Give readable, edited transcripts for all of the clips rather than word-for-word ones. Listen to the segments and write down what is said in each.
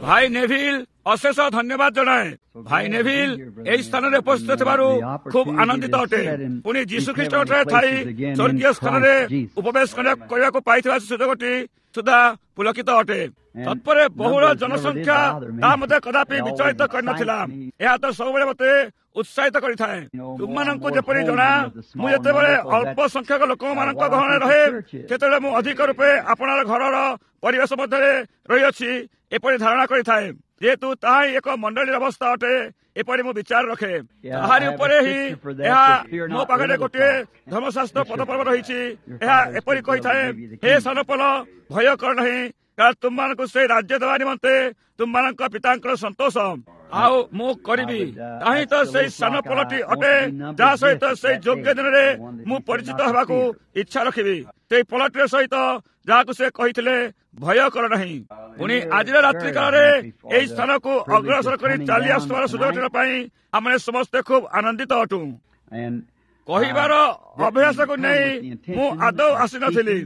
ଭାଇ ନେଭିଲ, ଅଶେଷ ଧନ୍ୟବାଦ ଜଣାଏ। ଭାଇ ନେଭିଲ ଏହି ସ୍ଥାନରେ ଉପସ୍ଥିତ ଥିବାରୁ ଖୁବ୍ ଆନନ୍ଦିତ ଅଟେ। ପୁଣି ଯୀଶୁ ଖ୍ରୀଷ୍ଟଙ୍କଠାରେ ଥାଇ ସ୍ୱର୍ଗୀୟ ସ୍ଥାନରେ ଉପବେଶ କରିବାକୁ ପାଇଥିବା ସୁଯୋଗଟି ସୁଦ୍ଧା ପୁଲକିତ ଅଟେ। ତତ୍ପରେ ବହୁଳ ଜନସଂଖ୍ୟା ତାହା ମୋତେ କଦାପି ବିଚଳିତ କରିନଥିଲା। ଏହା ତ ସବୁବେଳେ ମୋତେ ଉତ୍ସାହିତ କରିଥାଏ। ତୁମମାନଙ୍କୁ ଯେପରି ଜଣା, ମୁଁ ଯେତେବେଳେ ଅଳ୍ପ ସଂଖ୍ୟକ ଲୋକମାନଙ୍କ ଗହଣରେ ରହେ, ସେତେବେଳେ ମୁଁ ଅଧିକ ରୂପେ ଆପଣାର ଘରର ପରିବେଶ ମଧ୍ୟରେ ରହିଅଛି ଏପରି ଧାରଣା କରିଥାଏ। ଯେହେତୁ ତାହା ହିଁ ଏକ ମଣ୍ଡଳୀର ଅବସ୍ଥା ଅଟେ, ଏପରି ମୁଁ ବିଚାର ରଖେ। ତାହାରି ଉପରେ ହିଁ ଏହା ମୋ ପାଖରେ ଗୋଟିଏ ଧର୍ମଶାସ୍ତ୍ର ପଦପର୍ବ ରହିଛି। ଏହା ଏପରି କହିଥାଏ, ହେ ସାନପଲ, ଭୟ କର ନାହିଁ, କାରଣ ତୁମମାନଙ୍କୁ ସେଇ ରାଜ୍ୟ ଦେବା ନିମନ୍ତେ ତୁମମାନଙ୍କ ପିତାଙ୍କର ସନ୍ତୋଷ। ଆଉ ମୁଁ କରିବି ତାହିଁ ତ ସେଇ ସାନ ପଲଟି ଅଟେ, ଯାହା ସହିତ ସେଇ ଯୋଗ୍ୟ ଦିନରେ ମୁଁ ପରିଚିତ ହେବାକୁ ଇଚ୍ଛା ରଖିବି, ସେଇ ପଲଟିର ସହିତ ଯାହାକୁ ସେ କହିଥିଲେ, ଭୟ କର ନାହିଁ। ପୁଣି ଆଜିର ରାତ୍ରି କାଳରେ ଏହି ସ୍ଥାନକୁ ଅଗ୍ରସର କରି ଚାଲି ଆସୁଥିବାର ସୁଯୋଗଟିର ପାଇଁ ଆମେ ସମସ୍ତେ ଖୁବ୍ ଆନନ୍ଦିତ ଅଟୁ। କହିବାର ଅଭ୍ୟାସକୁ ନେଇ ମୁଁ ଆଦୌ ଆସିନଥିଲି।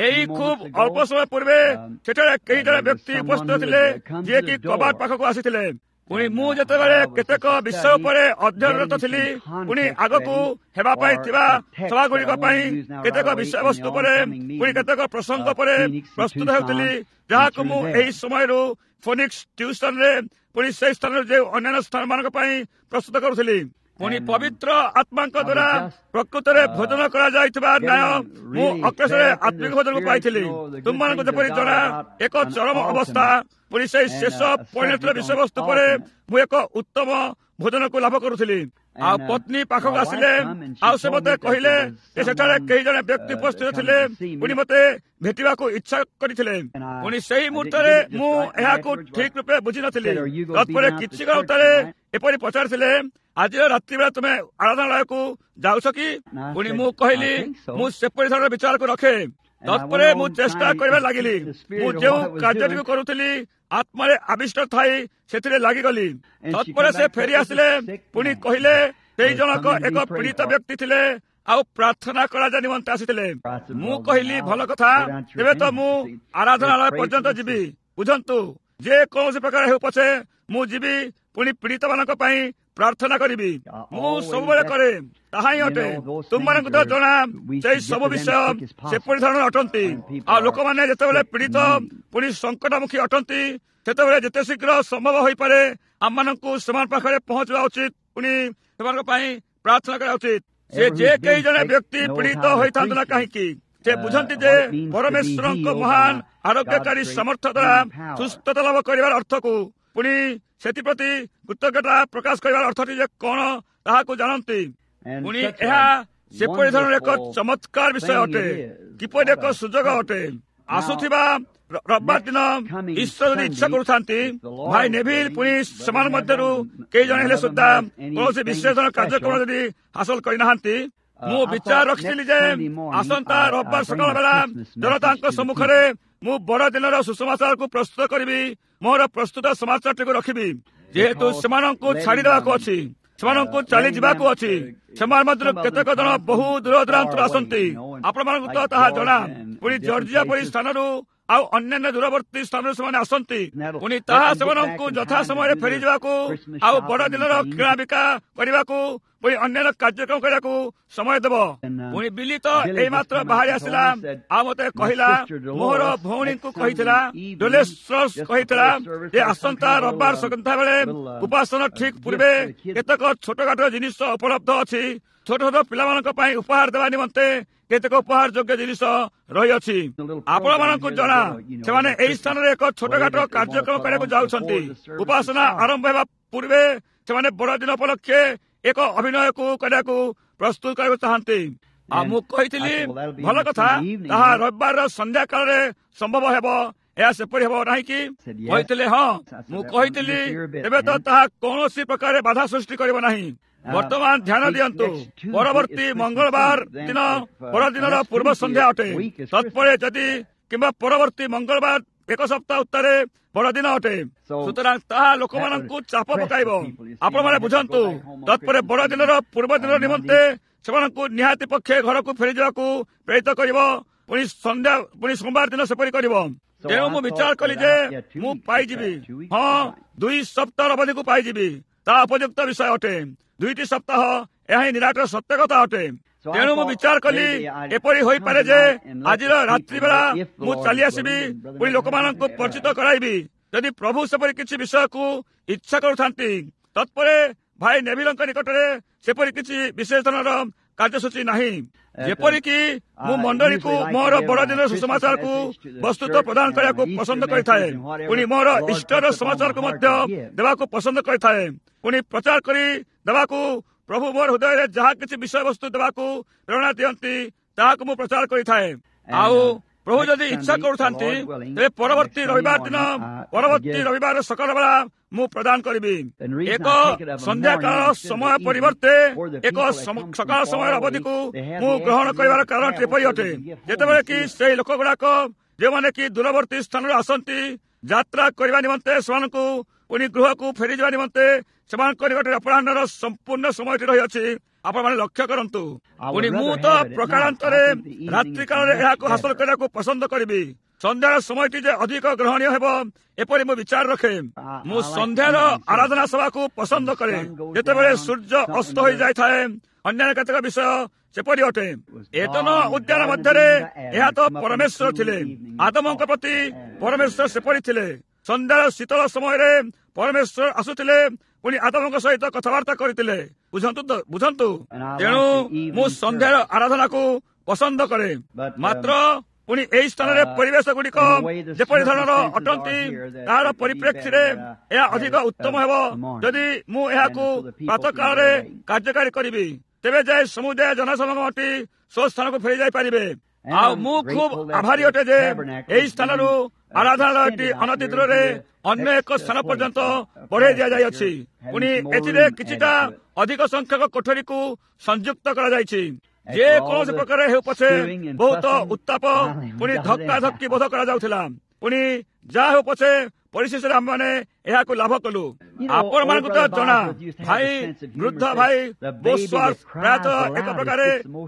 ଏଇ ଖୁବ୍ ଅଳ୍ପ ସମୟ ପୂର୍ବେ ସେଠାରେ କେହି ଜଣେ ବ୍ୟକ୍ତି ଉପସ୍ଥିତ ଥିଲେ, ଯିଏକି କବାଟ ପାଖକୁ ଆସିଥିଲେ। ପୁଣି ମୁଁ ଯେତେବେଳେ କେତେକ ବିଷୟ ଉପରେ ଅଧ୍ୟୟନରତ ଥିଲି, ପୁଣି ଆଗକୁ ହେବା ପାଇଁ ଥିବା ସଭାଗୁଡ଼ିକ ପାଇଁ କେତେକ ବିଷୟବସ୍ତୁ ଉପରେ, ପୁଣି କେତେକ ପ୍ରସଙ୍ଗ ଉପରେ ପ୍ରସ୍ତୁତ ହେଉଥିଲି, ଯାହାକୁ ମୁଁ ଏହି ସମୟରୁ ଫୋନିକ୍ସ ଟ୍ୟୁସନରେ ପୁଣି ସେହି ସ୍ଥାନରେ ଯେଉଁ ଅନ୍ୟାନ୍ୟ ସ୍ଥାନମାନଙ୍କ ପାଇଁ ପ୍ରସ୍ତୁତ କରୁଥିଲି। ପୁଣି ପବିତ୍ର ଆତ୍ମାଙ୍କ ଦ୍ୱାରା ପ୍ରକୃତରେ ଭୋଜନ କରାଯାଇଥିବା ନ୍ୟାୟ ମୁଁ ଅକ୍ଲେଶରେ ଆତ୍ମିକ ଭୋଜନକୁ ପାଇଥିଲି। ତୁମମାନଙ୍କୁ ଯେପରି ଜଣା, ଏକ ଚରମ ଅବସ୍ଥା, ପୁଣି ସେଇ ଶେଷ ପରିଣତିର ବିଷୟବସ୍ତୁ ପରେ ମୁଁ ଏକ ଉତ୍ତମ ଭୋଜନକୁ ଲାଭ କରୁଥିଲି। ଆଉ ପତ୍ନୀ ପାଖକୁ ଆସିଲେ, ଆଉ ସେ ମୋତେ କହିଲେ ଯେ ସେଠାରେ କେହି ଜଣେ ବ୍ୟକ୍ତି ଉପସ୍ଥିତ ଥିଲେ, ପୁଣି ମୋତେ ଭେଟିବାକୁ ଇଚ୍ଛା କରିଥିଲେ। ପୁଣି ସେଇ ମୁହୂର୍ତ୍ତରେ ମୁଁ ଏହାକୁ ଠିକ ରୂପେ ବୁଝିନଥିଲି। ତତ୍ପରେ କିଛି କ୍ଷଣ ଉତ୍ତାରେ ଏପରି ପଚାରିଥିଲେ, ଆଜିର ରାତ୍ରି ବେଳା ତୁମେ ଆରାଧନାଳୟକୁ ଯାଉଛ କି? ପୁଣି ମୁଁ କହିଲି, ମୁଁ ସେପରି ଧରଣର ବିଚାରକୁ ରଖେ। ତତ୍ପରେ ମୁଁ ଚେଷ୍ଟା କରିବା ଲାଗିଲି। ମୁଁ ଯେଉଁ କାର୍ଯ୍ୟଟିକୁ କରୁଥିଲି ଆତ୍ମାରେ ଆବିଷ୍ଟ ଥାଇ ସେଥିରେ ଲାଗିଗଲି। ତତ୍ପରେ ସେ ଫେରି ଆସିଲେ, ପୁଣି କହିଲେ, ସେଇ ଜଣକ ଏକ ପୀଡ଼ିତ ବ୍ୟକ୍ତି ଥିଲେ ଆଉ ପ୍ରାର୍ଥନା କରାଯିବା ନିମନ୍ତେ ଆସିଥିଲେ। ମୁଁ କହିଲି, ଭଲ କଥା, ତେବେ ତ ମୁଁ ଆରାଧନାଳୟ ପର୍ଯ୍ୟନ୍ତ ଯିବି। ବୁଝନ୍ତୁ, ଯେ କୌଣସି ପ୍ରକାର ହେଉ ପଛେ ମୁଁ ଯିବି, ପୁଣି ପୀଡ଼ିତ ମାନଙ୍କ ପାଇଁ ପ୍ରାର୍ଥନା କରିବି। ମୁଁ ସବୁବେଳେ କରେ, ତାହା ହିଁ ଅଟେ। ତୁମମାନଙ୍କୁ ତ ଜଣା, ସେଇ ସବୁ ବିଷୟ ସେପରି ଧରଣର ଅଟନ୍ତି। ଆଉ ଲୋକମାନେ ଯେତେବେଳେ ପୀଡ଼ିତ ପୁଣି ସଙ୍କଟମୁଖୀ ଅଟନ୍ତି, ସେତେବେଳେ ଯେତେ ଶୀଘ୍ର ସମ୍ଭବ ହୋଇପାରେ ଆମମାନଙ୍କୁ ସେମାନଙ୍କ ପାଖରେ ପହଞ୍ଚିବା ଉଚିତ, ପୁଣି ସେମାନଙ୍କ ପାଇଁ ପ୍ରାର୍ଥନା କରିବା ଉଚିତ। ସେ ଯେ କେହି ଜଣେ ବ୍ୟକ୍ତି ପୀଡ଼ିତ ହୋଇଥାନ୍ତୁ ନା କାହିଁକି, ସେ ବୁଝନ୍ତି ଯେ ପରମେଶ୍ୱରଙ୍କ ମହାନ ଆରୋଗ୍ୟକାରୀ ସାମର୍ଥ୍ୟ ଦ୍ୱାରା ସୁସ୍ଥତା ଲାଭ କରିବାର ଅର୍ଥକୁ, ପୁଣି ସେଥିପ୍ରତି କୃତଜ୍ଞତା ପ୍ରକାଶ କରିବାର ଅର୍ଥଟି ଯେ କଣ ତାହାକୁ ଜାଣନ୍ତି। ପୁଣି ଏହା ସେପରି ଧରଣର ଏକ ଚମତ୍କାର ବିଷୟ ଅଟେ, କିପରି ଏକ ସୁଯୋଗ ଅଟେ। ଆସୁଥିବା ରବିବାର ଦିନ ଈଶ୍ୱର ଯଦି ଇଚ୍ଛା କରୁଥାନ୍ତି, ଭାଇ ନେଭିଲ ପୁଣି ସେମାନଙ୍କ ମଧ୍ୟରୁ କେହି ଜଣେ ହେଲେ ସୁଦ୍ଧା କୌଣସି ବିଶେଷ କାର୍ଯ୍ୟକ୍ରମ ଯଦି ହାସଲ କରିନାହାନ୍ତି, ମୁଁ ବିଚାର ରଖିଥିଲି ଯେ ଆସନ୍ତା ରବିବାର ସକାଳ ବେଳା ଜନତାଙ୍କ ସମ୍ମୁଖରେ ମୁଁ ବଡ଼ଦିନର ସୁସମାଚାରକୁ ପ୍ରସ୍ତୁତ କରିବି, ମୋର ପ୍ରସ୍ତୁତ ସମାଚାରଟିକୁ ରଖିବି। ଯେହେତୁ ସେମାନଙ୍କୁ ଛାଡ଼ିଦେବାକୁ ଅଛି, ସେମାନଙ୍କୁ ଚାଲିଯିବାକୁ ଅଛି। ସେମାନେ ମଧ୍ୟରୁ କେତେକ ଜଣ ବହୁ ଦୂର ଦୂରାନ୍ତରୁ ଆସନ୍ତି, ଆପଣମାନଙ୍କୁ ତ ତାହା ଜଣା। ପୁଣି ଜର୍ଜିଆ ପରି ସ୍ଥାନରୁ ଆଉ ଅନ୍ୟାନ୍ୟ ଦୂରବର୍ତ୍ତୀ ସ୍ଥାନରୁ ସେମାନେ ଆସନ୍ତି। ପୁଣି ତାହା ସେମାନଙ୍କୁ ଯଥା ସମୟରେ ଫେରିଯିବାକୁ ଆଉ ବଡ଼ଦିନର କିଣାବିକା କରିବାକୁ, ପୁଣି ଅନ୍ୟାନ୍ୟ କାର୍ଯ୍ୟକ୍ରମ କରିବାକୁ ସମୟ ଦେବ। ପୁଣି ବିଲି ତ ଏଇମାତ୍ର ବାହାରି ଆସିଲା ଆଉ ମତେ କହିଲା, ମୋର ଭଉଣୀଙ୍କୁ କହିଥିଲା, ଡୋଲେସ୍ରସ୍ କହିଥିଲା ଯେ ଆସନ୍ତା ରବିବାର ସନ୍ଧ୍ୟାବେଳେ ଉପାସନା ଠିକ ପୂର୍ବେ କେତେକ ଛୋଟଖାଟ ଜିନିଷ ଉପଲବ୍ଧ ଅଛି, ଛୋଟ ଛୋଟ ପିଲାମାନଙ୍କ ପାଇଁ ଉପହାର ଦେବା ନିମନ୍ତେ କେତେକ ଉପହାର ଯୋଗ୍ୟ ଜିନିଷ ରହିଅଛି। ଆପଣମାନଙ୍କୁ ଜଣା, ସେମାନେ ଏହି ସ୍ଥାନରେ ଏକ ଛୋଟଖାଟ କାର୍ଯ୍ୟକ୍ରମ କରିବାକୁ ଯାଉଛନ୍ତି। ଉପାସନା ଆରମ୍ଭ ହେବା ପୂର୍ବେ ସେମାନେ ବଡ଼ଦିନ ଉପଲକ୍ଷେ ଏକ ଅଭିନୟକୁ କରିବାକୁ ପ୍ରସ୍ତୁତ କରିବାକୁ ଚାହାନ୍ତି। ଆଉ ମୁଁ କହିଥିଲି, ଭଲ କଥା, ତାହା ରବିବାରର ସନ୍ଧ୍ୟା କାଳରେ ସମ୍ଭବ ହେବ, ଏହା ସେପରି ହେବ ନାହିଁ କି? କହିଥିଲେ ହଁ। ମୁଁ କହିଥିଲି, ଏବେ ତ ତାହା କୌଣସି ପ୍ରକାର ବାଧା ସୃଷ୍ଟି କରିବ ନାହିଁ। ବର୍ତ୍ତମାନ ଧ୍ୟାନ ଦିଅନ୍ତୁ, ପରବର୍ତ୍ତୀ ମଙ୍ଗଳବାର ଦିନ ବଡ଼ଦିନର ପୂର୍ବ ସନ୍ଧ୍ୟା ଅଟେ। ତତ୍ପରେ ଯଦି କିମ୍ବା ପରବର୍ତ୍ତୀ ମଙ୍ଗଳବାର ଏକ ସପ୍ତାହ ଉତ୍ତାରେ ବଡ଼ଦିନ ଅଟେ। ସୁତରାଂ ତାହା ଲୋକମାନଙ୍କୁ ଚାପ ପକାଇବ। ଆପଣମାନେ ବୁଝନ୍ତୁ, ତତ୍ପରେ ବଡ଼ଦିନର ପୂର୍ବ ଦିନ ନିମନ୍ତେ ସେମାନଙ୍କୁ ନିହାତି ପକ୍ଷେ ଘରକୁ ଫେରିଯିବାକୁ ପ୍ରେରିତ କରିବ। ପୁଣି ସନ୍ଧ୍ୟା, ପୁଣି ସୋମବାର ଦିନ ସେପରି କରିବ। ତେଣୁ ମୁଁ ବିଚାର କଲି ଯେ ମୁଁ ପାଇଯିବି, ହଁ, 2 ସପ୍ତାହ ଅବଧିକୁ ପାଇଯିବି। ତା ଉପଯୁକ୍ତ ବିଷୟ ଅଟେ। 2ଟି ସପ୍ତାହ, ଏହା ହିଁ ନିରାଟ ସତ୍ୟ କଥା ଅଟେ। ତେଣୁ ମୁଁ ବିଚାର କଲି ଏପରି ହୋଇପାରେ ଯେ ଆଜିର ରାତ୍ରି ବେଳା ମୁଁ ଚାଲି ଆସିବି, ପୁଣି ଲୋକମାନଙ୍କୁ ପରିଚିତ କରାଇବି, ଯଦି ପ୍ରଭୁ ସେପରି କିଛି ବିଷୟକୁ ଇଚ୍ଛା କରୁଥାନ୍ତି। ତତ୍ପରେ ଭାଇ ନେଭିଲଙ୍କ ନିକଟରେ ସେପରି କିଛି ବିଶେଷ ଧରଣର କାର୍ଯ୍ୟସୂଚୀ ନାହିଁ, ଯେପରିକି ମୁଁ ମଣ୍ଡଳୀକୁ ମୋର ବଡ଼ଦିନର ସୁସମାଚାରକୁ ବସ୍ତୁତ ପ୍ରଦାନ କରିବାକୁ ପସନ୍ଦ କରିଥାଏ, ପୁଣି ମୋର ଇଷ୍ଟର ସମାଚାରକୁ ମଧ୍ୟ ଦେବାକୁ ପସନ୍ଦ କରିଥାଏ, ପୁଣି ପ୍ରଚାର କରି ଦେବାକୁ ପ୍ରଭୁ ମୋର ହୃଦୟରେ ଯାହା କିଛି ବିଷୟବସ୍ତୁ ଦେବାକୁ ପ୍ରେରଣା ଦିଅନ୍ତି ତାହାକୁ ମୁଁ ପ୍ରଚାର କରିଥାଏ। ଆଉ ପ୍ରଭୁ ଯଦି ଇଚ୍ଛା କରୁଥାନ୍ତି ତେବେ ପରବର୍ତ୍ତୀ ରବିବାର ଦିନ, ପରବର୍ତ୍ତୀ ରବିବାର ସକାଳ ବେଳା ମୁଁ ପ୍ରଦାନ କରିବି। ଏକ ସନ୍ଧ୍ୟାକାଳ ସମୟ ପରିବର୍ତ୍ତେ ଏକ ସକାଳ ସମୟର ଅବଧିକୁ ମୁଁ ଗ୍ରହଣ କରିବାର କାରଣ ଏପରି ଅଟେ, ଯେତେବେଳେ କି ସେଇ ଲୋକ ଗୁଡାକ ଯେଉଁମାନେ କି ଦୂରବର୍ତ୍ତୀ ସ୍ଥାନରୁ ଆସନ୍ତି ଯାତ୍ରା କରିବା ନିମନ୍ତେ, ସେମାନଙ୍କୁ ପୁଣି ଗୃହକୁ ଫେରିଯିବା ନିମନ୍ତେ ସେମାନଙ୍କ ନିକଟରେ ଅପରାହ୍ନର ସମ୍ପୂର୍ଣ୍ଣ ସମୟଟି ରହିଅଛି। ଆପଣମାନେ ଲକ୍ଷ୍ୟ କରନ୍ତୁ। ପୁଣି ମୁଁ ତ ପ୍ରକାରାନ୍ତରେ ରାତ୍ରିକାଳରେ ଏହାକୁ ହାସଲ କରିବାକୁ ପସନ୍ଦ କରିବି। ସନ୍ଧ୍ୟାର ସମୟଟି ଯେ ଅଧିକ ଗ୍ରହଣୀୟ ହେବ ଏପରି ମୁଁ ବିଚାର ରଖେ। ମୁଁ ସନ୍ଧ୍ୟାର ଆରାଧନା ସଭାକୁ ପସନ୍ଦ କରେ, ଯେତେବେଳେ ସୂର୍ଯ୍ୟ ଅସ୍ତ ହୋଇଯାଇଥାଏ। ଅନ୍ୟାନ୍ୟ କେତେକ ବିଷୟ ସେପରି ଅଟେ। ଏଦନ ଉଦ୍ୟାନ ମଧ୍ୟରେ ଏହା ତ ପରମେଶ୍ୱର ଥିଲେ, ଆଦମଙ୍କ ପ୍ରତି ପରମେଶ୍ୱର ସେପରି ଥିଲେ। ସନ୍ଧ୍ୟାର ଶୀତଳ ସମୟରେ ପରମେଶ୍ୱର ଆସୁଥିଲେ, ପୁଣି ଆଦମଙ୍କ ସହିତ କଥାବାର୍ତ୍ତା କରିଥିଲେ। ବୁଝନ୍ତୁ। ତେଣୁ ମୁଁ ସନ୍ଧ୍ୟାର ଆରାଧନାକୁ ପସନ୍ଦ କରେ। ମାତ୍ର ପୁଣି ଏହି ସ୍ଥାନରେ ପରିବେଶ ଗୁଡ଼ିକ ଯେପରି ଧରଣର ଅଟନ୍ତି ତାହାର ପରିପ୍ରେକ୍ଷୀରେ ଏହା ଅଧିକ ଉତ୍ତମ ହେବ ଯଦି ମୁଁ ଏହାକୁ ପ୍ରାତଃକାଳରେ କାର୍ଯ୍ୟକାରୀ କରିବି। ତେବେ ଯାଇ ସମୁଦାୟ ଜନସମାଗମଟି ସ୍ୱସ୍ଥାନକୁ ଫେରି ଯାଇପାରିବେ। ଆଉ ମୁଁ ଖୁବ୍ ଆଭାରୀ ଅଟେ ଯେ ଏହି ସ୍ଥାନରୁ ଆରାଧନାଳୟଟି ଅନତି ଦୂରରେ ଅନ୍ୟ ଏକ ସ୍ଥାନ ପର୍ଯ୍ୟନ୍ତ ବଢ଼େଇ ଦିଆଯାଇଅଛି। ପୁଣି ଏଥିରେ କିଛିଟା ଅଧିକ ସଂଖ୍ୟକ କୋଠରୀକୁ ସଂଯୁକ୍ତ କରାଯାଇଛି। ଯେ କୌଣସି ପ୍ରକାର ହେଉ ପଛେ ବହୁତ ଉତ୍ତାପ ପୁଣି ଧକ୍କା ଧକ୍କି ବୋଧ କରାଯାଉଥିଲା। ପୁଣି ଯାହା ହେଉ ପଛେ ପରିଶେଷରେ ଆମେମାନେ ଏହାକୁ ଲାଭ କଲୁ। ଆପଣମାନଙ୍କୁ ତ ଜଣା, ଭାଇ ବୃଦ୍ଧ ଭାଇ ବୋସ୍ୱାର୍ଥ ପ୍ରାୟତଃ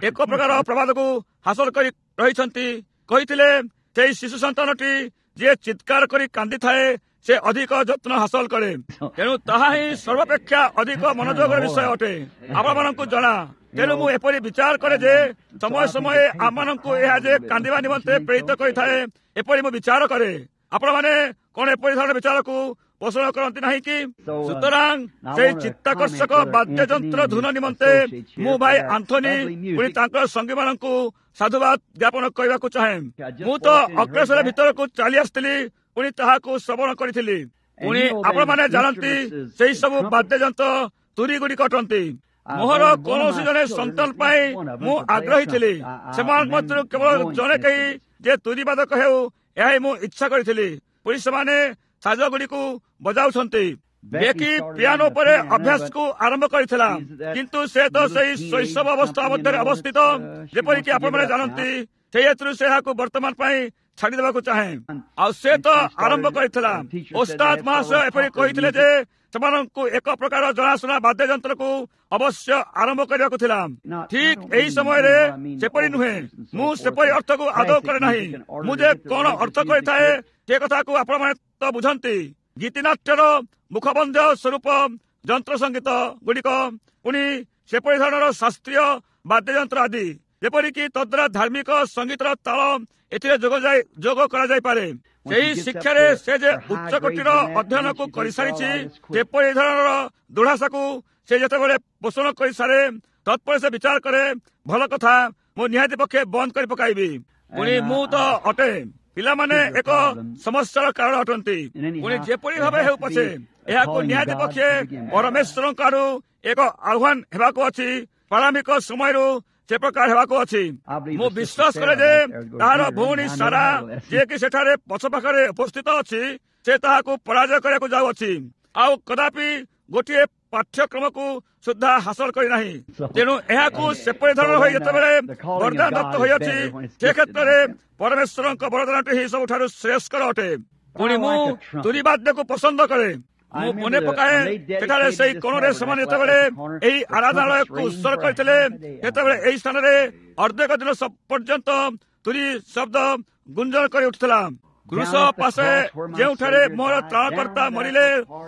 ଏକ ପ୍ରକାର ପ୍ରବାଦକୁ ହାସଲ କରି ରହିଛନ୍ତି। କହିଥିଲେ ସେଇ ଶିଶୁ ସନ୍ତାନଟି ଯିଏ ଚିତ୍କାର କରି କାନ୍ଦିଥାଏ ସେ ଅଧିକ ଯତ୍ନ ହାସଲ କରେ। ତେଣୁ ତାହା ହିଁ ସର୍ବାପେକ୍ଷା ଅଧିକ ମନୋଯୋଗର ବିଷୟ ଅଟେ। ଆପଣମାନଙ୍କୁ ଜଣା। ତେଣୁ ମୁଁ ଏପରି ବିଚାର କରେ ଯେ ସମୟ ସମୟେ ଆମମାନଙ୍କୁ ଏହା ଯେ କାନ୍ଦିବା ନିମନ୍ତେ ପ୍ରେରିତ କରିଥାଏ ଏପରି ମୁଁ ବିଚାର କରେ। ଆପଣମାନେ କଣ ଏପରି ଧରଣର ବିଚାରକୁ ପୋଷଣ କରନ୍ତି ନାହିଁ କି? ସୁତରାଂ ସେଇ ଚିତ୍ତାକର୍ଷକ ବାଦ୍ୟଯନ୍ତ୍ର ଧୁନ ନିମନ୍ତେ ମୁଁ ଭାଇ ଆନ୍ଥୋନି ପୁଣି ତାଙ୍କର ସଙ୍ଗୀମାନଙ୍କୁ ସାଧୁବାଦ ଜ୍ଞାପନ କରିବାକୁ ଚାହେଁ। ମୁଁ ତ ଅଗ୍ରସର ଭିତରକୁ ଚାଲି ଆସିଥିଲି, ପୁଣି ତାହାକୁ ଶ୍ରବଣ କରିଥିଲି। ପୁଣି ଆପଣମାନେ ଜାଣନ୍ତି ସେଇ ସବୁ ବାଦ୍ୟଯନ୍ତ୍ର ତୁରୀ ଗୁଡ଼ିକ ଅଟନ୍ତି। ମୋହର କୌଣସି ଜଣେ ସନ୍ତାନ ପାଇଁ ମୁଁ ଆଗ୍ରହୀ ଥିଲି। ସେମାନଙ୍କ ମଧ୍ୟରୁ କେବଳ ଜଣେ କେହି ଯେ ତୁରୀବାଦକ ହେଉ ଏହା ହିଁ ମୁଁ ଇଚ୍ଛା କରିଥିଲି। ପୁଣି ସେମାନେ ସାଜ ଗୁଡ଼ିକୁ ବଜାଉଛନ୍ତି। ବେକି ପିଆନୋ ଉପରେ ଅଭ୍ୟାସକୁ ଆରମ୍ଭ କରିଥିଲା, କିନ୍ତୁ ସେ ତ ସେଇ ଶୈଶବ ଅବସ୍ଥା ମଧ୍ୟରେ ଅବସ୍ଥିତ, ଯେପରିକି ଆପଣମାନେ ଜାଣନ୍ତି। ସେଇ ହେତୁରୁ ସେ ଏହାକୁ ବର୍ତ୍ତମାନ ପାଇଁ ଛାଡ଼ିଦେବାକୁ ଚାହେଁ। ଆଉ ସେ ତ ଆରମ୍ଭ କରିଥିଲା। ଓସ୍ତାଦ ମହାଶୟ ଏପରି କହିଥିଲେ ଯେ ସେମାନଙ୍କୁ ଏକ ପ୍ରକାର ଜଣାଶୁଣା ବାଦ୍ୟଯନ୍ତ୍ରକୁ ଅବଶ୍ୟ ଆରମ୍ଭ କରିବାକୁ ଥିଲା। ଠିକ୍ ଏହି ସମୟରେ ସେପରି ନୁହେଁ। ମୁଁ ସେପରି ଅର୍ଥକୁ ଆଦୌ କରେ ନାହିଁ। ମୁଁ ଯେ କଣ ଅର୍ଥ କରିଥାଏ ସେ କଥାକୁ ଆପଣମାନେ ତ ବୁଝନ୍ତି। ଗୀତିନାଟ୍ୟର ମୁଖବନ୍ଧ ସ୍ୱରୂପ ଯନ୍ତ୍ର ସଙ୍ଗୀତ ଗୁଡ଼ିକ, ପୁଣି ସେପରି ଧରଣର ଶାସ୍ତ୍ରୀୟ ବାଦ୍ୟଯନ୍ତ୍ର ଆଦି, ଯେପରିକି ତଦ୍ୱାରା ଧାର୍ମିକ ସଙ୍ଗୀତର ତାଳ ଏଥିରେ ଯୋଗ କରାଯାଇପାରେ। ସେହି ଶିକ୍ଷାରେ ସେ ଯେ ଉଚ୍ଚକୋଟୀର ଅଧ୍ୟୟନକୁ କରିସାରିଛି, ସେପରି ଧରଣର ଦୃଢ଼ାଶାକୁ ସେ ଯେତେବେଳେ ପୋଷଣ କରିସାରେ ତତ୍ପରେ ସେ ବିଚାର କରେ, ଭଲ କଥା, ମୁଁ ନିହାତି ପକ୍ଷେ ବନ୍ଦ କରି ପକାଇବି। ପୁଣି ମୁଁ ତ ଅଟେ। ପିଲାମାନେ ଏକ ସମସ୍ୟାର କାରଣ ଅଟନ୍ତି। ପୁଣି ଯେପରି ଭାବେ ହେଉ ପଛେ ଏହାକୁ ନିହାତି ପକ୍ଷେ ପରମେଶ୍ୱରଙ୍କ ଆଡୁ ଏକ ଆହ୍ୱାନ ହେବାକୁ ଅଛି। ପ୍ରାରମ୍ଭିକ ସମୟରୁ ସେ ପ୍ରକାର ହେବାକୁ ଅଛି। ମୁଁ ବିଶ୍ୱାସ କରେ ଯେ ତାହାର ଭଉଣୀ ସାରା, ଯିଏକି ସେଠାରେ ପଛ ପାଖରେ ଉପସ୍ଥିତ ଅଛି, ସେ ତାହାକୁ ପରାଜୟ କରିବାକୁ ଯାଉଅଛି। ଆଉ କଦାପି ଗୋଟିଏ ପାଠ୍ୟକ୍ରମକୁ ସୁଦ୍ଧା ହାସଲ କରିନାହିଁ। ତେଣୁ ଏହାକୁ ସେପରି ଧରଣର ହୋଇ ଯେତେବେଳେ ବରଦାନ ଦତ୍ତ ହୋଇଅଛି, ସେ କ୍ଷେତ୍ରରେ ପରମେଶ୍ୱରଙ୍କ ବରଦାନଟି ହିଁ ସବୁଠାରୁ ଶ୍ରେୟସ୍କର ଅଟେ। ପୁଣି ମୁଁ ତୁରୀବାଦ୍ୟକୁ ପସନ୍ଦ କରେ। ମୁଁ ମନେ ପକାଏ ସେଠାରେ ସେଇ କୋଣରେ ସେମାନେ ଯେତେବେଳେ ଏହି ଆରାଧନାଳୟକୁ ଉତ୍ସର୍ଗ କରିଥିଲେ, ସେତେବେଳେ ଏହି ସ୍ଥାନରେ ଅର୍ଦ୍ଧେକ ଦିନ ପର୍ଯ୍ୟନ୍ତ ତୁରୀ ଶବ୍ଦ ଗୁଞ୍ଜନ କରି ଉଠୁଥିଲା। କ୍ରୁଶ ପାଶେ ଯେଉଁଠାରେ ମୋର ତ୍ରାଣକର୍ତ୍ତା ମରିଲେ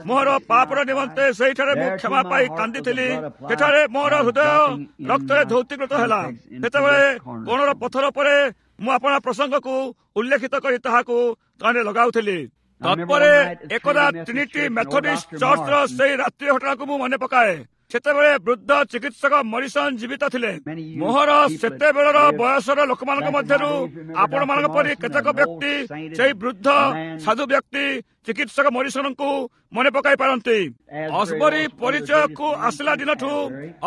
ମୋର ପାପର ନିମନ୍ତେ, ସେଇଠାରେ ମୁଁ କ୍ଷମା ପାଇ କାନ୍ଦିଥିଲି। ସେଠାରେ ମୋର ହୃଦୟ ରକ୍ତରେ ଧୌତିକୃତ ହେଲା। ସେତେବେଳେ କୋଣର ପଥର ପରେ ମୁଁ ଆପଣା ପ୍ରସଙ୍ଗକୁ ଉଲ୍ଲେଖିତ କରି ତାହାକୁ ତହିଁରେ ଲଗାଉଥିଲି। ତତ୍ପରେ ଏକଦା ଟ୍ରିନିଟି ମେଥଡିଷ୍ଟ ଚର୍ଚ୍ଚର ସେଇ ରାତ୍ରି ଘଟଣାକୁ ମୁଁ ମନେ ପକାଏ। ସେତେବେଳେ ବୃଦ୍ଧ ଚିକିତ୍ସକ ମରିସନ ଜୀବିତ ଥିଲେ। ମୋହର ସେତେବେଳର ବୟସର ଲୋକମାନଙ୍କ ମଧ୍ୟରୁ ଆପଣମାନଙ୍କ ପରି କେତେକ ବ୍ୟକ୍ତି ସେଇ ବୃଦ୍ଧ ସାଧୁ ବ୍ୟକ୍ତି ଚିକିତ୍ସକ ମରିସନଙ୍କୁ ମନେ ପକାଇ ପାରନ୍ତି। ଅସବରୀ ପରିଚୟକୁ ଆସିଲା ଦିନଠୁ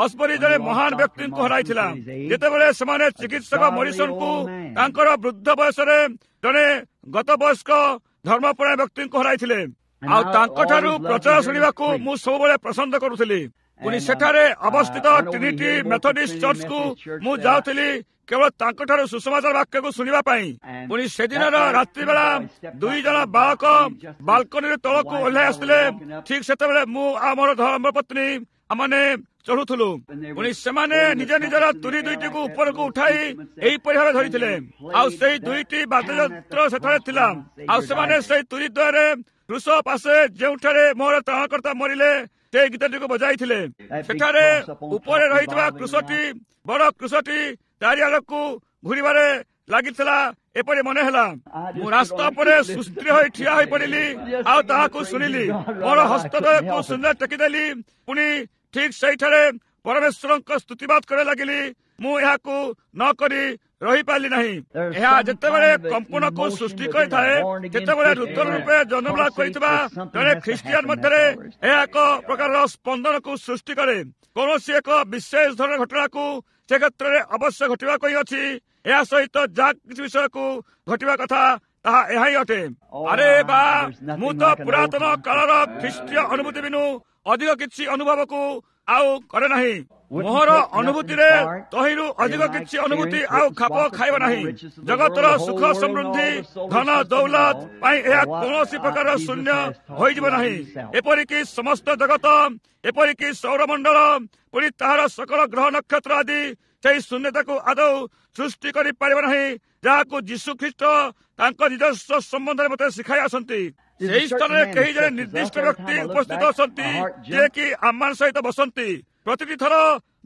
ଅସବରୀ ଜଣେ ମହାନ ବ୍ୟକ୍ତିଙ୍କୁ ହରାଇଥିଲା। ଯେତେବେଳେ ସେମାନେ ଚିକିତ୍ସକ ମରିସନଙ୍କୁ ତାଙ୍କର ବୃଦ୍ଧ ବୟସରେ ଜଣେ ଗତ ବୟସ୍କ ଧର୍ମପରାୟଣ ବ୍ୟକ୍ତିଙ୍କୁ ହରାଇଥିଲେ। ଆଉ ତାଙ୍କଠାରୁ ପ୍ରଚାର ଶୁଣିବାକୁ ମୁଁ ସବୁବେଳେ ପସନ୍ଦ କରୁଥିଲି। ପୁଣି ସେଠାରେ ଅବସ୍ଥିତ ଟ୍ରିନିଟି ମେଥଡିଷ୍ଟ ଚର୍ଚ୍ଚକୁ ମୁଁ ଯାଉଥିଲି କେବଳ ତାଙ୍କଠାରୁ ସୁସମାଚାର ବାକ୍ୟକୁ ଶୁଣିବା ପାଇଁ। ପୁଣି ସେଦିନର ରାତ୍ରିବେଳା 2 ଜଣ ବାଳକ ବାଲକୋନିରୁ ତଳକୁ ଓହ୍ଲାଇ ଆସିଥିଲେ। ଠିକ ସେତେବେଳେ ମୁଁ ଆଉ ମୋର ଧର୍ମପତ୍ନୀ ଆମମାନେ ଚଢୁଥିଲୁ। ପୁଣି ସେମାନେ ନିଜ ନିଜର ତୁରୀ ଦୁଇଟିକୁ ଉପରକୁ ଉଠାଇ ଏହିପରି ଭାବେ ଧରିଥିଲେ। ଆଉ ସେଇ ଦୁଇଟି ବାଦ୍ୟଯନ୍ତ୍ର ସେଠାରେ ଥିଲା। ଆଉ ସେମାନେ ସେଇ ତୁରୀ ଦ୍ୱୟରେ କ୍ରୁଶ ପାଶେ ଯେଉଁଠାରେ ମୋର ତ୍ରାଣକର୍ତ୍ତା ମରିଲେ ସେ ଗୀତଟିକୁ ବଜାଇଥିଲେ। ସେଠାରେ ଉପରେ ରହିଥିବା କ୍ରୁଶଟି, ବଡ କ୍ରୁଶଟି ଚାରିଆଡ଼କୁ ଘୁରିବାରେ ଲାଗିଥିଲା ଏପରି ମନେ ହେଲା। ମୁଁ ରାସ୍ତା ଉପରେ ସୁସ୍ଥିର ହୋଇ ଠିଆ ହୋଇ ପଡିଲି ଆଉ ତାହାକୁ ଶୁଣିଲି। ମୋର ହସ୍ତଦ୍ୱୟକୁ ଶୂନ୍ୟ ଟେକିଦେଲି। ପୁଣି ଠିକ ସେଇଠାରେ ପରମେଶ୍ୱରଙ୍କ ସ୍ତୁତିବାଦ କରିବାକୁ ଲାଗିଲି। ମୁଁ ଏହାକୁ ନ କରି ରହିପାରିଲି ନାହିଁ। ଏହା ଯେତେବେଳେ କମ୍ପନକୁ ସୃଷ୍ଟି କରିଥାଏ, ସେତେବେଳେ ନୂତନ ରୂପେ ଜନ୍ମଲାଭ କରିଥିବା ଜଣେ ଖ୍ରୀଷ୍ଟିଆନ ମଧ୍ୟରେ ଏହା ଏକ ପ୍ରକାରର ସ୍ପନ୍ଦନକୁ ସୃଷ୍ଟି କରେ। କୌଣସି ଏକ ବିଶେଷ ଧରଣର ଘଟଣାକୁ ସେ କ୍ଷେତ୍ରରେ ଅବଶ୍ୟ ଘଟିବାକୁ ହିଁ ଅଛି। ଏହା ସହିତ ଯାହା କିଛି ବିଷୟକୁ ଘଟିବା କଥା ତାହା ଏହା ହିଁ ଅଟେ। ଆରେ ବା, ମୁଁ ତ ପୁରାତନ କାଳର ଖ୍ରୀଷ୍ଟୀୟ ଅନୁଭୂତି ବିନୁ ଅଧିକ କିଛି ଅନୁଭବକୁ ଆଉ କରେ ନାହିଁ। ମୋହର ଅନୁଭୂତିରେ ତହିଁରୁ ଅଧିକ କିଛି ଅନୁଭୂତି ଆଉ ଖାପ ଖାଇବ ନାହିଁ। ଜଗତର ସୁଖ ସମୃଦ୍ଧି, ଧନ ଦୌଲତ ପାଇଁ ଏହା କୌଣସି ପ୍ରକାର ଶୂନ୍ୟ ହୋଇଯିବ ନାହିଁ। ଏପରିକି ସମସ୍ତ ଜଗତ, ଏପରିକି ସୌରମଣ୍ଡଳ, ପୁଣି ତାହାର ସକଳ ଗ୍ରହ ନକ୍ଷତ୍ର ଆଦି ସେହି ଶୂନ୍ୟତାକୁ ଆଦୌ ସୃଷ୍ଟି କରିପାରିବ ନାହିଁ, ଯାହାକୁ ଯୀଶୁ ଖ୍ରୀଷ୍ଟ ତାଙ୍କ ନିଜସ୍ୱ ସମ୍ବନ୍ଧରେ ମୋତେ ଶିଖାଇ ଆସନ୍ତି। ସେହି ସ୍ଥାନରେ କେହି ଜଣେ ନିର୍ଦ୍ଦିଷ୍ଟ ବ୍ୟକ୍ତି ଉପସ୍ଥିତ ଅଛନ୍ତି, ଯିଏକି ଆମମାନ ସହିତ ବସନ୍ତି। ପ୍ରତିଟି ଥର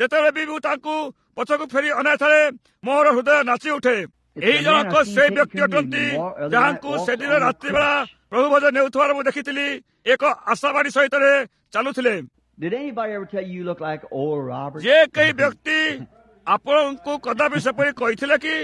ଯେତେବେଳେ ବି ମୁଁ ତାଙ୍କୁ ପଛକୁ ଫେରି ଅନାଇଥାଏ, ମୋର ହୃଦୟ ନାଚି ଉଠେ। ଏହି ଜଣକ ସେ ବ୍ୟକ୍ତି ଅଟନ୍ତି ଯାହାଙ୍କୁ ସେଦିନ ରାତ୍ରିବେଳା ପ୍ରଭୁ ଭୋଜ ନେଉଥିବାର ମୁଁ ଦେଖିଥିଲି, ଏକ ଆଶାବାଡି ସହିତ ଚାଲୁଥିଲେ। ଯେ କେହି ବ୍ୟକ୍ତି ଆପଣଙ୍କୁ କଦାପି ସେପରି କହିଥିଲେ କି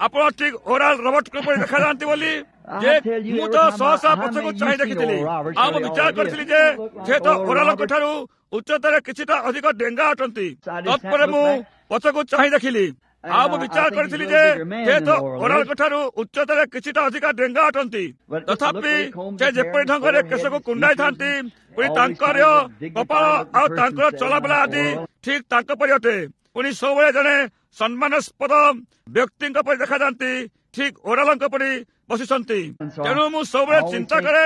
ଆପଣ ଠିକ ଓରାଲ ରବର୍ଟଙ୍କ ପରି ଦେଖାଯାଆନ୍ତି ବୋଲି? ଯେ ମୁଁ ତ ଶହ ଶହ ପଛକୁ ଚାହିଁ ଦେଖିଥିଲି ଆଉ ମୁଁ ବିଚାର କରିଥିଲି ଯେ ସେ ତ ଓରାଲଙ୍କ ଠାରୁ ଉଚ୍ଚତାରେ କିଛିଟା ଅଧିକ ଡେଙ୍ଗା ଅଟନ୍ତି। ତତ୍ପରେ ମୁଁ ପଛକୁ ଚାହିଁ ଦେଖିଲି ଆଉ ମୁଁ ବିଚାର କରିଥିଲି ଯେ ସେ ତ ଓରାଲଙ୍କ ଠାରୁ ଉଚ୍ଚତାରେ କିଛିଟା ଅଧିକା ଡେଙ୍ଗା ଅଟନ୍ତି। ତଥାପି ସେ ଯେପରି ଢଙ୍ଗରେ କେଶକୁ କୁଣ୍ଡାଇଥାନ୍ତି, ପୁଣି ତାଙ୍କର କପାଳ ଆଉ ତାଙ୍କର ଚଲାବୁଲା ଆଦି ଠିକ ତାଙ୍କ ପରି ଅଟେ। ପୁଣି ସବୁବେଳେ ଜଣେ ସମ୍ମାନାସ୍ପଦ ବ୍ୟକ୍ତିଙ୍କ ପରି ଦେଖାଯାଆନ୍ତି, ଠିକ ଓରାଲଙ୍କ ପରି ବସିଛନ୍ତି। ତେଣୁ ମୁଁ ସବୁବେଳେ ଚିନ୍ତା କରେ,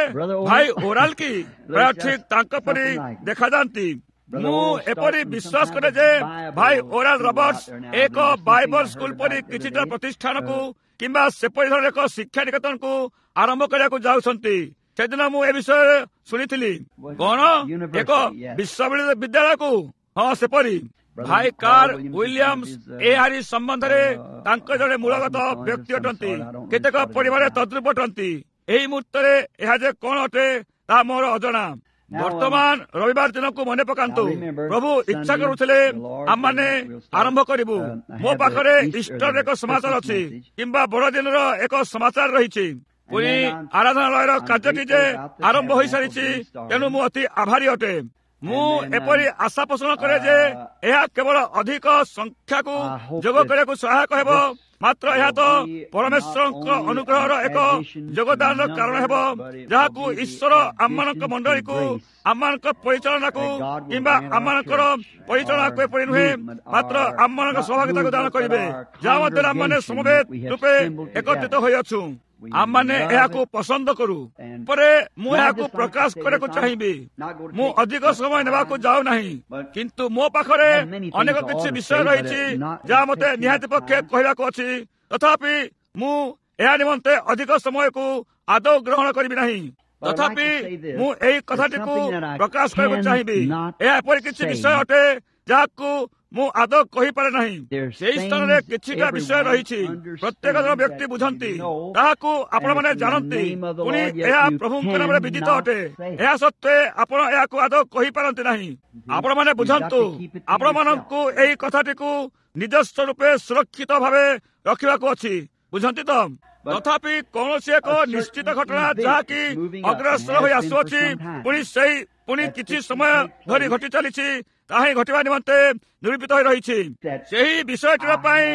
ଭାଇ ଓରାଲ କି ପ୍ରାୟ ଠିକ ତାଙ୍କ ପରି ଦେଖାଯାଆନ୍ତି। ମୁଁ ଏପରି ବିଶ୍ୱାସ କରେ ଯେ ଭାଇ ଓରାଲ ରବର୍ଟସ ଏକ ବାଇବଲ ସ୍କୁଲ ପରି କିଛିଟା ପ୍ରତିଷ୍ଠାନକୁ କିମ୍ବା ସେପରି ଧରଣର ଏକ ଶିକ୍ଷା ନିକେତନକୁ ଆରମ୍ଭ କରିବାକୁ ଯାଉଛନ୍ତି। ସେଦିନ ମୁଁ ଏ ବିଷୟରେ ଶୁଣିଥିଲି। କଣ ଏକ ବିଶ୍ୱବିଦ୍ୟାଳୟକୁ? ହଁ, ସେପରି। ଭାଇ କାର ୱିଲିୟମ୍ସ ଏହାରି ସମ୍ବନ୍ଧରେ ତାଙ୍କ ଜଣେ ମୂଳଗତ ବ୍ୟକ୍ତି ଅଟନ୍ତି। କେତେକ ପରିବାରରେ ତଦ୍ରୂପ ଅଟନ୍ତି। ଏହି ମୁହୂର୍ତ୍ତରେ ଏହା ଯେ କଣ ଅଟେ ତାହା ମୋର ଅଜଣା। ବର୍ତ୍ତମାନ ରବିବାର ଦିନକୁ ମନେ ପକାନ୍ତୁ। ପ୍ରଭୁ ଇଚ୍ଛା କରୁଥିଲେ ଆମମାନେ ଆରମ୍ଭ କରିବୁ। ମୋ ପାଖରେ ଇଷ୍ଟର ଏକ ସମାଚାର ଅଛି କିମ୍ବା ବଡ଼ଦିନର ଏକ ସମାଚାର ରହିଛି। ପୁଣି ଆରାଧନାଳୟର କାର୍ଯ୍ୟଟି ଯେ ଆରମ୍ଭ ହୋଇସାରିଛି, ତେଣୁ ମୁଁ ଅତି ଆଭାରୀ ଅଟେ। ମୁଁ ଏପରି ଆଶା ପୋଷଣ କରେ ଯେ ଏହା କେବଳ ଅଧିକ ସଂଖ୍ୟାକୁ ଯୋଗ କରିବାକୁ ସହାୟକ ହେବ, ମାତ୍ର ଏହା ତ ପରମେଶ୍ୱରଙ୍କ ଅନୁଗ୍ରହର ଏକ ଯୋଗଦାନର କାରଣ ହେବ, ଯାହାକୁ ଈଶ୍ୱର ଆମମାନଙ୍କ ମଣ୍ଡଳୀକୁ, ଆମମାନଙ୍କ ପରିଚାଳନାକୁ କିମ୍ବା ଆମମାନଙ୍କର ପରିଚାଳନାକୁ ଏପରି ନୁହେଁ, ମାତ୍ର ଆମମାନଙ୍କ ସହଭାଗିତାକୁ ଦାନ କରିବେ, ଯାହା ମଧ୍ୟରେ ଆମମାନେ ସମବେତ ରୂପେ ଏକତ୍ରିତ ହୋଇଅଛୁ। ଆମମାନେ ଏହାକୁ ପସନ୍ଦ କରୁ। ପରେ ମୁଁ ଏହାକୁ ପ୍ରକାଶ କରିବାକୁ ଚାହିଁବି। ମୁଁ ଅଧିକ ସମୟ ନେବାକୁ ଯାଉନାହିଁ, କିନ୍ତୁ ମୋ ପାଖରେ ଅନେକ କିଛି ବିଷୟ ରହିଛି ଯାହା ମତେ ନିହାତି ପକ୍ଷେ କହିବାକୁ ଅଛି। ତଥାପି ମୁଁ ଏହା ନିମନ୍ତେ ଅଧିକ ସମୟକୁ ଆଦୌ ଗ୍ରହଣ କରିବି ନାହିଁ। ତଥାପି ମୁଁ ଏହି କଥାଟିକୁ ପ୍ରକାଶ କରିବାକୁ ଚାହିଁବି। ଏହା ଏପରି କିଛି ବିଷୟ ଅଟେ ଯାହାକୁ ମୁଁ ଆଦୌ କହିପାରେ ନାହିଁ। ସେହି ସ୍ଥାନରେ କିଛିଟା ବିଷୟ ରହିଛି, ପ୍ରତ୍ୟେକ ଜଣ ବ୍ୟକ୍ତି ବୁଝନ୍ତି, ତାହାକୁ ଆପଣମାନେ ଜାଣନ୍ତି। ପୁଣି ଏହା ପ୍ରଭୁଙ୍କ ନାମରେ ବିଦିତ ଅଟେ। ଏହା ସତ୍ତ୍ୱେ ଆପଣ ଏହାକୁ ଆଦୌ କହିପାରନ୍ତି ନାହିଁ। ଆପଣମାନେ ବୁଝନ୍ତୁ, ଆପଣମାନଙ୍କୁ ଏହି କଥାଟିକୁ ନିଜସ୍ୱ ରୂପେ ସୁରକ୍ଷିତ ଭାବେ ରଖିବାକୁ ଅଛି। ବୁଝନ୍ତି ତ? ତଥାପି କୌଣସି ଏକ ନିଶ୍ଚିତ ଘଟଣା ଯାହାକି ଅଗ୍ରସର ହୋଇ ଆସୁଅଛି, ପୁଣି ସେଇ ପୁଣି କିଛି ସମୟ ଧରି ଘଟି ଚାଲିଛି, ତାହା ହିଁ ଘଟିବା ନିମନ୍ତେ ନିରୂପିତ ହୋଇ ରହିଛି। ସେହି ବିଷୟଟିର ପାଇଁ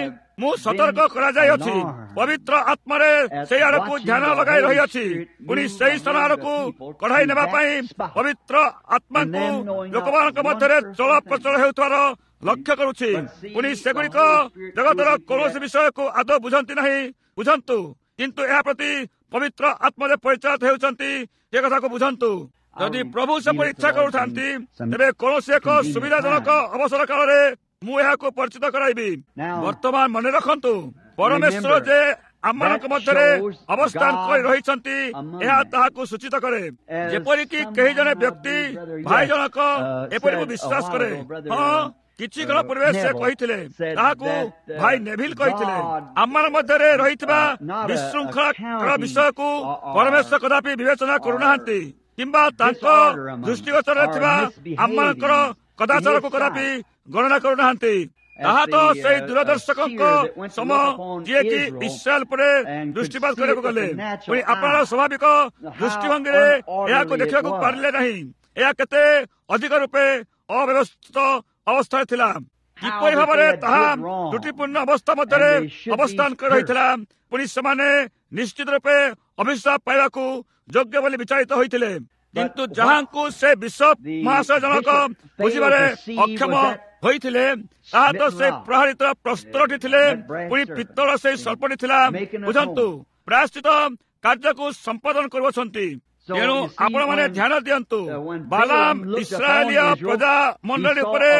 ମୁଁ ସତର୍କ କରାଯାଇଅଛି। ପବିତ୍ର ଆତ୍ମାରେ ସେଇ ଆଡ଼କୁ ଧ୍ୟାନ ଲଗାଇ ରହିଅଛି। ପୁଣି ସେହି ସ୍ଥାନ ଆଡ଼କୁ କଢ଼ାଇ ନେବା ପାଇଁ ପବିତ୍ର ଆତ୍ମାଙ୍କୁ ଲୋକମାନଙ୍କ ମଧ୍ୟରେ ଚଳପ୍ରଚଳ ହେଉଥିବାର ଲକ୍ଷ୍ୟ କରୁଛି। ପୁଣି ସେଗୁଡ଼ିକ ଜଗତର କୌଣସି ବିଷୟକୁ ଆଦୌ ବୁଝନ୍ତି ନାହିଁ। ବୁଝନ୍ତୁ, କିନ୍ତୁ ଏହା ପ୍ରତି ପବିତ୍ର ଆତ୍ମାରେ ପରିଚାଳିତ ହେଉଛନ୍ତି, ସେ କଥାକୁ ବୁଝନ୍ତୁ। ଯଦି ପ୍ରଭୁ ସେପରି ଇଚ୍ଛା କରୁଥାନ୍ତି, ତେବେ କୌଣସି ଏକ ସୁବିଧାଜନକ ଅବସର କାଳରେ ମୁଁ ଏହାକୁ ପରିଚିତ କରାଇବି। ବର୍ତ୍ତମାନ ମନେ ରଖନ୍ତୁ, ପରମେଶ୍ୱର ଯେ ଆମମାନଙ୍କ ମଧ୍ୟରେ ଅବସ୍ଥାନ କରି ରହିଛନ୍ତି, ଏହା ତାହାକୁ ସୂଚିତ କରେ। ଯେପରିକି କେହି ଜଣେ ବ୍ୟକ୍ତି, ଭାଇ ଜଣକ, ଏପରି ମୁଁ ବିଶ୍ୱାସ କରେ, ହଁ, କିଛି କାଳ ପୂର୍ବେ ସେ କହିଥିଲେ, ତାହାକୁ ଭାଇ ନେଭିଲ କହିଥିଲେ, ଆମମାନଙ୍କ ମଧ୍ୟରେ ରହିଥିବା ବିଶୃଙ୍ଖଳା ବିଷୟକୁ ପରମେଶ୍ୱର କଦାପି ବିବେଚନା କରୁନାହାନ୍ତି, କିମ୍ବା ତାଙ୍କ ଦୃଷ୍ଟିଗୋଚରରେ ଥିବା ଆମମାନଙ୍କର କଦାଚାରକୁ କଦାପି ଗଣନା କରୁନାହାନ୍ତି। ତାହା ତ ସେଇ ଦୂରଦର୍ଶକଙ୍କ ସମ, ଯିଏକି ଇସ୍ରାଏଲ ଉପରେ ଦୃଷ୍ଟିପାତ କରିବାକୁ ଗଲେ, ପୁଣି ଆପଣର ସ୍ୱାଭାବିକ ଦୃଷ୍ଟିଭଙ୍ଗୀରେ ଏହାକୁ ଦେଖିବାକୁ ପାରିଲେ ନାହିଁ। ଏହା କେତେ ଅଧିକ ରୂପେ ଅବ୍ୟବସ୍ଥିତ ଅବସ୍ଥାରେ ଥିଲା, କିପରି ଭାବରେ ତାହା ତ୍ରୁଟିପୂର୍ଣ୍ଣ ଅବସ୍ଥା ମଧ୍ୟରେ ଅବସ୍ଥାନ କରି ରହିଥିଲା। ପୁଣି ସେମାନେ ନିଶ୍ଚିତ ରୂପେ ଅଭିଶାପ ପାଇବାକୁ ଯୋଗ୍ୟ ବୋଲି ବିଚାରିତ ହୋଇଥିଲେ। କିନ୍ତୁ ଯାହାଙ୍କୁ ସେ ବିଶପ ମହାଶୟ ଜଣକ ବୁଝିବାରେ ଅକ୍ଷମ ହୋଇଥିଲେ, ତାହା ତ ସେ ପ୍ରହାରିତ ପ୍ରସ୍ତରଟି ଥିଲେ, ପୁଣି ପିତ୍ତଳ ସେଇ ସର୍ପଟି ଥିଲା। ବୁଝନ୍ତୁ, ପ୍ରାୟଶ୍ଚିତ କାର୍ଯ୍ୟକୁ ସମ୍ପାଦନ କରୁଅଛନ୍ତି। ତେଣୁ ଆପଣମାନେ ଧ୍ୟାନ ଦିଅନ୍ତୁ, ବାଲାମ ଇସ୍ରାଏଲୀୟ ପ୍ରଜା ମଣ୍ଡଳୀ ଉପରେ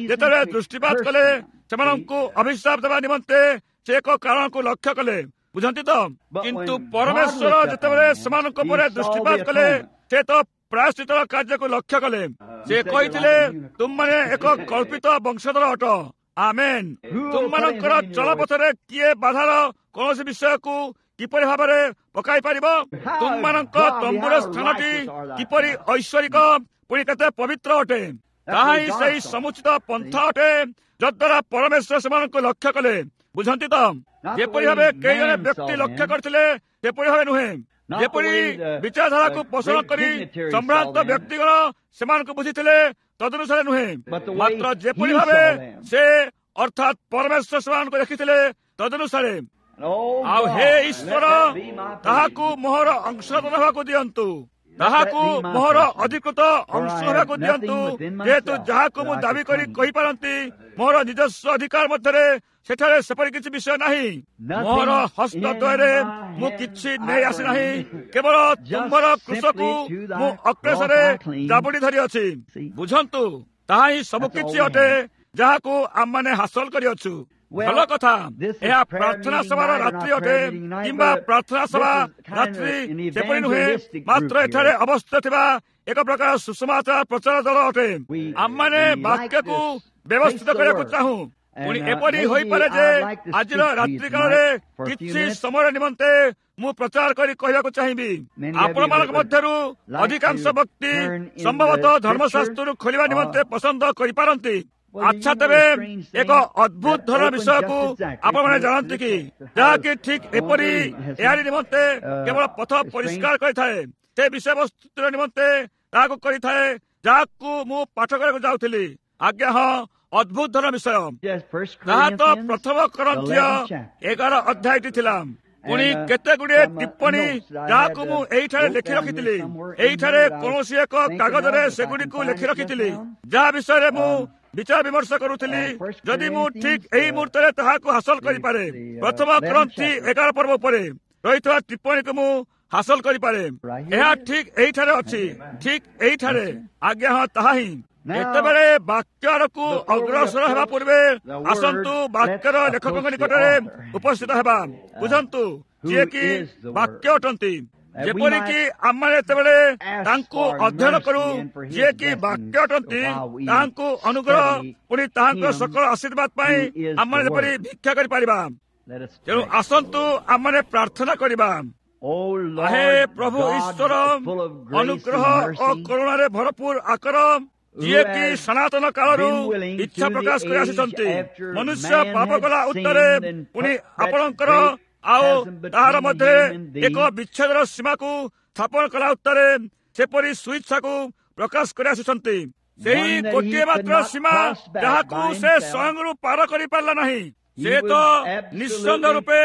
ଯେତେବେଳେ ଦୃଷ୍ଟିପାତ କଲେ, ସେମାନଙ୍କୁ ଅଭିଶାପ ଦେବା ନିମନ୍ତେ ସେ ଏକ କାରଣକୁ ଲକ୍ଷ୍ୟ କଲେ। ବୁଝନ୍ତି ତ? କିନ୍ତୁ ପରମେଶ୍ୱର ଯେତେବେଳେ ସେମାନଙ୍କ ଉପରେ ଦୃଷ୍ଟିପାତ କଲେ, ସେ ତ ପ୍ରାୟଶ୍ଚିତର କାର୍ଯ୍ୟକୁ ଲକ୍ଷ୍ୟ କଲେ। ସେ କହିଥିଲେ, ତୁମମାନେ ଏକ କଳ୍ପିତ ବଂଶଧର ଅଟ। ଆମେନ୍। ତୁମମାନଙ୍କର ଚଳପଥରେ କିଏ ବାଧାର କୌଣସି ବିଷୟକୁ କିପରି ଭାବରେ ପକାଇ ପାରିବ? ତୁମମାନଙ୍କ ତମ୍ବୁର ସ୍ଥାନଟି କିପରି ଐଶ୍ୱରିକ, ପୁଣି କେତେ ପବିତ୍ର ଅଟେ। ତାହା ହିଁ ସେଇ ସମୁଚିତ ପନ୍ଥା ଅଟେ ଯଦ୍ୱାରା ପରମେଶ୍ୱର ସେମାନଙ୍କୁ ଲକ୍ଷ୍ୟ କଲେ। ବୁଝନ୍ତି ତ? ଯେପରି ଭାବେ କେହି ଜଣେ ବ୍ୟକ୍ତି ଲକ୍ଷ୍ୟ କରିଥିଲେ ସେପରି ଭାବେ ନୁହେଁ, ଯେପରି ବିଚାରଧାରାକୁ ପୋଷଣ କରି ସମ୍ଭ୍ରାନ୍ତ ବ୍ୟକ୍ତିଗଣ ସେମାନଙ୍କୁ ବୁଝିଥିଲେ ତଦନୁସାରେ ନୁହେଁ, ମାତ୍ର ଯେପରି ଭାବେ ସେ ଅର୍ଥାତ୍ ପରମେଶ୍ୱର ସେମାନଙ୍କୁ ଦେଖିଥିଲେ ତଦନୁସାରେ। ଆଉ ହେ ଈଶ୍ୱର, ତାହାକୁ ମୋହର ଅଂଶଧନ ହେବାକୁ ଦିଅନ୍ତୁ, ତାହାକୁ ମୋହର ଅଧିକୃତ ଅଂଶ ହେବାକୁ ଦିଅନ୍ତୁ, ଯେହେତୁ ଯାହାକୁ ମୁଁ ଦାବି କରି କହିପାରନ୍ତି ମୋର ନିଜସ୍ୱ ଅଧିକାର ମଧ୍ୟରେ ସେଠାରେ ସେପରି କିଛି ବିଷୟ ନାହିଁ। ମୋହର ହସ୍ତଦ୍ୱୟରେ ମୁଁ କିଛି ନେଇ ଆସିନାହିଁ, କେବଳ ତୁମ୍ଭର କୃଷକୁ ମୁଁ ଅକ୍ଳେଶରେ ଜାବୁଡ଼ି ଧରିଅଛି। ବୁଝନ୍ତୁ, ତାହା ହିଁ ସବୁ କିଛି ଅଟେ ଯାହାକୁ ଆମମାନେ ହାସଲ କରିଅଛୁ। ଭଲ କଥା, ଏହା ପ୍ରାର୍ଥନା ସଭାର ରାତ୍ରି ଅଟେ କିମ୍ବା ପ୍ରାର୍ଥନା ସଭା ରାତ୍ରି ସେପରି ନୁହେଁ, ମାତ୍ର ଏଠାରେ ଅବସ୍ଥିତ ଥିବା ଏକ ପ୍ରକାର ସୁସମାଚାର ପ୍ରଚାର ଦଳ ଅଟେ। ଆମମାନେ ବାକ୍ୟକୁ ବ୍ୟବସ୍ଥିତ କରିବାକୁ ଚାହୁଁ। ପୁଣି ଏପରି ହୋଇପାରେ ଯେ ଆଜିର ରାତ୍ରିକାଳରେ କିଛି ସମୟ ନିମନ୍ତେ ମୁଁ ପ୍ରଚାର କରି କହିବାକୁ ଚାହିଁବି। ଆପଣମାନଙ୍କ ମଧ୍ୟରୁ ଅଧିକାଂଶ ବ୍ୟକ୍ତି ସମ୍ଭବତଃ ଧର୍ମଶାସ୍ତ୍ରରୁ ଖୋଲିବା ନିମନ୍ତେ ପସନ୍ଦ କରିପାରନ୍ତି। ଆଚ୍ଛା, ତେବେ ଏକ ଅଦ୍ଭୁତ ଧରଣ ବିଷୟକୁ ଆପଣମାନେ ଜାଣନ୍ତି କି, ଯାହାକି ଠିକ୍ ଏପରି ଏହାରି ନିମନ୍ତେ କେବଳ ପଥ ପରିଷ୍କାର କରିଥାଏ, ସେ ବିଷୟବସ୍ତୁର ନିମନ୍ତେ ତାହାକୁ କରିଥାଏ ଯାହାକୁ ମୁଁ ପାଠ କରିବାକୁ ଯାଉଥିଲି। ଆଜ୍ଞା ହଁ, ଅଦ୍ଭୁତ ଧରଣ ବିଷୟ। ତାହା ତ ପ୍ରଥମ କରନ୍ଥୀୟ 11 ଅଧ୍ୟାୟଟି ଥିଲା। ପୁଣି କେତେ ଗୁଡ଼ିଏ ଟିପ୍ପଣୀ ଯାହାକୁ ମୁଁ ଏଇଠାରେ ଲେଖି ରଖିଥିଲି, ଏଇଠାରେ କୌଣସି ଏକ କାଗଜରେ ସେଗୁଡ଼ିକୁ ଲେଖି ରଖିଥିଲି, ଯାହା ବିଷୟରେ ମୁଁ ବିଚାର ବିମର୍ଶ କରୁଥିଲି। ଯଦି ମୁଁ ଠିକ୍ ଏହି ମୁହୂର୍ତ୍ତରେ ତାହାକୁ ହାସଲ କରିପାରେ, ପ୍ରଥମ ଗ୍ରନ୍ଥି 11 ପର୍ବ ଉପରେ ରହିଥିବା ଟିପ୍ପଣୀକୁ ମୁଁ ହାସଲ କରିପାରେ। ଏହା ଠିକ୍ ଏଇଠାରେ ଅଛି, ଠିକ୍ ଏଇଠାରେ। ଆଜ୍ଞା ହଁ, ତାହା ହିଁ। ଯେତେବେଳେ ବାକ୍ୟ ଆଡ଼କୁ ଅଗ୍ରସର ହେବା ପୂର୍ବେ ଆସନ୍ତୁ ବାକ୍ୟର ଲେଖକଙ୍କ ନିକଟରେ ଉପସ୍ଥିତ ହେବା। ବୁଝନ୍ତୁ, ଯିଏକି ବାକ୍ୟ ଅଟନ୍ତି। ଯେପରିକି ଆମମାନେ ଯେତେବେଳେ ତାଙ୍କୁ ଅଧ୍ୟୟନ କରୁ, ଯିଏକି ବାକ୍ୟ ଅଟନ୍ତି, ତାହାଙ୍କୁ ଅନୁଗ୍ରହ ପୁଣି ତାହାଙ୍କ ସକଳ ଆଶୀର୍ବାଦ ପାଇଁ ଆମମାନେ ଯେପରି ଭିକ୍ଷା କରିପାରିବା। ତେଣୁ ଆସନ୍ତୁ ଆମମାନେ ପ୍ରାର୍ଥନା କରିବା। ହେ ପ୍ରଭୁ ଈଶ୍ୱର, ଅନୁଗ୍ରହ ଓ କରୁଣାରେ ଭରପୁର ଆକର, ଯିଏକି ସନାତନ କାଳରୁ ଇଚ୍ଛା ପ୍ରକାଶ କରି ଆସିଛନ୍ତି, ମନୁଷ୍ୟ ପାପ କଲା ଉତ୍ତରେ ପୁଣି ଆପଣଙ୍କର ଆଉ ତାହାର ମଧ୍ୟରେ ଏକ ବିଚ୍ଛେଦର ସୀମାକୁ ସ୍ଥାପନ କଲା ଉତ୍ତରେ ସେପରି ସ୍ୱଇଚ୍ଛାକୁ ପ୍ରକାଶ କରି ଆସିଛନ୍ତି। ସେହି ଗୋଟିଏ ମାତ୍ର ସୀମା ଯାହାକୁ ସେ ସ୍ୱୟଂରୁ ପାର କରିପାରିଲା ନାହିଁ, ସେ ତ ନିଃସନ୍ଦେହ ରୂପେ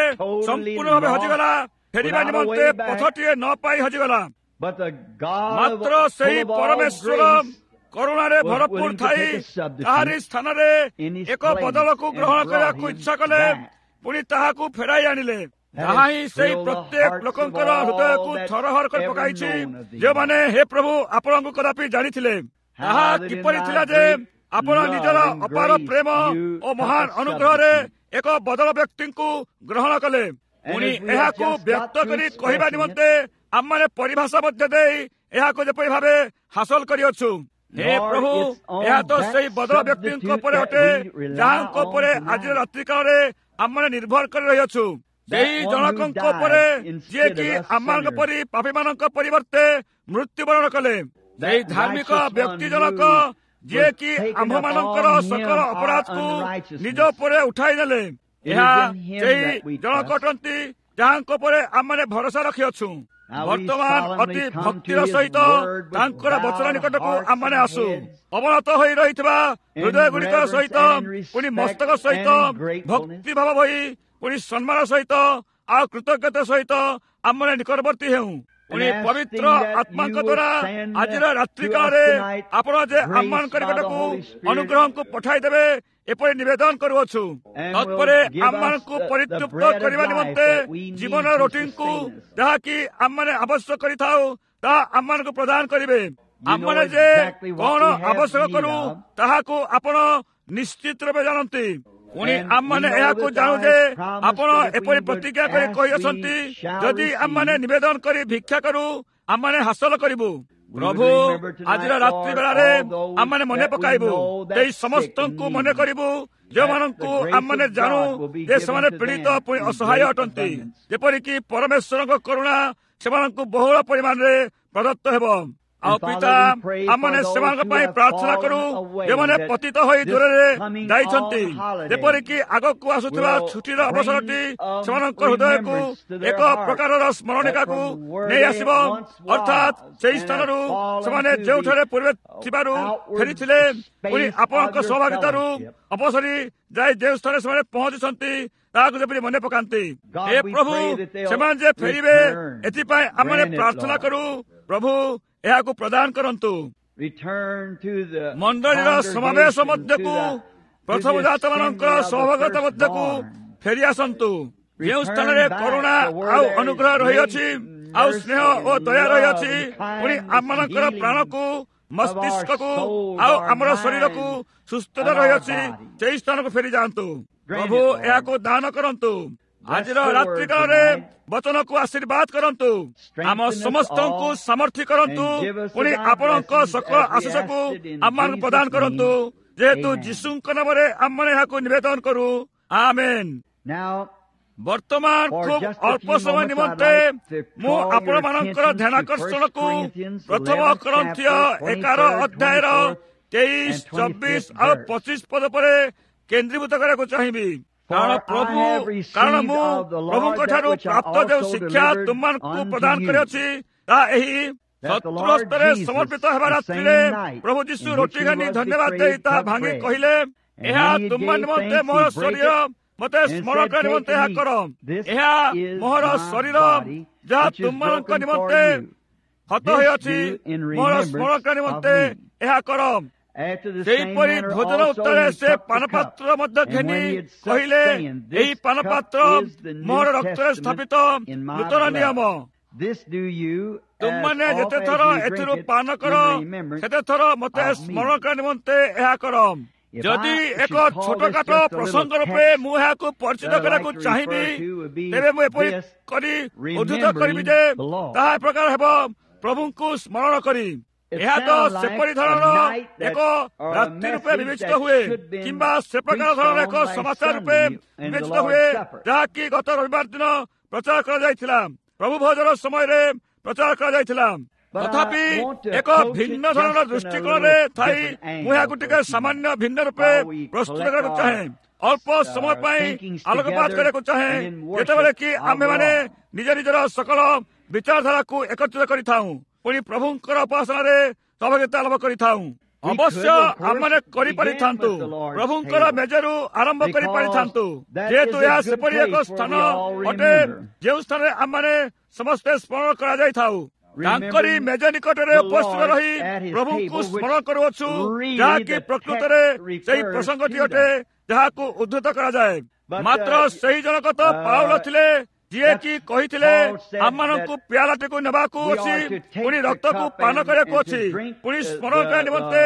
ସମ୍ପୂର୍ଣ୍ଣ ଭାବେ ହଜିଗଲା, ଫେରିବା ନିମନ୍ତେ ପଥଟିଏ ନ ପାଇ ହଜିଗଲା। ମାତ୍ର ସେହି ପରମେଶ୍ୱର କରୁଣାରେ ଭରପୁର ଥାଇ ତାହାରି ସ୍ଥାନରେ ଏକ ବଦଳକୁ ଗ୍ରହଣ କରିବାକୁ ଇଚ୍ଛା କଲେ, ପୁଣି ତାହାକୁ ଫେରାଇ ଆଣିଲେ। ତାହା ହିଁ ସେଇ ପ୍ରତ୍ୟେକ ଲୋକଙ୍କର ହୃଦୟକୁ ଥରହର କରି ପକାଇଛି, ଯେଉଁମାନେ ହେ ପ୍ରଭୁ ଆପଣଙ୍କୁ କଦାପି ଜାଣିଥିଲେ। ତାହା କିପରି ଥିଲା ଯେ ଆପଣ ନିଜର ଅପାର ପ୍ରେମ ଓ ମହାନ ଅନୁଗ୍ରହରେ ଏକ ବଦଳ ବ୍ୟକ୍ତିଙ୍କୁ ଗ୍ରହଣ କଲେ। ପୁଣି ଏହାକୁ ବ୍ୟକ୍ତ କରି କହିବା ନିମନ୍ତେ ଆମମାନେ ପରିଭାଷା ମଧ୍ୟ ଦେଇ ଏହାକୁ ଯେପରି ଭାବେ ହାସଲ କରିଅଛୁ। ହେ ପ୍ରଭୁ, ଏହା ତ ସେଇ ବଦଳ ବ୍ୟକ୍ତିଙ୍କ ଉପରେ ଅଟେ ଯାହାଙ୍କ ଉପରେ ଆଜିର ରାତ୍ରିକାଳରେ ଆମମାନେ ନିର୍ଭର କରି ରହିଅଛୁ। ସେହି ଜଣକଙ୍କ ଉପରେ ଯିଏକି ଆମମାନଙ୍କ ପରି ପାପୀମାନଙ୍କ ପରିବର୍ତ୍ତେ ମୃତ୍ୟୁବରଣ କଲେ, ସେହି ଧାର୍ମିକ ବ୍ୟକ୍ତି ଜଣକ ଯିଏକି ଆମ୍ଭମାନଙ୍କର ସକଳ ଅପରାଧକୁ ନିଜ ଉପରେ ଉଠାଇ ନେଲେ, ଏହା ସେହି ଜଣକ ଅଟନ୍ତି ଯାହାଙ୍କ ଉପରେ ଆମମାନେ ଭରସା ରଖିଅଛୁ। ବର୍ତ୍ତମାନ ଅତି ଭକ୍ତିର ସହିତ ତାଙ୍କର ବଚନ ନିକଟକୁ ଆମମାନେ ଆସୁ, ଅବନତ ହୋଇ ରହିଥିବା ହୃଦୟ ଗୁଡ଼ିକ ସହିତ, ପୁଣି ମସ୍ତକ ସହିତ ଭକ୍ତିଭାବ ହୋଇ, ପୁଣି ସମ୍ମାନ ସହିତ ଆଉ କୃତଜ୍ଞତା ସହିତ ଆମମାନେ ନିକଟବର୍ତ୍ତୀ ହେଉ। ପୁଣି ପବିତ୍ର ଆତ୍ମାଙ୍କ ଦ୍ୱାରା ଆଜିର ରାତ୍ରିକାଳରେ ଆପଣ ଯେ ଆମମାନଙ୍କ ନିକଟକୁ ଅନୁଗ୍ରହଙ୍କୁ ପଠାଇ ଦେବେ ଏପରି ନିବେଦନ କରୁଅଛୁ। ତତ୍ପରେ ଆମମାନଙ୍କୁ ପରିତୃପ୍ତ କରିବା ନିମନ୍ତେ ଜୀବନ ରୋଟିଙ୍କୁ ଯାହାକି ଆମମାନେ ଆବଶ୍ୟକ କରିଥାଉ ତାହା ଆମମାନଙ୍କୁ ପ୍ରଦାନ କରିବେ। ଆମମାନେ ଯେ କଣ ଆବଶ୍ୟକ କରୁ ତାହାକୁ ଆପଣ ନିଶ୍ଚିତ ରୂପେ ଜାଣନ୍ତି। ପୁଣି ଆମମାନେ ଏହାକୁ ଜାଣୁ ଯେ ଆପଣ ଏପରି ପ୍ରତିଜ୍ଞା କରି କହିଅଛନ୍ତି, ଯଦି ଆମମାନେ ନିବେଦନ କରି ଭିକ୍ଷା କରୁ ଆମମାନେ ହାସଲ କରିବୁ। ପ୍ରଭୁ, ଆଜିର ରାତ୍ରି ବେଳାରେ ଆମମାନେ ମନେ ପକାଇବୁ, ସେଇ ସମସ୍ତଙ୍କୁ ମନେ କରିବୁ ଯେଉଁମାନଙ୍କୁ ଆମମାନେ ଜାଣୁ ଯେ ସେମାନେ ପୀଡ଼ିତ ପୁଣି ଅସହାୟ ଅଟନ୍ତି, ଯେପରିକି ପରମେଶ୍ୱରଙ୍କ କରୁଣା ସେମାନଙ୍କୁ ବହୁଳ ପରିମାଣରେ ପ୍ରଦତ୍ତ ହେବ। ଆଉ ପିତା, ଆମମାନେ ସେମାନଙ୍କ ପାଇଁ ପ୍ରାର୍ଥନା କରୁ ଯେଉଁମାନେ ପତିତ ହୋଇ ଦୂରରେ ଯାଇଛନ୍ତି, ଯେପରିକି ଆଗକୁ ଆସୁଥିବା ଛୁଟିର ଅବସରଟି ସେମାନଙ୍କ ହୃଦୟକୁ ଏକ ପ୍ରକାରର ସ୍ମରଣିକାକୁ ନେଇ ଆସିବ, ଅର୍ଥାତ୍ ସେହି ସ୍ଥାନରୁ ସେମାନେ ଯେଉଁଠାରେ ପୂର୍ବେ ଥିବାରୁ ଫେରିଥିଲେ, ପୁଣି ଆପଣଙ୍କ ସହଭାଗିତାରୁ ଅପସରି ଯାଇ ଯେଉଁ ସ୍ଥାନରେ ସେମାନେ ପହଞ୍ଚୁଛନ୍ତି ତାହାକୁ ଯେପରି ମନେ ପକାନ୍ତି। ହେ ପ୍ରଭୁ, ସେମାନେ ଯେ ଫେରିବେ ଏଥିପାଇଁ ଆମମାନେ ପ୍ରାର୍ଥନା କରୁ। ପ୍ରଭୁ, ଏହାକୁ ପ୍ରଦାନ କରନ୍ତୁ। ମଣ୍ଡଳୀର ସମାବେଶ ମଧ୍ୟକୁ, ପ୍ରଥମ ଜାତମାନଙ୍କର ସହଭାଗିତା ମଧ୍ୟକୁ ଫେରି ଆସନ୍ତୁ, ଯେଉଁ ସ୍ଥାନରେ କରୁଣା ଆଉ ଅନୁଗ୍ରହ ରହିଅଛି, ଆଉ ସ୍ନେହ ଓ ଦୟା ରହିଅଛି, ପୁଣି ଆମମାନଙ୍କର ପ୍ରାଣକୁ, ମସ୍ତିଷ୍କକୁ ଆଉ ଆମର ଶରୀରକୁ ସୁସ୍ଥତା ରହିଅଛି, ସେହି ସ୍ଥାନକୁ ଫେରି ଯାଆନ୍ତୁ। ପ୍ରଭୁ, ଏହାକୁ ଦାନ କରନ୍ତୁ। ଆଜିର ରାତ୍ରିକାଳରେ ବଚନକୁ ଆଶୀର୍ବାଦ କରନ୍ତୁ, ଆମ ସମସ୍ତଙ୍କୁ ସାମର୍ଥ୍ୟ କରନ୍ତୁ, ପୁଣି ଆପଣଙ୍କ ସକଳ ଆଶିଷକୁ ଆମମାନଙ୍କୁ ପ୍ରଦାନ କରନ୍ତୁ, ଯେହେତୁ ଯୀଶୁଙ୍କ ନାମରେ ଆମମାନେ ଏହାକୁ ନିବେଦନ କରୁ, ଆମେନ୍। ବର୍ତ୍ତମାନ ଖୁବ୍ ଅଳ୍ପ ସମୟ ନିମନ୍ତେ ମୁଁ ଆପଣମାନଙ୍କର ଧ୍ୟାନାକର୍ଷଣକୁ ପ୍ରଥମ କରନ୍ଥୀୟ 11 ଅଧ୍ୟାୟର 23, 24 ଆଉ 25 ପଦ ପରେ କେନ୍ଦ୍ରୀଭୂତ କରିବାକୁ ଚାହିଁବି। କାରଣ ପ୍ରଭୁ, କାରଣ ମୁଁ ପ୍ରଭୁଙ୍କ ଠାରୁ ପ୍ରାପ୍ତ ଯେଉଁ ଶିକ୍ଷା ତୁମମାନଙ୍କୁ ପ୍ରଦାନ କରିଅଛି ତାହା ଏହି, ଶତ୍ରୁ ହସ୍ତରେ ସମର୍ପିତ ହେବା ରାତ୍ରିରେ ପ୍ରଭୁ ଯୀଶୁ ରୋଟି ଘେନି ଧନ୍ୟବାଦ ଦେଇ ତାହା ଭାଙ୍ଗି କହିଲେ, ଏହା ତୁମ ନିମନ୍ତେ ମୋର ଶରୀର, ମତେ ସ୍ମରଣ କରିବା ନିମନ୍ତେ ଏହା କର। ଏହା ମୋହର ଶରୀର ଯାହା ତୁମମାନଙ୍କ ନିମନ୍ତେ ହତ ହୋଇଅଛି, ମୋର ସ୍ମରଣ କରିବା ନିମନ୍ତେ ଏହା କର। ସେହିପରି ଭୋଜନ ଉତ୍ତରେ ସେ ପାନପାତ୍ର ମଧ୍ୟ ଘେନି କହିଲେ, ଏହି ପାନପାତ୍ର ମୋର ରକ୍ତରେ ସ୍ଥାପିତ ନୂତନ ନିୟମ। ତୁମମାନେ ଯେତେଥର ଏଥିରୁ ପାନ କର ସେତେଥର ମତେ ସ୍ମରଣ କରିବା ନିମନ୍ତେ ଏହା କର। ଯଦି ଏକ ଛୋଟକାଟ ପ୍ରସଙ୍ଗ ରୂପେ ମୁଁ ଏହାକୁ ପରିଚିତ କରିବାକୁ ଚାହିଁବି, ତେବେ ମୁଁ ଏପରି କରି ଉଦ୍ଧୃତ କରିବି ଯେ ତାହା ଏ ପ୍ରକାର ହେବ, ପ୍ରଭୁଙ୍କୁ ସ୍ମରଣ କରି। ଏହା ତ ସେପରି ଧରଣର ଏକ ରାତ୍ରି ରୂପେ ବିବେଚିତ ହୁଏ କିମ୍ବା ସେ ପ୍ରକାର ଧରଣର ଏକ ସମାଚାର ରୂପେ ବିବେଚିତ ହୁଏ, ଯାହାକି ଗତ ରବିବାର ଦିନ ପ୍ରଚାର କରାଯାଇଥିଲା, ପ୍ରଭୁ ଭୋଜନ ସମୟରେ ପ୍ରଚାର କରାଯାଇଥିଲା। ତଥାପି ଏକ ଭିନ୍ନ ଧରଣର ଦୃଷ୍ଟିକୋଣରେ ଥାଇ ମୁଁ ଏହାକୁ ଟିକେ ସାମାନ୍ୟ ଭିନ୍ନ ରୂପେ ପ୍ରସ୍ତୁତ କରିବାକୁ ଚାହେଁ, ଅଳ୍ପ ସମୟ ପାଇଁ ଆଲୋକପାତ କରିବାକୁ ଚାହେଁ, ଯେତେବେଳେ କି ଆମ୍ଭେମାନେ ନିଜ ନିଜର ସକଳ ବିଚାରଧାରାକୁ ଏକତ୍ରିତ କରିଥାଉଁ, ପୁଣି ପ୍ରଭୁଙ୍କର ଉପାସନାରେ ସହଭାଗିତା ଲାଭ କରିଥାଉଁ। ଅବଶ୍ୟ ଆମମାନେ କରିପାରିଥାନ୍ତୁ, ପ୍ରଭୁଙ୍କର ମେଜରୁ ଆରମ୍ଭ କରିପାରିଥାନ୍ତୁ, ଯେହେତୁ ଏହା ସେପରି ଏକ ସ୍ଥାନ ଅଟେ ଯେଉଁ ସ୍ଥାନରେ ଆମମାନେ ସମସ୍ତେ ସ୍ମରଣ କରାଯାଇଥାଉ। ତାଙ୍କରି ମେଜ ନିକଟରେ ଉପସ୍ଥିତ ରହି ପ୍ରଭୁଙ୍କୁ ସ୍ମରଣ କରୁଅଛୁ, ଯାହାକି ପ୍ରକୃତରେ ସେହି ପ୍ରସଙ୍ଗଟି ଅଟେ ଯାହାକୁ ଉଦ୍ଧୃତ କରାଯାଏ। ମାତ୍ର ସେହି ଜଣକ ତ ପାଉଲ ଥିଲେ, ଯିଏକି କହିଥିଲେ ଆମମାନଙ୍କୁ ପିଆଲାଟିକୁ ନେବାକୁ ଅଛି, ପୁଣି ରକ୍ତକୁ ପାନ କରିବାକୁ ଅଛି, ପୁଣି ସ୍ମରଣ କରିବା ନିମନ୍ତେ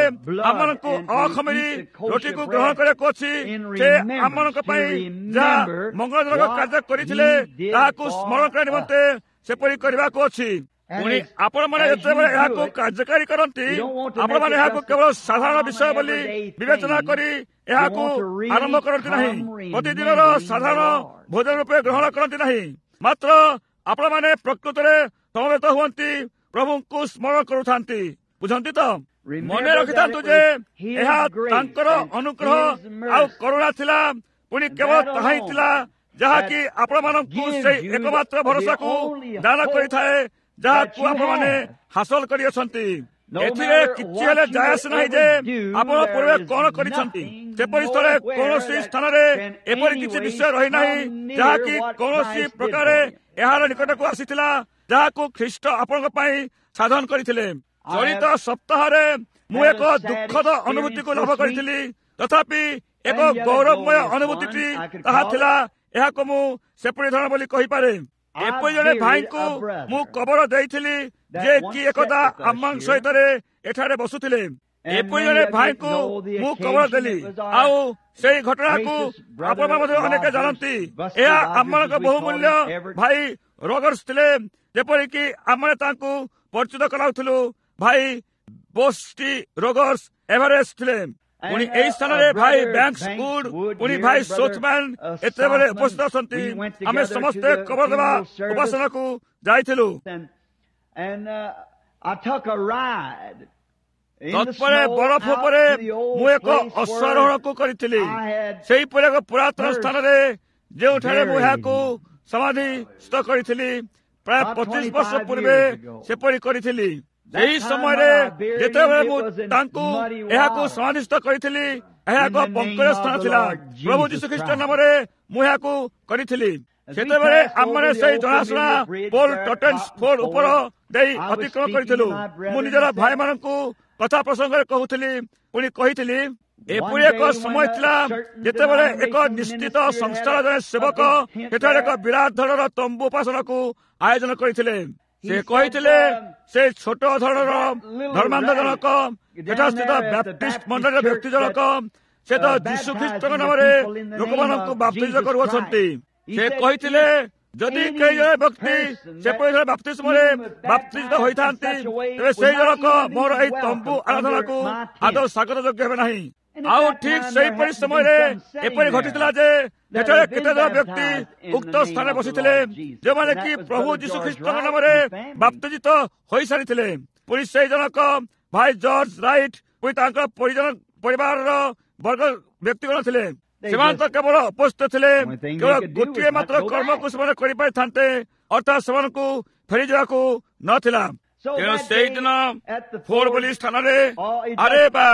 ଆମମାନଙ୍କୁ ଅଖମିରି ରୋଟିକୁ ଗ୍ରହଣ କରିବାକୁ ଅଛି। ସେ ଆମମାନଙ୍କ ପାଇଁ ଯାହା ମଙ୍ଗଳଜନକ କାର୍ଯ୍ୟ କରିଥିଲେ ତାହାକୁ ସ୍ମରଣ କରିବା ନିମନ୍ତେ ସେପରି କରିବାକୁ ଅଛି। ପୁଣି ଆପଣମାନେ ଯେତେବେଳେ ଏହାକୁ କାର୍ଯ୍ୟକାରୀ କରନ୍ତି, ଆପଣମାନେ ଏହାକୁ କେବଳ ସାଧାରଣ ବିଷୟ ବୋଲି ବିବେଚନା କରି ଏହାକୁ ଆରମ୍ଭ କରନ୍ତି ନାହିଁ, ପ୍ରତିଦିନର ସାଧାରଣ ଭୋଜନ ରୂପେ ଗ୍ରହଣ କରନ୍ତି ନାହିଁ, ମାତ୍ର ଆପଣମାନେ ପ୍ରକୃତରେ ସମବେତ ହୁଅନ୍ତି, ପ୍ରଭୁଙ୍କୁ ସ୍ମରଣ କରୁଥାନ୍ତି। ବୁଝନ୍ତି ତ? ମନେ ରଖିଥାନ୍ତୁ ଯେ ଏହା ତାଙ୍କର ଅନୁଗ୍ରହ ଆଉ କରୁଣା ଥିଲା, ପୁଣି କେବଳ ତାହା ହିଁ ଥିଲା ଯାହାକି ଆପଣମାନଙ୍କୁ ସେଇ ଏକମାତ୍ର ଭରସାକୁ ଦାନ କରିଥାଏ ଯାହାକୁ ଆପଣମାନେ ହାସଲ କରିଅଛନ୍ତି। ଏଥିରେ କିଛି ହେଲେ ଯାଏ ଆସେ ନାହିଁ ଯେ ଆପଣ ପୂର୍ବେ କଣ କରିଛନ୍ତି। ସେପରି ସ୍ଥଳେ କୌଣସି ସ୍ଥାନରେ ଏପରି କିଛି ବିଷୟ ରହିନାହିଁ ଯାହାକି କୌଣସି ପ୍ରକାରେ ଏହାର ନିକଟକୁ ଆସିଥିଲା, ଯାହାକୁ ଖ୍ରୀଷ୍ଟ ଆପଣଙ୍କ ପାଇଁ ସାଧନ କରିଥିଲେ। ଚଳିତ ସପ୍ତାହରେ ମୁଁ ଏକ ଦୁଃଖଦ ଅନୁଭୂତିକୁ ଲାଭ କରିଥିଲି, ତଥାପି ଏକ ଗୌରବମୟ ଅନୁଭୂତିଟି ତାହା ଥିଲା। ଏହାକୁ ମୁଁ ସେପରି ଧରଣ ବୋଲି କହିପାରେ। ଏପରି ଜଣେ ଭାଇଙ୍କୁ ମୁଁ କବର ଦେଇଥିଲି ଯେ କି ଏକଦା ଆମମାନଙ୍କ ସହିତରେ ଏଠାରେ ବସୁଥିଲେ। ଏପରି ଜଣେ ଭାଇଙ୍କୁ ମୁଁ କବର ଦେଲି, ଆଉ ସେଇ ଘଟଣାକୁ ଆପଣମାନେ ମଧ୍ୟ ଅନେକ ଜାଣନ୍ତି। ଏହା ଆମମାନଙ୍କ ବହୁମୂଲ୍ୟ ଭାଇ ରଗର୍ସ ଥିଲେ, ଯେପରିକି ଆମେ ତାଙ୍କୁ ପରିଚିତ କରାଉଥିଲୁ। ଭାଇ ବୋଷ୍ଟି ରୋଗର୍ସ ଏଭରେଷ୍ଟ ଥିଲେ। ପୁଣି ଏହି ସ୍ଥାନରେ ଭାଇ ବ୍ୟାଙ୍କସ୍ ଉଡ୍, ପୁଣି ଭାଇ ସୋଥମ୍ୟାନ୍ ଏତେବେଳେ ଉପସ୍ଥିତ ଅଛନ୍ତି। ଆମେ ସମସ୍ତେ କବର ଦେବା ଉପାସନାକୁ ଯାଇଥିଲୁ। ତତ୍ପରେ ବରଫ ଉପରେ ମୁଁ ଏକ ଅଶ୍ୱାରୋହଣକୁ କରିଥିଲି, ସେହିପରି ଏକ ପୁରାତନ ସ୍ଥାନରେ ଯେଉଁଠାରେ ମୁଁ ଏହାକୁ ସମାଧିସ୍ଥ କରିଥିଲି ପ୍ରାୟ 25 ବର୍ଷ ପୂର୍ବେ ସେପରି କରିଥିଲି। ସେହି ସମୟରେ ଯେତେବେଳେ ମୁଁ ତାଙ୍କୁ ଏହାକୁ ସମାଧିସ୍ଥ କରିଥିଲି, ଏହା ଏକ ପଙ୍କଜ ସ୍ଥାନ ଥିଲା। ପ୍ରଭୁ ଯୀଶୁଖ୍ରୀଷ୍ଟ ନାମରେ ମୁଁ ଏହାକୁ କରିଥିଲି। ସେତେବେଳେ ଆମମାନେ ସେଇ ଜଣାଶୁଣା ପୋଲ ଟଟେନ୍ସ ଫୋର୍ଡ ଉପର ଦେଇ ଅତିକ୍ରମ କରିଥିଲୁ। ମୁଁ ନିଜର ଭାଇମାନଙ୍କୁ କଥା ପ୍ରସଙ୍ଗରେ କହୁଥିଲି, ପୁଣି କହିଥିଲି, ଏପରି ଏକ ସମୟ ଥିଲା ଯେତେବେଳେ ଏକ ନିଶ୍ଚିତ ସଂସ୍ଥାର ଜଣେ ସେବକ ସେଠାରେ ଏକ ବିରାଟ ଧରଣର ତମ୍ବୁ ଉପାସନାକୁ ଆୟୋଜନ କରିଥିଲେ। ସେ କହିଥିଲେ ସେ ଛୋଟ ଧରଣର ଧର୍ମାନ୍ଧ ଜଣକ, ଏଠାସ୍ଥିତ ବ୍ୟାପ୍ଟିଷ୍ଟ ମଣ୍ଡଳୀର ବ୍ୟକ୍ତି ଜଣକ, ସେ ତ ଯୀଶୁ ଖ୍ରୀଷ୍ଟଙ୍କ ନାମରେ ଲୋକମାନଙ୍କୁ ବାପ୍ତିଜ କରୁଅଛନ୍ତି। ସେ କହିଥିଲେ ଯଦି କେହି ଜଣେ ବ୍ୟକ୍ତି ସେପରି ଜଣେ ବାପ୍ତିସ୍ମରେ ବାପ୍ତିଜିତ ହୋଇଥାନ୍ତି, ତେବେ ସେଇ ଜଣକ ମୋର ଏହି ତମ୍ବୁ ଆରାଧନାକୁ ଆଦୌ ସ୍ୱାଗତ ଯୋଗ୍ୟ ହେବେ ନାହିଁ। ଆଉ ଠିକ ସେହିପରି ସମୟରେ ଏପରି ଘଟିଥିଲା ଯେ ଏଠାରେ କେତେଜଣ ବ୍ୟକ୍ତି ଉକ୍ତ ସ୍ଥାନରେ ବସିଥିଲେ, ଯେଉଁମାନେ କି ପ୍ରଭୁ ଯୀଶୁ ଖ୍ରୀଷ୍ଟଙ୍କ ନାମରେ ବାପ୍ତିଜିତ ହୋଇସାରିଥିଲେ। ପୁଣି ସେଇ ଜଣକ ଭାଇ ଜର୍ଜ ରାଇଟ୍, ପୁଣି ତାଙ୍କ ପରିଜନ ପରିବାରର ବର୍ଗ ବ୍ୟକ୍ତିଗଣ ଥିଲେ। ସେମାନେ ତ କେବଳ ଉପସ୍ଥିତ ଥିଲେ, କେବଳ ଗୋଟିଏ ମାତ୍ର କର୍ମକୁ ସେମାନେ କରିପାରିଥାନ୍ତେ, ଅର୍ଥାତ୍ ସେମାନଙ୍କୁ ଫେରିଯିବାକୁ ନଥିଲା। ତେଣୁ ସେଇଦିନ ଫୋର୍ଡ ବୋଲି ସ୍ଥାନରେ, ଆରେ ବା,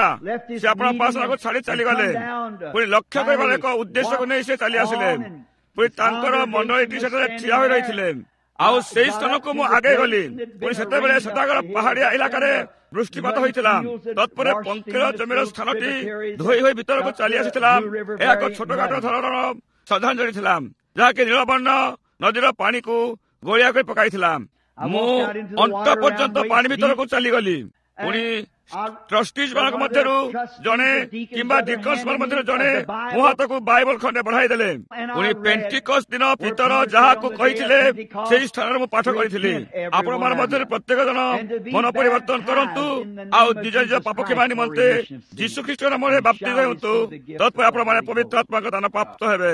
ସେ ଆପଣ ଉପାସନାକୁ ଛାଡି ଚାଲିଗଲେ। ପୁଣି ଲକ୍ଷ୍ୟ କରିବାର ଏକ ଉଦ୍ଦେଶ୍ୟକୁ ନେଇ ସେ ଚାଲି ଆସିଲେ। ପୁଣି ତାଙ୍କର ମଣ୍ଡଳୀଟି ସେଠାରେ ଠିଆ ହୋଇ ରହିଥିଲେ। ଆଉ ସେଇ ସ୍ଥାନକୁ ମୁଁ ଆଗେଇ ଗଲି। ପୁଣି ସେତେବେଳେ ସେଠାକାର ପାହାଡିଆ ଇଲାକାରେ ବୃଷ୍ଟିପାତ ହୋଇଥିଲା। ତତ୍ପରେ ପଙ୍କିଳ ଜମିର ସ୍ଥାନଟି ଧୋଇ ହୋଇ ଭିତରକୁ ଚାଲି ଆସିଥିଲା। ଏହା ଏକ ଛୋଟଖାଟ ଧରଣର ଶ୍ରଦ୍ଧାଞ୍ଜଳି ଥିଲା, ଯାହାକି ନୀଳବର୍ଣ୍ଣ ନଦୀର ପାଣିକୁ ଗୋଳିଆ କରି ପକାଇଥିଲା। ମୁଁ ଅଣ୍ଟା ପର୍ଯ୍ୟନ୍ତ ପାଣି ଭିତରକୁ ଚାଲିଗଲି। ପୁଣି ଟ୍ରଷ୍ଟିଜ ମାନଙ୍କ ମଧ୍ୟରୁ ଜଣେ କିମ୍ବା ଡିକନ୍ସ ମାନଙ୍କ ମଧ୍ୟରୁ ଜଣେ ମୋ ହାତକୁ ବାଇବଲ ଖଣ୍ଡେ ବଢାଇ ଦେଲେ। ପୁଣି ପେଣ୍ଟିକସ୍ ଦିନ ପିତର ଯାହାକୁ କହିଥିଲେ ସେହି ସ୍ଥାନରେ ମୁଁ ପାଠ କରିଥିଲି, ଆପଣମାନଙ୍କ ମଧ୍ୟରେ ପ୍ରତ୍ୟେକ ଜଣ ମନ ପରିବର୍ତ୍ତନ କରନ୍ତୁ ଆଉ ନିଜ ନିଜ ପାପ କ୍ଷମା ନିମନ୍ତେ ଯୀଶୁ ଖ୍ରୀଷ୍ଟ ନାମରେ ବାପ୍ତିଜିତ ହୁଅନ୍ତୁ, ତତ୍ପରେ ଆପଣମାନେ ପବିତ୍ର ଆତ୍ମାଙ୍କ ଦାନ ପ୍ରାପ୍ତ ହେବେ।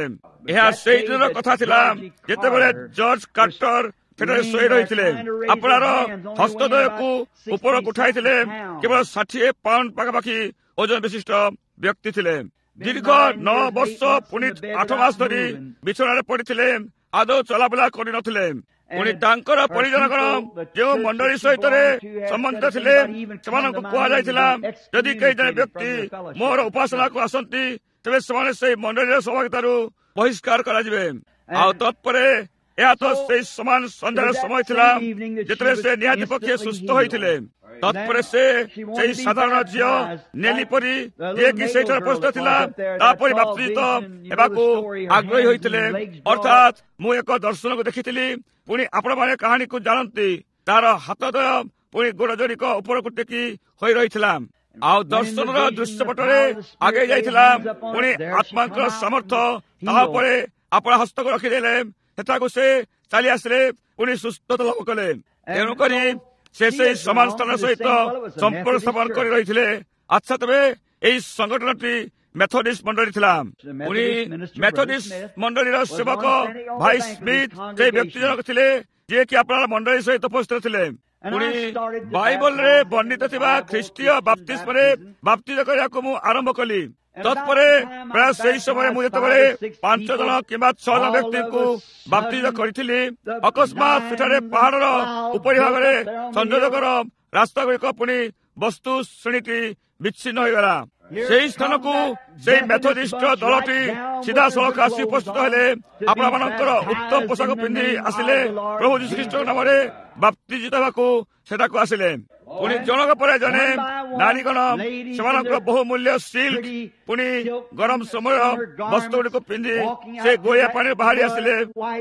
ଏହା ସେଇ ଦିନର କଥା ଥିଲା ଯେତେବେଳେ ଜର୍ଜ କାର୍ଟର ସେଠାରେ ଶୋଇ ରହିଥିଲେ। ଆପଣାର ହସ୍ତଦ୍ୱୟକୁ ଉପରକୁ ଉଠାଇଥିଲେ। କେବଳ 60 ପାଉଣ୍ଡ ପାଖାପାଖି ଓଜନ ବିଶିଷ୍ଟ ବ୍ୟକ୍ତି ଥିଲେ। ଦୀର୍ଘ 9 ବର୍ଷ ପୁଣି 8 ମାସ ଧରି ବିଛଣାରେ ପଡ଼ିଥିଲେ, ଆଦୌ ଚଲାବୁଲା କରିନଥିଲେ। ପୁଣି ତାଙ୍କର ପରିଜନଗଣ ଯେଉଁ ମଣ୍ଡଳୀ ସହିତରେ ସମ୍ବନ୍ଧିତ ଥିଲେ ସେମାନଙ୍କୁ କୁହାଯାଇଥିଲା, ଯଦି କେହି ଜଣେ ବ୍ୟକ୍ତି ମୋର ଉପାସନାକୁ ଆସନ୍ତି ତେବେ ସେମାନେ ସେଇ ମଣ୍ଡଳୀର ସହଭାଗିତାରୁ ବହିଷ୍କାର କରାଯିବେ। ଆଉ ତତ୍ପରେ ଏହା ତ ସେଇ ସମାନ ସନ୍ଧ୍ୟାର ସମୟ ଥିଲା ଯେତେବେଳେ ସେ ନିହାତି ପକ୍ଷେ ସୁସ୍ଥ ହୋଇଥିଲେ। ତତ୍ପରେ ସେ ସେଇ ସାଧାରଣ ଝିଅ ନେଲି ପରି ଯିଏକି ସେଇଠାରେ ଉପସ୍ଥିତ ଥିଲା ତାପରି ବାପ୍ତିଜିତ ହେବାକୁ ଆଗ୍ରହୀ ହୋଇଥିଲେ। ଅର୍ଥାତ୍ ମୁଁ ଏକ ଦର୍ଶନକୁ ଦେଖିଥିଲି। ପୁଣି ଆପଣମାନେ କାହାଣୀକୁ ଜାଣନ୍ତି, ତାର ହାତଦ୍ୱୟ ପୁଣି ଗୋଡ଼ ଯୋଡ଼ିକ ଉପରକୁ ଟେକି ହୋଇ ରହିଥିଲା ଆଉ ଦର୍ଶନର ଦୃଶ୍ୟପଟରେ ଆଗେଇ ଯାଇଥିଲା। ପୁଣି ଆତ୍ମାଙ୍କର ସାମର୍ଥ୍ୟ ତାହା ଉପରେ ଆପଣା ହସ୍ତକୁ ରଖିଦେଲେ, ସେଠାକୁ ସେ ଚାଲି ଆସିଲେ, ପୁଣି ସୁସ୍ଥତା ଲାଭ କଲେ। ତେଣୁକରି ସେ ସେଇ ସମାନ ସ୍ଥାନ ସହିତ ସମ୍ପର୍କ ସ୍ଥାପନ କରି ରହିଥିଲେ। ଆଚ୍ଛା, ତେବେ ଏଇ ସଂଗଠନଟି ମେଥୋଡିଷ୍ଟ ମଣ୍ଡଳୀ ଥିଲା। ପୁଣି ମେଥୋଡିଷ୍ଟ ମଣ୍ଡଳୀର ସେବକ ଭାଇ ସ୍ମିଥ ସେଇ ବ୍ୟକ୍ତି ଜଣକ ଥିଲେ ଯିଏକି ଆପଣାର ମଣ୍ଡଳୀ ସହିତ ଉପସ୍ଥିତ ଥିଲେ। ପୁଣି ବାଇବଲରେ ବର୍ଣ୍ଣିତ ଥିବା ଖ୍ରୀଷ୍ଟୀୟ ବାପ୍ତିସ୍ମରେ ବାପ୍ତିଜ କରିବାକୁ ମୁଁ ଆରମ୍ଭ କଲି। ତତ୍ପରେ ପ୍ରାୟ ସେହି ସମୟରେ ମୁଁ ଯେତେବେଳେ 5 ଜଣ କିମ୍ବା 6 ଜଣ ବ୍ୟକ୍ତିଙ୍କୁ ବାପ୍ତିଜ କରିଥିଲି, ଅକସ୍ମାତ ସେଠାରେ ପାହାଡ଼ର ଉପରି ଭାଗରେ ସଂଯୋଜକର ରାସ୍ତାଗୁଡ଼ିକ ପୁଣି ବସ୍ତୁ ଶ୍ରେଣୀଟି ବିଚ୍ଛିନ୍ନ ହୋଇଗଲା। ସେହି ସ୍ଥାନକୁ ସେଇ ମେଥୋଡିଷ୍ଟ ଦଳଟି ସିଧାସଳଖ ଆସି ଉପସ୍ଥିତ ହେଲେ। ଆପଣମାନଙ୍କର ଉତ୍ତମ ପୋଷାକ ପିନ୍ଧି ଆସିଲେ, ପ୍ରଭୁ ଯୀଶୁଖ୍ରୀଷ୍ଟଙ୍କ ନାମରେ ବାପ୍ତିଜିତ ହେବାକୁ ସେଠାକୁ ଆସିଲେ। ପୁଣି ଜଣକ ପରେ ଜଣେ ନାରୀଗଣ ସେମାନଙ୍କର ବହୁମୂଲ୍ୟ ସିଲ୍କ ପୁଣି ଗରମ ସମୟ ବସ୍ତ୍ରଗୁଡ଼ିକୁ ପିନ୍ଧି ସେ ଗୋଳିଆ ପାଣିରୁ ବାହାରି ଆସିଲେ,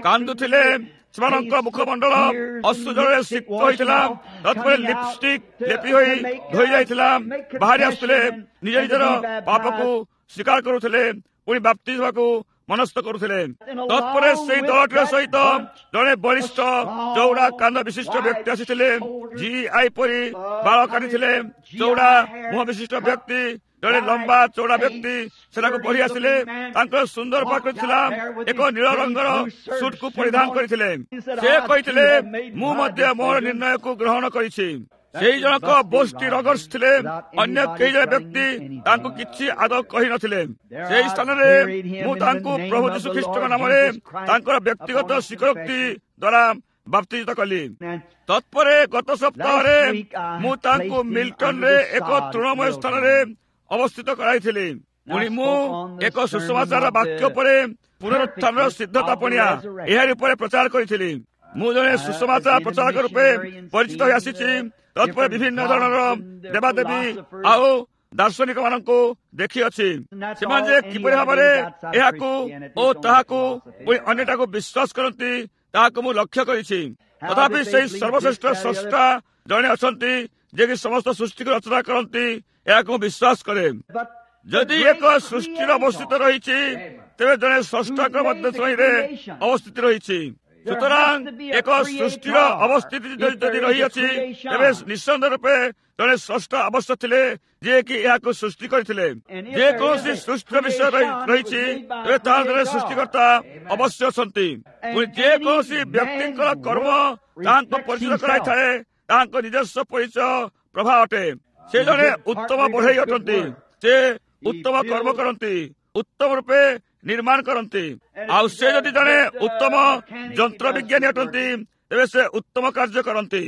କାନ୍ଦୁଥିଲେ। ସେମାନଙ୍କ ମୁଖମଣ୍ଡଳ ଅଶ୍ରୁ ଜଳରେ ସିକ୍ତ ହୋଇଥିଲା, ତତ୍ପରେ ଲିପଷ୍ଟିକ୍ ଲେପି ହୋଇ ଧୋଇ ଯାଇଥିଲା। ବାହାରି ଆସୁଥିଲେ, ନିଜ ନିଜର ପାପକୁ ସ୍ୱୀକାର କରୁଥିଲେ, ପୁଣି ବାପ୍ତିଜ ହେବାକୁ ମନସ୍ଥ କରୁଥିଲେ। ତତ୍ପରେ ସେଇ ଦଳଟିର ସହିତ ଜଣେ ବଳିଷ୍ଠ ଚଉଡ଼ା କାନ୍ଧ ବିଶିଷ୍ଟ ବ୍ୟକ୍ତି ଆସିଥିଲେ, ଜି I ପରି ବାଳ କାଟିଥିଲେ। ଚଉଡ଼ା ମୁହଁ ବିଶିଷ୍ଟ ବ୍ୟକ୍ତି, ଜଣେ ଲମ୍ବା ଚଉଡ଼ା ବ୍ୟକ୍ତି ସେଠାକୁ ବଢି ଆସିଲେ। ତାଙ୍କର ସୁନ୍ଦର ପ୍ରକୃତି ଥିଲା, ଏକ ନୀଳ ରଙ୍ଗର ସୁଟକୁ ପରିଧାନ କରିଥିଲେ। ସେ କହିଥିଲେ, ମୁଁ ମଧ୍ୟ ମୋର ନିର୍ଣ୍ଣୟକୁ ଗ୍ରହଣ କରିଛି। ସେଇ ଜଣକ ବୋଷ୍ଟି ରଗର୍ସ ଥିଲେ। ଅନ୍ୟ କେହି ଜଣେ ବ୍ୟକ୍ତି ତାଙ୍କୁ କିଛି ଆଦୌ କହିନଥିଲେ। ସେହି ସ୍ଥାନରେ ମୁଁ ତାଙ୍କୁ ପ୍ରଭୁ ଯୀଶୁ ଖ୍ରୀଷ୍ଟଙ୍କ ନାମରେ ତାଙ୍କର ବ୍ୟକ୍ତିଗତ ସ୍ୱୀକାରୋକ୍ତି ଦ୍ୱାରା ବାପ୍ତିଜିତ କଲି। ତତ୍ପରେ ଗତ ସପ୍ତାହରେ ମୁଁ ତାଙ୍କୁ ମିଲ୍ଟନରେ ଏକ ତୃଣମୟ ସ୍ଥାନରେ ଅବସ୍ଥିତ କରାଇଥିଲି। ପୁଣି ମୁଁ ଏକ ସୁସମାଚାର ବାକ୍ୟ ଉପରେ ପୁନରୁତ୍ଥାନର ସିଦ୍ଧତା ପଣିଆ ଏହାରି ଉପରେ ପ୍ରଚାର କରିଥିଲି। ମୁଁ ଜଣେ ସୁସମାଚାର ପ୍ରଚାରକ ରୂପେ ପରିଚିତ ହୋଇ ଆସିଛି। ତତ୍ପରେ ବିଭିନ୍ନ ଧରଣର ଦେବାଦେବୀ ଆଉ ଦାର୍ଶନିକ ମାନଙ୍କୁ ଦେଖିଅଛି। ସେମାନେ ଯେ କିପରି ଭାବରେ ଏହାକୁ ଓ ତାହାକୁ ପୁଣି ଅନ୍ୟଟାକୁ ବିଶ୍ୱାସ କରନ୍ତି ତାହାକୁ ମୁଁ ଲକ୍ଷ୍ୟ କରିଛି। ତଥାପି ସେହି ସର୍ବଶ୍ରେଷ୍ଠ ସ୍ରଷ୍ଟା ଜଣେ ଅଛନ୍ତି ଯିଏକି ସମସ୍ତ ସୃଷ୍ଟିକୁ ରଚନା କରନ୍ତି, ଏହାକୁ ମୁଁ ବିଶ୍ୱାସ କରେ। ଯଦି ଏକ ସୃଷ୍ଟିର ଅବସ୍ଥିତ ରହିଛି ତେବେ ଜଣେ ସ୍ରଷ୍ଟାଙ୍କ ମଧ୍ୟ ତହିଁରେ ଅବସ୍ଥିତି ରହିଛି। ସୁତରାଂ ଏକ ସୃଷ୍ଟିର ଅବସ୍ଥିତି ଯଦି ରହିଅଛି ତେବେ ନିଃସନ୍ଦେହ ରୂପେ ଜଣେ ସ୍ରଷ୍ଟା ଅବଶ୍ୟ ଥିଲେ ଯିଏକି ଏହାକୁ ସୃଷ୍ଟି କରିଥିଲେ। ଯେକୌଣସି ସୃଷ୍ଟିର ବିଷୟ ରହିଛି ତେବେ ତାହାର ଜଣେ ସୃଷ୍ଟିକର୍ତ୍ତା ଅବଶ୍ୟ ଅଛନ୍ତି। ପୁଣି ଯେକୌଣସି ବ୍ୟକ୍ତିଙ୍କର କର୍ମ ତାହାଙ୍କ ପରିଚିତ କରାଇଥାଏ, ତାହାଙ୍କ ନିଜସ୍ୱ ପରିଚୟ ପ୍ରଭାବ ଅଟେ। ସେ ଜଣେ ଉତ୍ତମ ବଢ଼େଇ ଅଟନ୍ତି, ସେ ଉତ୍ତମ କର୍ମ କରନ୍ତି, ଉତ୍ତମ ରୂପେ ନିର୍ମାଣ କରନ୍ତି। ଆଉ ସେ ଯଦି ଜଣେ ଉତ୍ତମ ଯନ୍ତ୍ର ବିଜ୍ଞାନୀ ଅଟନ୍ତି ତେବେ ସେ ଉତ୍ତମ କାର୍ଯ୍ୟ କରନ୍ତି।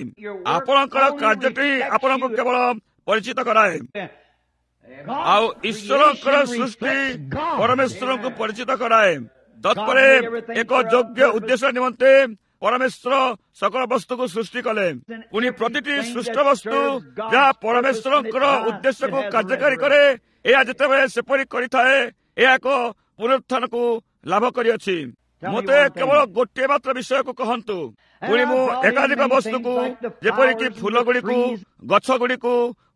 ଆପଣଙ୍କର କାର୍ଯ୍ୟଟି ଆପଣଙ୍କୁ କେବଳ ପରିଚିତ କରାଏ। ଆଉ ଈଶ୍ୱରଙ୍କର ସୃଷ୍ଟି ପରମେଶ୍ୱରଙ୍କୁ ପରିଚିତ କରାଏ। ତତ୍ପରେ ଏକ ଯୋଗ୍ୟ ଉଦ୍ଦେଶ୍ୟ ନିମନ୍ତେ ପରମେଶ୍ୱର ସକଳ ବସ୍ତୁକୁ ସୃଷ୍ଟି କଲେ। ପୁଣି ପ୍ରତିଟି ସୃଷ୍ଟ ବସ୍ତୁ ଯାହା ପରମେଶ୍ୱରଙ୍କର ଉଦ୍ଦେଶ୍ୟକୁ କାର୍ଯ୍ୟକାରୀ କରେ, ଏହା ଯେତେବେଳେ ସେପରି କରିଥାଏ ଏହା ଏକ ପୁନରୁତ୍ଥାନକୁ ଲାଭ କରିଅଛି। ମୋତେ କେବଳ ଗୋଟିଏ ମାତ୍ର ବିଷୟକୁ କହନ୍ତୁ। ପୁଣି ମୁଁ ଏକାଧିକ ବସ୍ତୁକୁ ଯେପରିକି ଫୁଲ ଗୁଡ଼ିକୁ, ଗଛ ଗୁଡ଼ିକୁ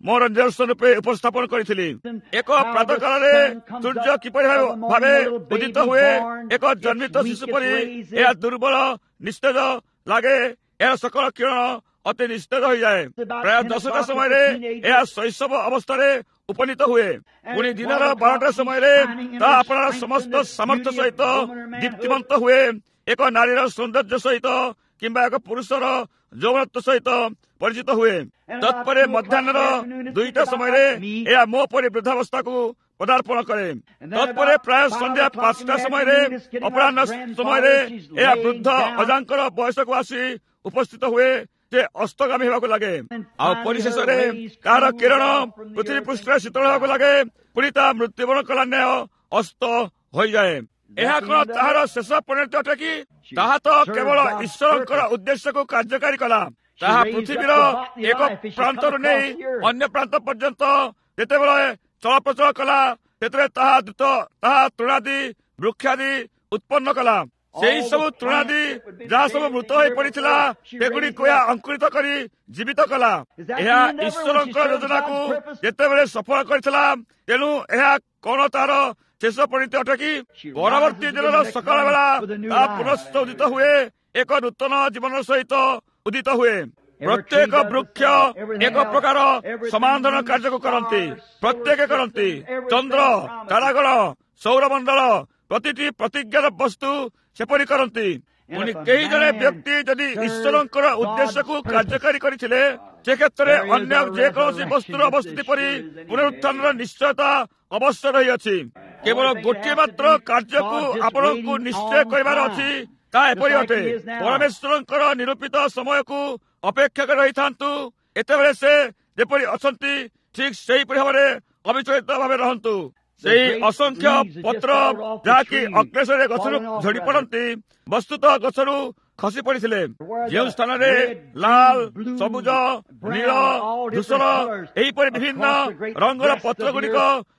ମୋର ନିଦର୍ଶନ ରୂପେ ଉପସ୍ଥାପନ କରିଥିଲି। ଏକ ପ୍ରାତଃକାଳରେ ସୂର୍ଯ୍ୟ କିପରି ଭାବେ ଉଦିତ ହୁଏ, ଏକ ଜନ୍ମିତ ଶିଶୁ ପରି ଏହା ଦୁର୍ବଳ ନିସ୍ତେଜ ଲାଗେ। ଏହାର ସକଳ କିରଣ ଅତି ନିସ୍ତେଜ ହୋଇଯାଏ। ପ୍ରାୟ 10ଟା ସମୟରେ ଏହା ଶୈଶବ ଅବସ୍ଥାରେ ଉପନୀତ ହୁଏ। ପୁଣି ଦିନର 12ଟା ସମୟରେ ତାହା ଆପଣାର ସମସ୍ତ ସାମର୍ଥ୍ୟ ସହିତ ଦୀପ୍ତିମନ୍ତ ହୁଏ, ଏକ ନାରୀର ସୌନ୍ଦର୍ଯ୍ୟ ସହିତ କିମ୍ବା ଏକ ପୁରୁଷର ଯୌବନତ୍ୱ ସହିତ ପରିଚିତ ହୁଏ। ତତ୍ପରେ ମଧ୍ୟାହ୍ନର 2ଟା ସମୟରେ ଏହା ମୋ ପରି ବୃଦ୍ଧାବସ୍ଥାକୁ ପଦାର୍ପଣ କରେ। ତତ୍ପରେ ପ୍ରାୟ ସନ୍ଧ୍ୟା 5ଟା ସମୟରେ, ଅପରାହ୍ନ ସମୟରେ ଏହା ବୃଦ୍ଧ ଅଜାଙ୍କର ବୟସକୁ ଆସି ଉପସ୍ଥିତ ହୁଏ। ସେ ଅସ୍ତଗାମୀ ହେବାକୁ ଲାଗେ। ଆଉ ପରିଶେଷରେ ତାହାର କିରଣ ପୃଥିବୀ ପୃଷ୍ଠରେ ଶୀତଳ ହେବାକୁ ଲାଗେ। ପୁଣି ତା ମୃତ୍ୟୁବରଣ କଲା ନ୍ୟାୟ ଅସ୍ତ ହୋଇଯାଏ। ଏହା କଣ ତାହାର ଶେଷ ପରିଣତି ଅଟେ କି? ତାହା ତ କେବଳ ଈଶ୍ୱରଙ୍କର ଉଦ୍ଦେଶ୍ୟକୁ କାର୍ଯ୍ୟକାରୀ କଲା। ତାହା ପୃଥିବୀର ଏକ ପ୍ରାନ୍ତରୁ ନେଇ ଅନ୍ୟ ପ୍ରାନ୍ତ ପର୍ଯ୍ୟନ୍ତ ଯେତେବେଳେ ଚଳପ୍ରଚଳ କଲା, ସେଥିରେ ତାହା ଦ୍ରୁତ ତାହା ତୃଣାଦି ବୃକ୍ଷାଦି ଉତ୍ପନ୍ନ କଲା। ସେହି ସବୁ ତୃଣାଦି ଯାହା ସବୁ ମୃତ ହୋଇ ପଡ଼ିଥିଲା, ସେଗୁଡ଼ିକୁ ଏହା ଅଙ୍କୁରିତ କରି ଜୀବିତ କଲା। ଏହା ଈଶ୍ୱରଙ୍କ ଯୋଜନାକୁ ଯେତେବେଳେ ସଫଳ କରିଥିଲା, ତେଣୁ ଏହା କଣ ତାର ଶେଷ ପରିଣତି ଅଟେ କି? ପରବର୍ତ୍ତୀ ଦିନର ସକାଳ ବେଳା ତାହା ପୁନଶ୍ଚ ଉଦିତ ହୁଏ, ଏକ ନୂତନ ଜୀବନ ସହିତ ଉଦିତ ହୁଏ। ପ୍ରତ୍ୟେକ ବୃକ୍ଷ ଏକ ପ୍ରକାର ସମାନ ଧରଣର କାର୍ଯ୍ୟକୁ କରନ୍ତି, ପ୍ରତ୍ୟେକ କରନ୍ତି। ଚନ୍ଦ୍ର, ତାରାଗଣ, ସୌରମଣ୍ଡଳ, ପ୍ରତିଟି ପ୍ରତିଜ୍ଞାର ବସ୍ତୁ ସେପରି କରନ୍ତି। ପୁଣି କେହି ଜଣେ ବ୍ୟକ୍ତି ଯଦି ଈଶ୍ୱରଙ୍କର ଉଦ୍ଦେଶ୍ୟକୁ କାର୍ଯ୍ୟକାରୀ କରିଥିଲେ, ସେ କ୍ଷେତ୍ରରେ ଅନ୍ୟ ଯେକୌଣସି ବସ୍ତୁର ଅବସ୍ଥିତି ପରି ପୁନରୁତ୍ଥାନର ନିଶ୍ଚୟତା ଅବଶ୍ୟ ରହିଅଛି। କେବଳ ଗୋଟିଏ ମାତ୍ର କାର୍ଯ୍ୟକୁ ଆପଣଙ୍କୁ ନିଶ୍ଚୟ କରିବାର ଅଛି, ତାହା ଏପରି ଅଟେ, ପରମେଶ୍ୱରଙ୍କର ନିରୂପିତ ସମୟକୁ ଅପେକ୍ଷା କରି ରହିଥାନ୍ତୁ। ଏତେବେଳେ ସେ ଯେପରି ଅଛନ୍ତି, ଠିକ୍ ସେହିପରି ଭାବରେ ଅବିଚଳିତ ଭାବେ ରହନ୍ତୁ। ସେଇ ଅସଂଖ୍ୟ ପତ୍ର ଯାହାକି ଅକ୍ଲେଶରେ ଗଛରୁ ଝଡ଼ି ପଡ଼ନ୍ତି, ବସ୍ତୁତଃ ଗଛରୁ ଖସି ପଡ଼ିଥିଲେ। ଯେଉଁ ସ୍ଥାନରେ ଲାଲ, ସବୁଜ, ନୀଳ, ଧୂସର ଏହିପରି ବିଭିନ୍ନ ରଙ୍ଗର ପତ୍ର ଗୁଡ଼ିକ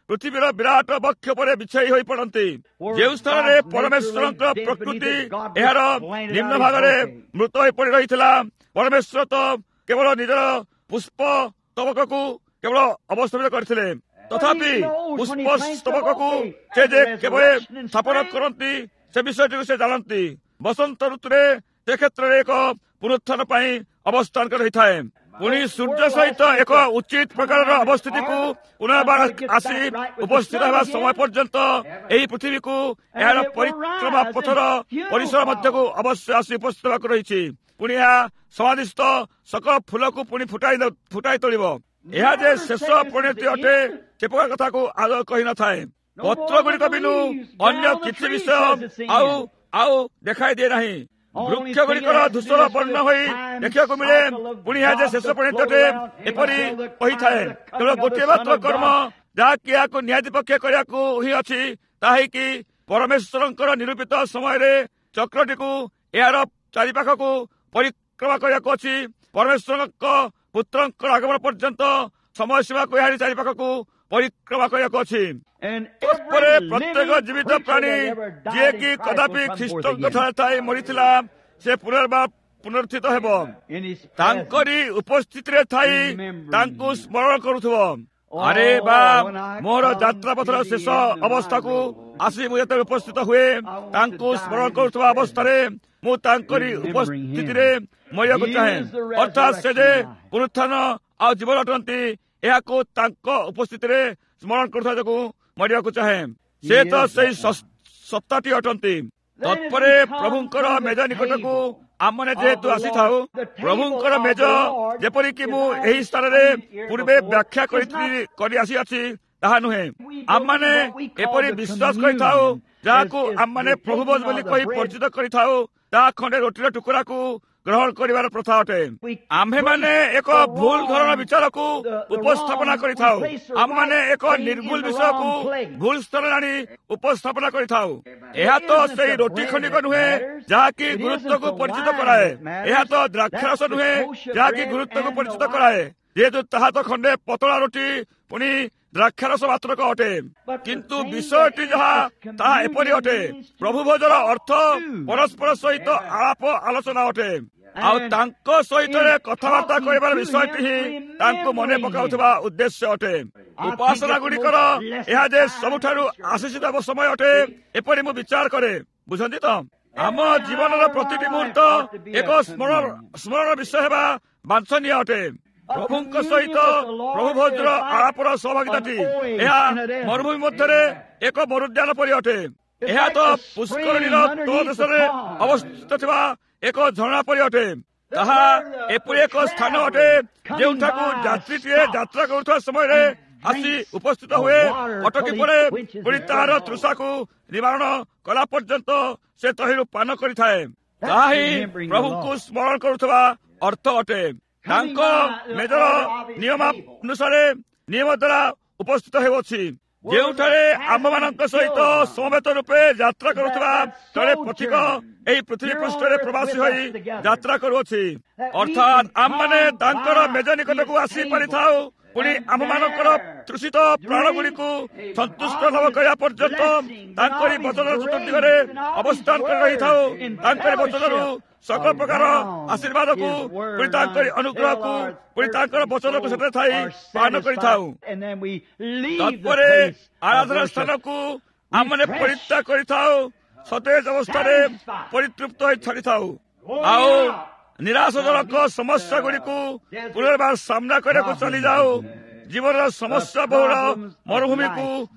ପୃଥିବୀର ବିରାଟ ବକ୍ଷ ଉପରେ ବିଛାଇ ହୋଇ ପଡ଼ନ୍ତି, ଯେଉଁ ସ୍ଥାନରେ ପରମେଶ୍ୱରଙ୍କ ପ୍ରକୃତି ଏହାର ନିମ୍ନ ଭାଗରେ ମୃତ ହୋଇ ପଡ଼ି ରହିଥିଲା, ପରମେଶ୍ୱର ତ କେବଳ ନିଜର ପୁଷ୍ପ ସ୍ତବକକୁ କେବଳ ଅବସ୍ଥାପିତ କରିଥିଲେ। ତଥାପି ପୁଷ୍ପ ସ୍ତବକକୁ ସେ ଯେ କେବଳ ସ୍ଥାପନ କରନ୍ତି, ସେ ବିଷୟଟିକୁ ସେ ଜାଣନ୍ତି। ବସନ୍ତ ଋତୁରେ ସେ କ୍ଷେତ୍ରରେ ଏକ ପୁନରୁତ୍ଥାନ ପାଇଁ ଅବସ୍ଥାନ କରି ରହିଥାଏ। ପୁଣି ସୂର୍ଯ୍ୟ ସହିତ ଏକ ଉଚିତ ପ୍ରକାରର ଅବସ୍ଥିତିକୁ ପୁନର୍ବାର ଆସି ଉପସ୍ଥିତ ହେବା ସମୟ ପର୍ଯ୍ୟନ୍ତ ଏହି ପୃଥିବୀକୁ ଏହାର ପରିକ୍ରମା ପଥର ପରିସର ମଧ୍ୟକୁ ଅବଶ୍ୟ ଆସି ଉପସ୍ଥିତ ହେବାକୁ ରହିଛି। ପୁଣି ଏହା ସମାଧିସ୍ଥ ସକଳ ଫୁଲକୁ ପୁଣି ଫୁଟାଇ ତୋଳିବ। ଏହା ଯେ ଶେଷ ପରିଣତି ଅଟେ, ସେ ପ୍ରକାର କଥାକୁ ଆଦୌ କହିନଥାଏ। ପତ୍ର ଗୁଡ଼ିକ ବିନୁ ଅନ୍ୟ କିଛି ବିଷୟ ଆଉ ଆଉ ଦେଖାଇ ଦିଏ ନାହିଁ। ବୃକ୍ଷ ଗୁଡ଼ିକର ଧୂସର ବର୍ଣ୍ଣ ହୋଇ ଦେଖିବାକୁ ମିଳେ। ପୁଣି ଏହା ଯେ ଶେଷ ପରିଣତି ଅଟେ ଏପରି କହିଥାଏ। କେବଳ ଗୋଟିଏ ମାତ୍ର କର୍ମ ଯାହାକି ଏହାକୁ ନିହାତି ପକ୍ଷେ କରିବାକୁ ହିଁ ଅଛି, ତାହା କି ପରମେଶ୍ୱରଙ୍କର ନିରୂପିତ ସମୟରେ ଚକ୍ରଟିକୁ ଏହାର ଚାରିପାଖକୁ ପରିକ୍ରମା କରିବାକୁ ଅଛି। ପରମେଶ୍ୱରଙ୍କ ପୁତ୍ରଙ୍କର ଆଗମନ ପର୍ଯ୍ୟନ୍ତ ସମୟ ସୀମାକୁ ଏହାରି ଚାରିପାଖକୁ ପରିକ୍ରମା କରିବାକୁ ଅଛି। ତତ୍ପରେ ପ୍ରତ୍ୟେକ ଜୀବିତ ପ୍ରାଣୀ ଯିଏକି କଦାପି ଖ୍ରୀଷ୍ଟଙ୍କ ଠାରେ ଥାଇ ମରିଥିଲା, ସେ ପୁନର୍ବାର ପୁନରୁତ୍ଥିତ ହେବ, ତାଙ୍କରି ଉପସ୍ଥିତିରେ ଥାଇ ତାଙ୍କୁ ସ୍ମରଣ କରୁଥିବ। ଆରେ ବା, ମୋର ଯାତ୍ରା ପଥର ଶେଷ ଅବସ୍ଥାକୁ ଆସି ମୁଁ ଯେତେବେଳେ ଉପସ୍ଥିତ ହୁଏ, ତାଙ୍କୁ ସ୍ମରଣ କରୁଥିବା ଅବସ୍ଥାରେ ମୁଁ ତାଙ୍କରି ଉପସ୍ଥିତିରେ ମରିବାକୁ ଚାହେଁ। ଅର୍ଥାତ୍ ସେ ଯେ ପୁନରୁତ୍ଥାନ ଆଉ ଜୀବନ ଅଟନ୍ତି, ଏହାକୁ ତାଙ୍କ ଉପସ୍ଥିତିରେ ସ୍ମରଣ କରୁଥିବା ଯୋଗୁଁ ମରିବାକୁ ଚାହେଁ। ସେ ତ ସେଇ ସତ୍ତାଟି ଅଟନ୍ତି। ତତ୍ପରେ ପ୍ରଭୁଙ୍କର ମେଜ ନିକଟକୁ ଆମମାନେ ଯେହେତୁ ଆସିଥାଉ, ପ୍ରଭୁଙ୍କର ମେଜ ଯେପରିକି ମୁଁ ଏହି ସ୍ଥାନରେ ପୂର୍ବେ ବ୍ୟାଖ୍ୟା କରି ଆସିଅଛି ତାହା ନୁହେଁ। ଆମମାନେ ଏପରି ବିଶ୍ୱାସ କରିଥାଉ, ଯାହାକୁ ଆମମାନେ ପ୍ରଭୁ ଭୋଜ ବୋଲି କହି ପରିଚିତ କରିଥାଉ, ତାହା ଖଣ୍ଡେ ରୋଟିର ଟୁକୁରାକୁ ଗ୍ରହଣ କରିବାର ପ୍ରଥା ଅଟେ। ଆମ୍ଭେମାନେ ଏକ ଭୁଲ ଧରଣ ବିଚାରକୁ ଉପସ୍ଥାପନା କରିଥାଉ। ଆମମାନେ ଏକ ନିର୍ଭୁଲ ବିଷୟକୁ ଭୁଲ ସ୍ଥାନରେ ଆଣି ଉପସ୍ଥାପନା କରିଥାଉ। ଏହା ତ ସେଇ ରୋଟି ଖଣ୍ଡିକ ନୁହେଁ ଯାହାକି ଗୁରୁତ୍ୱକୁ ପରିଚିତ କରାଏ। ଏହା ତ ଦ୍ରାକ୍ଷାରସ ନୁହେଁ ଯାହାକି ଗୁରୁତ୍ୱକୁ ପରିଚିତ କରାଏ। ଯେହେତୁ ତାହା ତ ଖଣ୍ଡେ ପତଳା ରୋଟି ପୁଣି ଦ୍ରାକ୍ଷାରସ ମାତ୍ରକ ଅଟେ। କିନ୍ତୁ ବିଷୟଟି ଯାହା ତାହା ଏପରି ଅଟେ, ପ୍ରଭୁ ଭୋଜର ଅର୍ଥ ପରସ୍ପର ସହିତ ଆଳାପ ଆଲୋଚନା ଅଟେ। ଆଉ ତାଙ୍କ ସହିତ କଥାବାର୍ତ୍ତା କରିବାର ବିଷୟଟି ହିଁ ତାଙ୍କୁ ମନେ ପକାଉଥିବା ଉଦ୍ଦେଶ୍ୟ ଅଟେ। ଉପାସନା ଗୁଡ଼ିକର ଏହା ଯେ ସବୁଠାରୁ ଆଶିଷିତ ସମୟ ଅଟେ, ଏପରି ମୁଁ ବିଚାର କରେ। ବୁଝନ୍ତି ତ? ଆମ ଜୀବନର ପ୍ରତିଟି ମୁହୂର୍ତ୍ତ ଏକ ସ୍ମରଣ ବିଷୟ ହେବା ବାଞ୍ଛନୀୟ ଅଟେ। ପ୍ରଭୁଙ୍କ ସହିତ ପ୍ରଭୁ ଭୋଜର ଆଳାପର ସହଭାଗିତାଟି ଏହା ମରୁଭୂମି ମଧ୍ୟରେ ଏକ ମରୁଦ୍ୟାନ ପରି ଅଟେ। ଏହା ତ ପୁଷ୍କରିଣୀର ତଳଦେଶରେ ଅବସ୍ଥିତ ଥିବା ଏକ ଝରଣା ପରି ଅଟେ। ତାହା ଏପରି ଏକ ସ୍ଥାନ ଅଟେ ଯେଉଁଠାକୁ ଯାତ୍ରୀଟିଏ ଯାତ୍ରା କରୁଥିବା ସମୟରେ ଆସି ଉପସ୍ଥିତ ହୁଏ, ଅଟକି ପଡ଼େ, ପୁଣି ତାହାର ତୃଷାକୁ ନିବାରଣ କଲା ପର୍ଯ୍ୟନ୍ତ ସେ ତହିଁରୁ ପାନ କରିଥାଏ। ତାହା ହିଁ ପ୍ରଭୁଙ୍କୁ ସ୍ମରଣ କରୁଥିବା ଅର୍ଥ ଅଟେ। ତାଙ୍କ ମେଜର ନିୟମାନୁସାରେ ନିୟମ ଦ୍ୱାରା ଉପସ୍ଥିତ ହେଉଅଛି, ଯେଉଁଠାରେ ଆମ୍ଭମାନଙ୍କ ସହିତ ସମବେତ ରୂପେ ଯାତ୍ରା କରୁଥିବା ଜଣେ ପଥିକ ଏହି ପୃଥିବୀ ପୃଷ୍ଠରେ ପ୍ରବାସୀ ହୋଇ ଯାତ୍ରା କରୁଅଛି। ଅର୍ଥାତ୍ ଆମମାନେ ତାଙ୍କର ମେଜ ନିକଟକୁ ଆସି ପାରିଥାଉ, ପୁଣି ଆମ୍ଭମାନଙ୍କର ତୃଷିତ ପ୍ରାଣଗୁଡ଼ିକୁ ସନ୍ତୁଷ୍ଟ ଲାଭ କରିବା ପର୍ଯ୍ୟନ୍ତ ତାଙ୍କରି ବଚନର ଚତୁର୍ଦିଗରେ ଅବସ୍ଥାନ କରି ରହିଥାଉ। ତାଙ୍କରି ବଚନରୁ ସକଳ ପ୍ରକାର ଆଶୀର୍ବାଦକୁ, ପୁଣି ତାଙ୍କରି ଅନୁଗ୍ରହକୁ, ପୁଣି ତାଙ୍କର ବଚନକୁ ସେଠାରେ ଥାଇ ପାନ କରିଥାଉ। ତତ୍ପରେ ଆରାଧନା ସ୍ଥାନକୁ ଆମମାନେ ପରିତ୍ୟାଗ କରିଥାଉ, ସତେଜ ଅବସ୍ଥାରେ ପରିତୃପ୍ତ ହୋଇ ଛାଡ଼ିଥାଉ। ଆଉ ନିରାଶଜନକ ସମସ୍ୟା ଗୁଡ଼ିକୁ ପୁନର୍ବାର ସାମ୍ନା କରିବାକୁ ଚାଲିଯାଉ। ଜୀବନର ସମସ୍ୟା ବହୁଳ ମରୁଭୂମିକୁ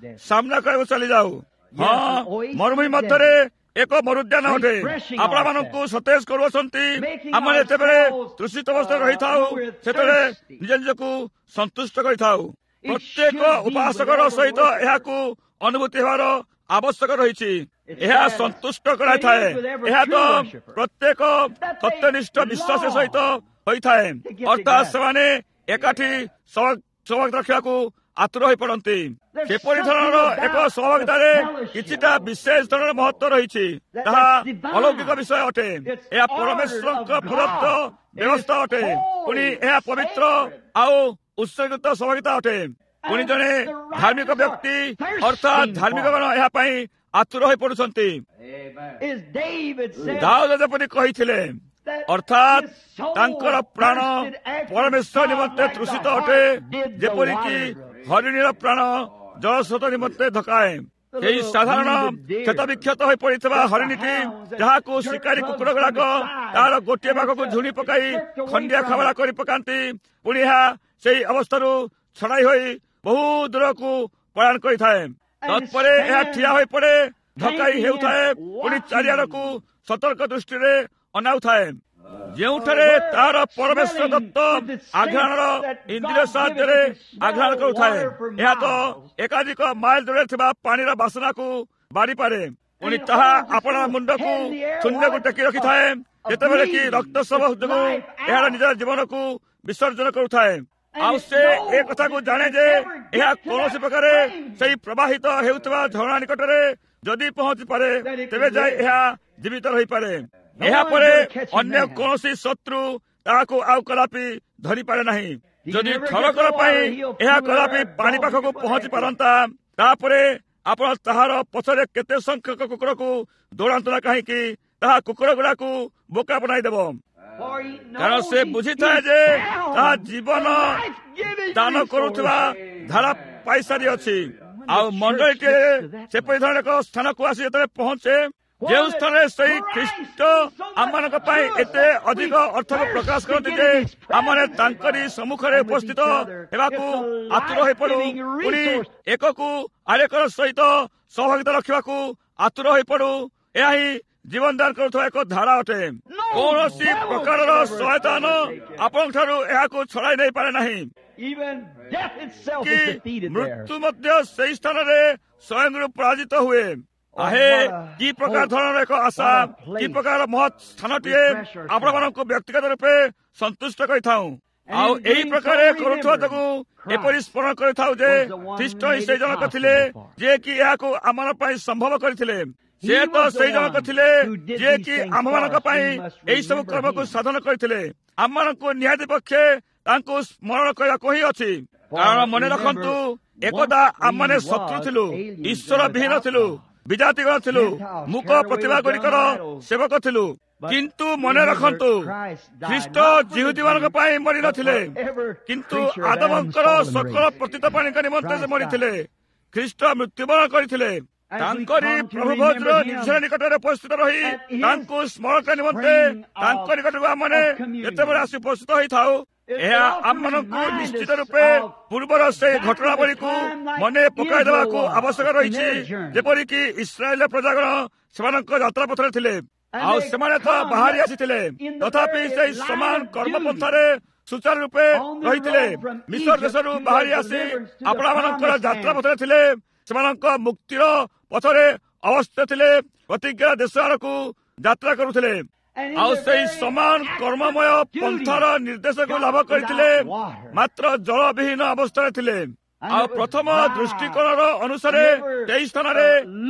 ସାମ୍ନା କରିବାକୁ ଚାଲିଯାଉ। ହଁ, ମରୁଭୂମି ମଧ୍ୟରେ ଏକ ମରୁଦ୍ୟାନ ଅଟେ। ଆପଣମାନଙ୍କୁ ସତେଜ କରୁଅଛନ୍ତି। ଆମେ ଯେତେବେଳେ ତୃଷିତ ଅବସ୍ଥାରେ ରହିଥାଉ, ସେତେବେଳେ ନିଜ ନିଜକୁ ସନ୍ତୁଷ୍ଟ କରିଥାଉ। ପ୍ରତ୍ୟେକ ଉପାସକର ସହିତ ଏହାକୁ ଅନୁଭୂତି ହେବାର ଆବଶ୍ୟକ ରହିଛି। ଏହା ସନ୍ତୁଷ୍ଟ କରାଇଥାଏ। ଏହା ତ ପ୍ରତ୍ୟେକ ସତ୍ୟନିଷ୍ଠ ବିଶ୍ୱାସ ସହିତ ହୋଇଥାଏ। ଅର୍ଥାତ୍ ସେମାନେ ଏକାଠି ସହଭାଗିତା ରଖିବାକୁ ଆତୁର ହୋଇ ପଡ଼ନ୍ତି। ସେପରି ଧରଣର ଏକ ସହଭାଗିତାରେ କିଛିଟା ବିଶେଷ ଧରଣର ମହତ୍ଵ ରହିଛି। ତାହା ଅଲୌକିକ ବିଷୟ ଅଟେ। ଏହା ପରମେଶ୍ୱରଙ୍କ ପ୍ରଦତ୍ତ ବ୍ୟବସ୍ଥା ଅଟେ। ପୁଣି ଏହା ପବିତ୍ର ଆଉ ଉତ୍ସର୍ଗିତ ସହଭାଗିତା ଅଟେ। ପୁଣି ଜଣେ ଧାର୍ମିକ ବ୍ୟକ୍ତି, ଅର୍ଥାତ୍ ଧାର୍ମିକଗଣ ଏହା ପାଇଁ ଆତୁର ହୋଇ ପଡୁଛନ୍ତି। ଦାଉଦ ଯେପରି କହିଥିଲେ, ଅର୍ଥାତ୍ ତାଙ୍କର ପ୍ରାଣ ପରମେଶ୍ୱର ନିମନ୍ତେ ତୃଷିତ ଅଟେ, ଯେପରିକି ହରିଣୀର ପ୍ରାଣ ଜଳସ୍ରୋତ ନିମନ୍ତେ ଧକାଏ। ସେହି ସାଧାରଣ କ୍ଷତବିକ୍ଷତ ହୋଇ ପଡ଼ିଥିବା ହରିଣୀଟି, ଯାହାକୁ ଶିକାରୀ କୁକୁର ଗୁଡାକ ତାହାର ଗୋଟିଏ ପାଖକୁ ଝୁଣି ପକାଇ ଖଣ୍ଡିଆ ଖାବରା କରି ପକାନ୍ତି, ପୁଣି ଏହା ସେହି ଅବସ୍ଥାରୁ ଛଡ଼ାଇ ହୋଇ ବହୁ ଦୂରକୁ ପଳାୟନ କରିଥାଏ। ତତ୍ପରେ ଏହା ଠିଆ ହୋଇ ପଡ଼େ, ଧକାଇ ହେଉଥାଏ, ପୁଣି ଚାରିଆଡ଼କୁ ସତର୍କ ଦୃଷ୍ଟିରେ ଅନାଉଥାଏ, ଯେଉଁଠାରେ ତାହାର ପରମେଶ୍ୱର ଦତ୍ତ ଆଘ୍ରାଣର ଇନ୍ଦ୍ରିୟ ସାହାଯ୍ୟରେ ଆଘ୍ରାଣ କରୁଥାଏ। ଏହା ତ ଏକାଧିକ ମାଇଲ ଦୂରରେ ଥିବା ପାଣିର ବାସନାକୁ ବାରିପାରେ। ପୁଣି ତାହା ଆପଣା ମୁଣ୍ଡକୁ ଶୂନ୍ୟକୁ ଟେକି ରଖିଥାଏ, ଯେତେବେଳେ କି ରକ୍ତସ୍ରାବ ଯୋଗୁଁ ଏହାର ନିଜର ଜୀବନକୁ ବିସର୍ଜନ କରୁଥାଏ। ଆଉ ସେ ଏ କଥାକୁ ଜାଣେ ଯେ ଏହା କୌଣସି ପ୍ରକାରେ ସେହି ପ୍ରବାହିତ ହେଉଥିବା ଝରଣା ନିକଟରେ ଯଦି ପହଞ୍ଚି ପାରେ, ତେବେ ଯାଇ ଏହା ଜୀବିତ ରହିପାରେ। ଏହାପରେ ଅନ୍ୟ କୌଣସି ଶତ୍ରୁ ତାହାକୁ ଆଉ କଦାପି ଧରିପାରେ ନାହିଁ। ଯଦି ଥରକର ପାଇଁ ଏହା କଦାପି ପାଣି ପାଖକୁ ପହଞ୍ଚି ପାରନ୍ତା, ତାପରେ ଆପଣ ତାହାର ପଛରେ କେତେ ସଂଖ୍ୟକ କୁକୁରକୁ ଦୌଡ଼ାନ୍ତୁ ନା କାହିଁକି, ତାହା କୁକୁର ଗୁଡାକୁ ବୋକା ବନାଇଦେବ। କାରଣ ସେ ବୁଝିଥାଏ ଯେ ତାହା ଜୀବନ ଦାନ କରୁଥିବା ଧାରା ପାଇସାରିଅଛି। ଆଉ ମଣ୍ଡଳୀଟିଏ ସେପରି ଧରଣର ଏକ ସ୍ଥାନକୁ ଆସି ଯେତେବେଳେ ପହଞ୍ଚେ, ଯେଉଁ ସ୍ଥାନରେ ସେଇ ଖ୍ରୀଷ୍ଟ ଆମମାନଙ୍କ ପାଇଁ ଏତେ ଅଧିକ ଅର୍ଥକୁ ପ୍ରକାଶ କରନ୍ତି ଯେ ଆମମାନେ ତାଙ୍କରି ସମ୍ମୁଖରେ ଉପସ୍ଥିତ ହେବାକୁ ଆତୁର ହୋଇପଡୁ, ପୁଣି ଏକକୁ ଆରେକର ସହିତ ସହଭାଗିତା ରଖିବାକୁ ଆତୁର ହୋଇପଡୁ, ଏହା ହିଁ ଜୀବନ ଦାନ କରୁଥିବା ଏକ ଧାରା ଅଟେ। କୌଣସି ପ୍ରକାରର ଶୟତାନ ଆପଣଙ୍କ ଠାରୁ ଏହାକୁ ଛଡ଼ାଇ ନେଇପାରେ ନାହିଁ। କି ମୃତ୍ୟୁ ମଧ୍ୟ ସେହି ସ୍ଥାନରେ ସ୍ୱୟଂ ପରାଜିତ ହୁଏ। ଆହେ, କି ପ୍ରକାର ଧରଣର ଏକ ଆଶା, କି ପ୍ରକାର ମହତ୍ ସ୍ଥାନଟିଏ! ଆପଣମାନଙ୍କୁ ବ୍ୟକ୍ତିଗତ ରୂପେ ସନ୍ତୁଷ୍ଟ କରିଥାଉ। ଆଉ ଏହି ପ୍ରକାରେ କରୁଥିବା ଯୋଗୁଁ ଏପରି ସ୍ମରଣ କରିଥାଉ ଯେ ଖ୍ରୀଷ୍ଟ ହିଁ ସେଇ ଜଣକ ଥିଲେ ଯିଏକି ଏହାକୁ ଆମମାନଙ୍କ ପାଇଁ ସମ୍ଭବ କରିଥିଲେ। ସେ ତ ସେଇ ଜଣକ ଥିଲେ ଯିଏକି ଆମ୍ଭମାନଙ୍କ ପାଇଁ ଏହି ସବୁ କର୍ମକୁ ସାଧନ କରିଥିଲେ। ଆମମାନଙ୍କୁ ନିହାତି ପକ୍ଷେ ତାଙ୍କୁ ସ୍ମରଣ କରିବାକୁ ହିଁ ଅଛି। କାରଣ ମନେ ରଖନ୍ତୁ, ଏକଦା ଆମମାନେ ଶତ୍ରୁ ଥିଲୁ, ଈଶ୍ୱର ବିହୀନ ଥିଲୁ, ବିଜାତିଗଣ ଥିଲୁ, ମୂକ ପ୍ରତିଭା ଗୁଡ଼ିକର ସେବକ ଥିଲୁ। କିନ୍ତୁ ମନେ ରଖନ୍ତୁ, ଖ୍ରୀଷ୍ଟ ଜିହୁଦୀମାନଙ୍କ ପାଇଁ ମରିନଥିଲେ, କିନ୍ତୁ ଆଦମଙ୍କର ସକଳ ପତିତ ପ୍ରାଣୀଙ୍କ ନିମନ୍ତେ ସେ ମରିଥିଲେ। ଖ୍ରୀଷ୍ଟ ମୃତ୍ୟୁବରଣ କରିଥିଲେ। ତାଙ୍କରି ପ୍ରଭୁ ଭୋଜର ନିର୍ଝର ନିକଟରେ ଉପସ୍ଥିତ ରହି ତାଙ୍କୁ ସ୍ମରଣ କରିବା ନିମନ୍ତେ ତାଙ୍କ ନିକଟକୁ ଆମମାନେ ଯେତେବେଳେ ଆସି ଉପସ୍ଥିତ ହୋଇଥାଉ, ଏହା ଆମମାନଙ୍କୁ ନିଶ୍ଚିତ ରୂପେ ପୂର୍ବର ସେହି ଘଟଣାବଳୀକୁ ମନେ ପକାଇ ଦେବାକୁ ଆବଶ୍ୟକ ରହିଛି, ଯେପରିକି ଇସ୍ରାଏଲ ପ୍ରଜାଗଣ ସେମାନଙ୍କ ଯାତ୍ରା ପଥରେ ଥିଲେ ଆଉ ସେମାନେ ତ ବାହାରି ଆସିଥିଲେ, ତଥାପି ସେହି ସମାନ କର୍ମପନ୍ଥାରେ ସୁଚାରୁ ରୂପେ ରହିଥିଲେ। ମିଶର ଦେଶରୁ ବାହାରି ଆସି ଆପଣମାନଙ୍କର ଯାତ୍ରା ପଥରେ ଥିଲେ, ସେମାନଙ୍କ ମୁକ୍ତିର ପଥରେ ଅବସ୍ଥିତ ଥିଲେ, ପ୍ରତିଜ୍ଞା ଦେଶ ଆଡ଼କୁ ଯାତ୍ରା କରୁଥିଲେ ଆଉ ସେଇ ସମାନ କର୍ମମୟ ପନ୍ଥାର ନିର୍ଦ୍ଦେଶକୁ ଲାଭ କରିଥିଲେ, ମାତ୍ର ଜଳବିହୀନ ଅବସ୍ଥାରେ ଥିଲେ। ଆଉ ପ୍ରଥମ ଦୃଷ୍ଟିକୋଣର ଅନୁସାରେ ସେହି ସ୍ଥାନରେ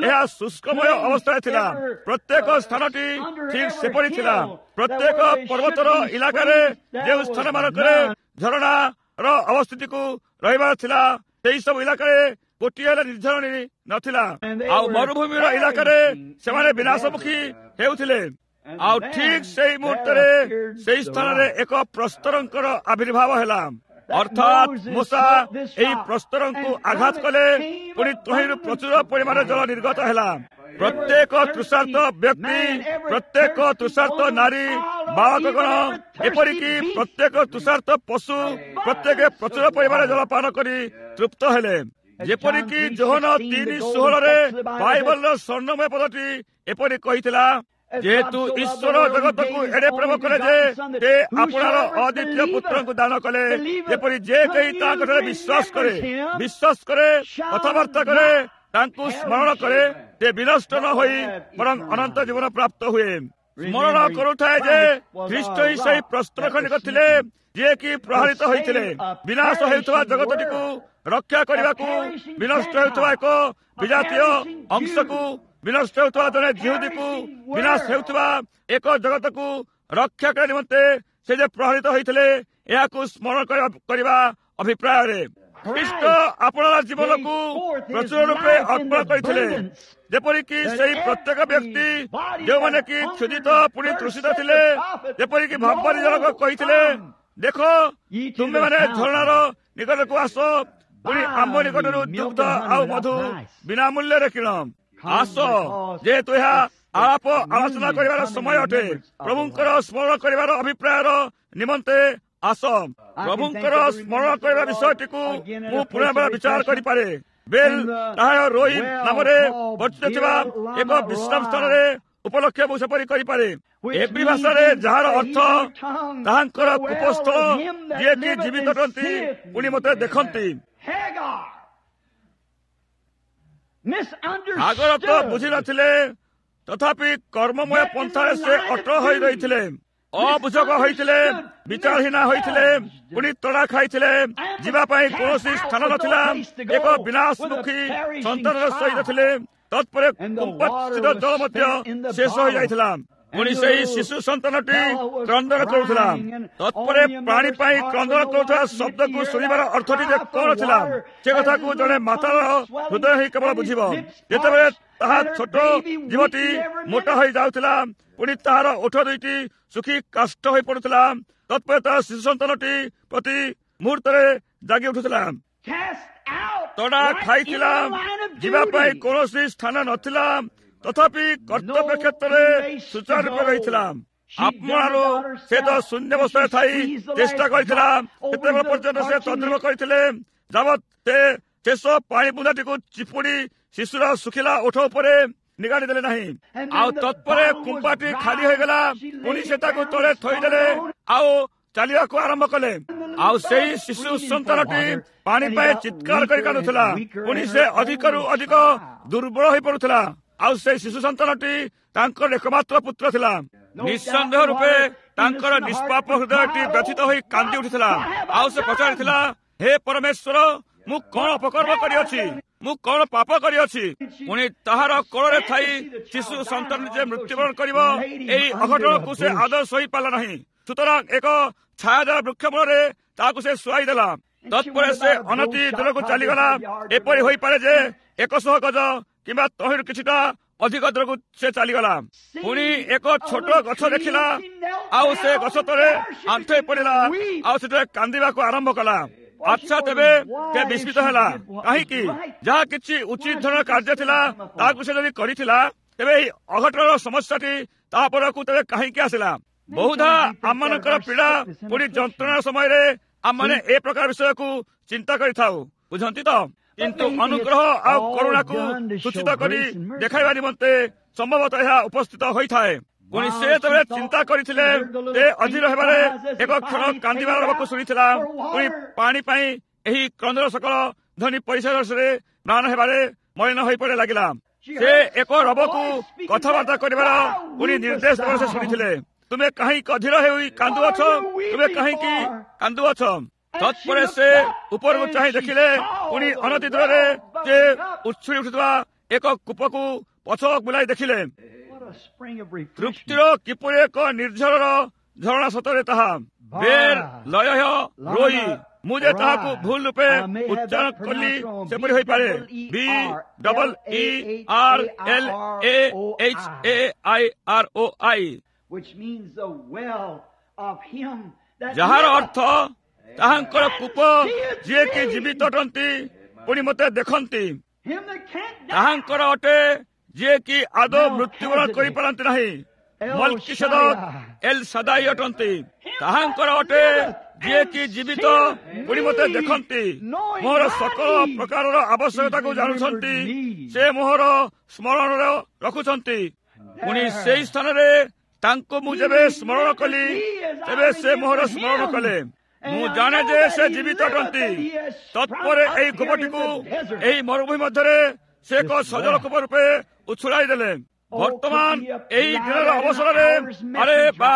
ଏହା ଶୁଷ୍କମୟ ଅବସ୍ଥାରେ ଥିଲା। ପ୍ରତ୍ୟେକ ସ୍ଥାନଟି ଠିକ ସେପରି ଥିଲା। ପ୍ରତ୍ୟେକ ପର୍ବତର ଇଲାକାରେ ଯେଉଁ ସ୍ଥାନମାନଙ୍କରେ ଝରଣାର ଅବସ୍ଥିତିକୁ ରହିବାର ଥିଲା, ସେହି ସବୁ ଇଲାକାରେ ଗୋଟିଏ ହେଲେ ନିର୍ଝରଣୀ ନଥିଲା। ଆଉ ମରୁଭୂମିର ଇଲାକାରେ ସେମାନେ ବିନାଶମୁଖୀ ହେଉଥିଲେ। ଆଉ ଠିକ ସେଇ ମୁହୂର୍ତ୍ତରେ ସେଇ ସ୍ଥାନରେ ଏକ ପ୍ରସ୍ତରଙ୍କର ଆବିର୍ଭାବ ହେଲା। ଅର୍ଥାତ୍ ମୋଶା ଏହି ପ୍ରସ୍ତରଙ୍କୁ ଆଘାତ କଲେ, ପୁଣି ତହିଁରୁ ପ୍ରଚୁର ପରିମାଣର ଜଳ ନିର୍ଗତ ହେଲା। ପ୍ରତ୍ୟେକ ତୃଷାର୍ତ ବ୍ୟକ୍ତି, ପ୍ରତ୍ୟେକ ତୃଷାର୍ତ ନାରୀ, ବାଳକଗଣ, ଏପରିକି ପ୍ରତ୍ୟେକ ତୃଷାର୍ତ ପଶୁ, ପ୍ରତ୍ୟେକ ପ୍ରଚୁର ପରିମାଣର ଜଳପାନ କରି ତୃପ୍ତ ହେଲେ। ଯେପରିକି ଯୋହନ 3:16 ବାଇବଲର ସ୍ୱର୍ଣ୍ଣମୟ ପଦଟି ଏପରି କହିଥିଲା, ଯେହେତୁ ଈଶ୍ୱର ଜଗତକୁ ଏଡ଼େ ପ୍ରେମ କଲେ ଯେ ସେ ଆପଣାର ଅଦ୍ୱିତୀୟ ପୁତ୍ରଙ୍କୁ ଦାନ କଲେ, ଯେପରି ଯେ କେହି ତାଙ୍କଠାରେ ବିଶ୍ୱାସ କରେ, କଥାବାର୍ତ୍ତା କରେ, ତାଙ୍କୁ ସ୍ମରଣ କରେ, ସେ ବିନଷ୍ଟ ନ ହୋଇ ବରଂ ଅନନ୍ତ ଜୀବନ ପ୍ରାପ୍ତ ହୁଏ। ସ୍ମରଣ କରୁଥାଏ ଯେ ଖ୍ରୀଷ୍ଟ ହିଁ ସେହି ପ୍ରସ୍ତର ଖଣ୍ଡିକ ଥିଲେ, ଯିଏକି ପ୍ରହାରିତ ହୋଇଥିଲେ ବିନାଶ ହେଉଥିବା ଜଗତଟିକୁ ରକ୍ଷା କରିବାକୁ, ବିନଷ୍ଟ ହେଉଥିବା ଏକ ବିଜାତୀୟ ଅଂଶକୁ, ବିନଷ୍ଟ ହେଉଥିବା ଜଣେ ଜିହୁଦୀକୁ, ବିନାଶ ହେଉଥିବା ଏକ ଜଗତକୁ ରକ୍ଷା କରିବା ନିମନ୍ତେ ସେ ଯେ ପ୍ରହାରିତ ହୋଇଥିଲେ, ଏହାକୁ ସ୍ମରଣ କରିବା ଅଭିପ୍ରାୟରେ ଖ୍ରୀଷ୍ଟ ଆପଣାର ଜୀବନକୁ ପ୍ରଚୁର ରୂପେ ଅର୍ପଣ କରିଥିଲେ, ଯେପରିକି ସେହି ପ୍ରତ୍ୟେକ ବ୍ୟକ୍ତି ଯେଉଁମାନେ କି କ୍ଷୁଧିତ ପୁଣି ତୃଷିତ ଥିଲେ, ଯେପରିକି ଭାବବାଦୀ ଜଣକ କହିଥିଲେ, ଦେଖ ତୁମେମାନେ ଝରଣାର ନିକଟକୁ ଆସ, ପୁଣି ଆମ୍ଭ ନିକଟରୁ ଦୁଗ୍ଧ ଆଉ ମଧୁ ବିନା ମୂଲ୍ୟରେ କିଣ। ଆସ, ଯେହେତୁ ଏହା ଆଳାପ ଆଲୋଚନା କରିବାର ସମୟ ଅଟେ, ପ୍ରଭୁଙ୍କର ସ୍ମରଣ କରିବାର ଅଭିପ୍ରାୟର ନିମନ୍ତେ ଆସ। ପ୍ରଭୁଙ୍କର ସ୍ମରଣ କରିବା ବିଷୟଟିକୁ ମୁଁ ପୁନର୍ବାର ବିଚାର କରିପାରେ। ବେଲ ତାହା ରୋହି ନାମରେ ପରିଚିତ ଥିବା ଏକ ବିଶ୍ରାମ ସ୍ଥାନରେ ଉପଲକ୍ଷ୍ୟ ମୁଁ ସେପରି କରିପାରେ। ଏବ୍ରୀ ଭାଷାରେ ଯାହାର ଅର୍ଥ ତାହାଙ୍କର କୂପସ୍ଥଳ, ଯିଏକି ଜୀବିତ ଅଟନ୍ତି ପୁଣି ମୋତେ ଦେଖନ୍ତି। ଆଗର ତ ବୁଝିନଥିଲେ, ତଥାପି କର୍ମମୟ ପନ୍ଥାରେ ସେ ଅଟଳ ହୋଇ ରହିଥିଲେ, ଅବୁଝକ ହୋଇଥିଲେ, ବିଚାରହୀନ ହୋଇଥିଲେ, ପୁଣି ତଡ଼ା ଖାଇଥିଲେ, ଯିବା ପାଇଁ କୌଣସି ସ୍ଥାନ ନଥିଲା, ଏକ ବିନାଶମୁଖୀ ସନ୍ତାନର ସହିତ ଥିଲେ। ତତ୍ପରେ କୁମ୍ପସ୍ଥିତ ଜଳ ମଧ୍ୟ ଶେଷ ହୋଇଯାଇଥିଲା। ପୁଣି ସେହି ଶିଶୁ ସନ୍ତାନଟି କ୍ରନ୍ଦନ କରୁଥିଲା। ତତ୍ପରେ ପ୍ରାଣୀ ପାଇଁ କ୍ରନ୍ଦନ କରୁଥିବା ଶବ୍ଦକୁ ଶୁଣିବାର ଅର୍ଥଟି ଯେ କଣ ଥିଲା, ସେ କଥାକୁ ଜଣେ ମାତାର ହୃଦୟ ହିଁ କେବଳ ବୁଝିବ। ଯେତେବେଳେ ତାହା ଛୋଟ ଜୀବଟି ମୋଟା ହୋଇ ଯାଉଥିଲା, ପୁଣି ତାହାର ଓଠ ଦୁଇଟି ଶୁଖି କାଷ୍ଠ ହୋଇ ପଡୁଥିଲା, ତତ୍ପରେ ତାର ଶିଶୁ ସନ୍ତାନଟି ପ୍ରତି ମୁହୂର୍ତ୍ତରେ ଜାଗି ଉଠୁଥିଲା। ତଡ଼ା ଖାଇଥିଲା, ଯିବା ପାଇଁ କୌଣସି ସ୍ଥାନ ନଥିଲା, ତଥାପି କର୍ତ୍ତବ୍ୟ କ୍ଷେତ୍ରରେ ସୁଚାରୁ ରୂପେ ରହିଥିଲା। ଆପଣାରୁ ସେ ତ ଶୂନ୍ୟାବସ୍ଥାରେ ଥାଇ ଚେଷ୍ଟା କରିଥିଲା, ସେତେବେଳେ ପର୍ଯ୍ୟନ୍ତ ସେ ତଦ୍ରୁପ କରିଥିଲେ ଯାବତ୍ ସେ ଶେଷ ପାଣି ବୁନ୍ଦାଟିକୁ ଚିପୁଡ଼ି ଶିଶୁର ଶୁଖିଲା ଓଠ ଉପରେ ନିଗାଡ଼ି ଦେଲେ ନାହିଁ। ଆଉ ତତ୍ପରେ କୁମ୍ପାଟି ଖାଲି ହୋଇଗଲା, ପୁଣି ସେ ତାକୁ ତଳେ ଥୋଇଦେଲେ ଆଉ ଚାଲିବାକୁ ଆରମ୍ଭ କଲେ। ଆଉ ସେଇ ଶିଶୁ ସନ୍ତାନଟି ପାଣି ପାଇଁ ଚିତ୍କାର କରି କାନ୍ଦୁଥିଲା, ପୁଣି ସେ ଅଧିକରୁ ଅଧିକ ଦୁର୍ବଳ ହୋଇପଡୁଥିଲା। ଆଉ ସେଇ ଶିଶୁ ସନ୍ତାନଟି ତାଙ୍କର ଏକମାତ୍ର ପୁତ୍ର ଥିଲା। ନିଃସନ୍ଦେହ ରୂପେ ତାଙ୍କର ନିଷ୍ପାପ ହୃଦୟଟି ବ୍ୟଥିତ ହୋଇ କାନ୍ଦି ଉଠିଥିଲା। ଆଉ ସେ ପଚାରିଥିଲା, ହେ ପରମେଶ୍ୱର, ମୁଁ କଣ ଅପକର୍ମ କରିଅଛି? ମୁଁ କଣ ପାପ କରିଅଛି? ପୁଣି ତାହାର କୋଳରେ ଥାଇ ଶିଶୁ ସନ୍ତାନ ଯେ ମୃତ୍ୟୁବରଣ କରିବ, ଏହି ଅଘଟଣକୁ ସେ ଆଦୌ ସହିପାରିଲା ନାହିଁ। ସୁତରାଂ ଏକ ଛାୟାଦାର ବୃକ୍ଷ ମୂଳରେ ତାହାକୁ ସେ ଶୁଆଇ ଦେଲା। ତତ୍ପରେ ସେ ଅନତି ଦୂରକୁ ଚାଲିଗଲା। ଏପରି ହୋଇପାରେ ଯେ 100 ଗଜ କିମ୍ବା ତହିଁରୁ କିଛିଟା ଅଧିକ ଦୂରକୁ ସେ ଚାଲିଗଲା। ପୁଣି ଏକ ଛୋଟ ଗଛ ଦେଖିଲା, ଆଉ ସେ ଗଛ ତଳେ ଆଣ୍ଠେଇ ପଡ଼ିଲା, ଆଉ ସେଠାରେ କାନ୍ଦିବାକୁ ଆରମ୍ଭ କଲା। ଆଚ୍ଛା, ତେବେ ସେ ବିସ୍ମିତ ହେଲା। କାହିଁକି? ଯାହା କିଛି ଉଚିତ ଧରଣର କାର୍ଯ୍ୟ ଥିଲା ତାହାକୁ ସେ ଯଦି କରିଥିଲା, ତେବେ ଏହି ଅଘଟଣର ସମସ୍ୟାଟି ତା ପରକୁ ତେବେ କାହିଁକି ଆସିଲା? ବହୁଧା ଆମମାନଙ୍କର ପୀଡ଼ା ପୁଣି ଯନ୍ତ୍ରଣା ସମୟରେ ଆମମାନେ ଏ ପ୍ରକାର ବିଷୟକୁ ଚିନ୍ତା କରିଥାଉ, ବୁଝନ୍ତି ତ? କିନ୍ତୁ ଅନୁଗ୍ରହ ଆଉ କରୁଣାକୁ ସୂଚିତ କରି ଦେଖାଇବା ନିମନ୍ତେ ସମ୍ଭବତଃ ଏହା ଉପସ୍ଥିତ ହୋଇଥାଏ। ପୁଣି ସେ ଯେତେବେଳେ ଚିନ୍ତା କରିଥିଲେ, ସେ ଅଧୀର ହେବାରେ ଏକ କ୍ଷଣ କାନ୍ଦିବାର ରବକୁ ଶୁଣିଥିଲା। ପୁଣି ପାଣି ପାଇଁ ଏହି କ୍ରନ୍ଦର ସକଳ ଧ୍ୱନି ପରିସରରେ ମ୍ଳାନ ହେବାରେ ମଳିନ ହୋଇପଡ଼େ ଲାଗିଲା। ସେ ଏକ ରବକୁ କଥାବାର୍ତ୍ତା କରିବାର ପୁଣି ନିର୍ଦ୍ଦେଶ ଦେବାର ସେ ଶୁଣିଥିଲେ, ତୁମେ କାହିଁକି ଅଧୀର ହେଇ କାନ୍ଦୁଅଛ? ତୁମେ କାହିଁକି କାନ୍ଦୁଅଛ? ତତ୍ପରେ ସେ ଉପରକୁ ଚାହିଁ ଦେଖିଲେ, ପୁଣି ଅନତି ଦୂରରେ ସେ ଉଛୁଳି ଉଠୁଥିବା ଏକ କୂପକୁ ପଛ ବୁଲାଇ ଦେଖିଲେ। ତୃପ୍ତିର କିପରି ଏକ ନିର୍ଝରର ଝରଣା ସତରେ ତାହା। ବେର୍ ଲୟ ରୋଇ, ମୁଁ ଯେ ତାହାକୁ ଭୁଲ ରୂପେ ଉଚ୍ଚାରଣ କଲି ସେପରି ହୋଇପାରେ। B double E R L A H A I R O I, ଯାହାର ଅର୍ଥ ତାହାଙ୍କର କୂପ, ଯିଏକି ଜୀବିତ ଅଟନ୍ତି ପୁଣି ମୋତେ ଦେଖନ୍ତି। ତାହାଙ୍କର ଅଟେ ଯିଏକି ଆଦୌ ମୃତ୍ୟୁବରଣ କରିପାରନ୍ତି ନାହିଁ, ମଲ୍କିସେଦକ ଏଲ୍ ସାଦାଇ ଅଟନ୍ତି। ତାହାଙ୍କର ଅଟେ ଯିଏକି ଜୀବିତ ପୁଣି ମୋତେ ଦେଖନ୍ତି, ମୋର ସକଳ ପ୍ରକାରର ଆବଶ୍ୟକତାକୁ ଜାଣୁଛନ୍ତି, ସେ ମୋହର ସ୍ମରଣରେ ରଖୁଛନ୍ତି। ପୁଣି ସେଇ ସ୍ଥାନରେ ତାଙ୍କୁ ମୁଁ ଯେବେ ସ୍ମରଣ କଲି, ତେବେ ସେ ମୋହର ସ୍ମରଣ କଲେ। ମୁଁ ଜାଣେ ଯେ ସେ ଜୀବିତ ଅଟନ୍ତି। ତତ୍ପରେ ଏହି କୂପଟିକୁ ଏହି ମରୁଭୂମି ମଧ୍ୟରେ ସେ ଏକ ସଜଳ କୂପ ରୂପେ ଉଛୁଳାଇ ଦେଲେ। ବର୍ତ୍ତମାନ ଏହି ଦିନର ଅବସରରେ ଆରେ ବା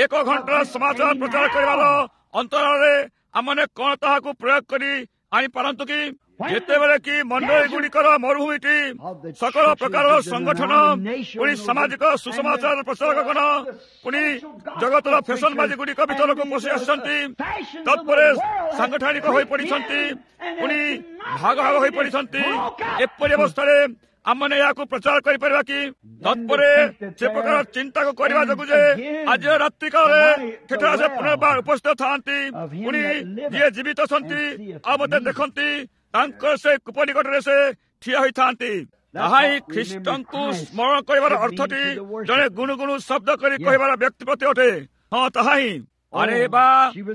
ଏକ ଘଣ୍ଟାର ସମାଚାର ପ୍ରଚାର କରିବାର ଅନ୍ତରାଳରେ ଆମମାନେ କଣ ତାହାକୁ ପ୍ରୟୋଗ କରି ଆଣିପାରନ୍ତୁ କି? ଯେତେବେଳେ କି ମଣ୍ଡଳୀ ଗୁଡ଼ିକର ମରୁଭୂମିଟି ସକଳ ପ୍ରକାରର ସଂଗଠନ, ପୁଣି ସାମାଜିକ ସୁସମାଚାର ପ୍ରଚାରକଗଣ, ପୁଣି ଜଗତର ଫ୍ୟାସନବାଜୀ ଗୁଡ଼ିକ ଭିତରକୁ ପଶି ଆସିଛନ୍ତି, ତତ୍ପରେ ସାଂଗଠନିକ ହୋଇପଡ଼ିଛନ୍ତି, ପୁଣି ଭାଗ ଭାଗ ହୋଇପଡ଼ିଛନ୍ତି। ଏପରି ଅବସ୍ଥାରେ ଆମମାନେ ଏହାକୁ ପ୍ରଚାର କରିପାରିବା କି? ତତ୍ପରେ ସେ ପ୍ରକାର ଚିନ୍ତାକୁ କରିବା ଯୋଗୁଁ ଯେ ଆଜିର ରାତ୍ରିକାଳରେ ସେଠାରେ ସେ ପୁନର୍ବାର ଉପସ୍ଥିତ ଥାଆନ୍ତି, ପୁଣି ଯିଏ ଜୀବିତ ଅଛନ୍ତି ଆଉ ମୋତେ ଦେଖନ୍ତି, ତାଙ୍କର ସେ କୂପ ନିକଟରେ ସେ ଠିଆ ହୋଇଥାନ୍ତି। ତାହା ହିଁ ଖ୍ରୀଷ୍ଟଙ୍କୁ ସ୍ମରଣ କରିବାର ଅର୍ଥଟି ଜଣେ ଗୁଣୁଗୁଣୁ ଶବ୍ଦ କରି କହିବାର ବ୍ୟକ୍ତି ପ୍ରତି ଅଟେ। ହଁ, ତାହା ହିଁ। ଆରେ ବା,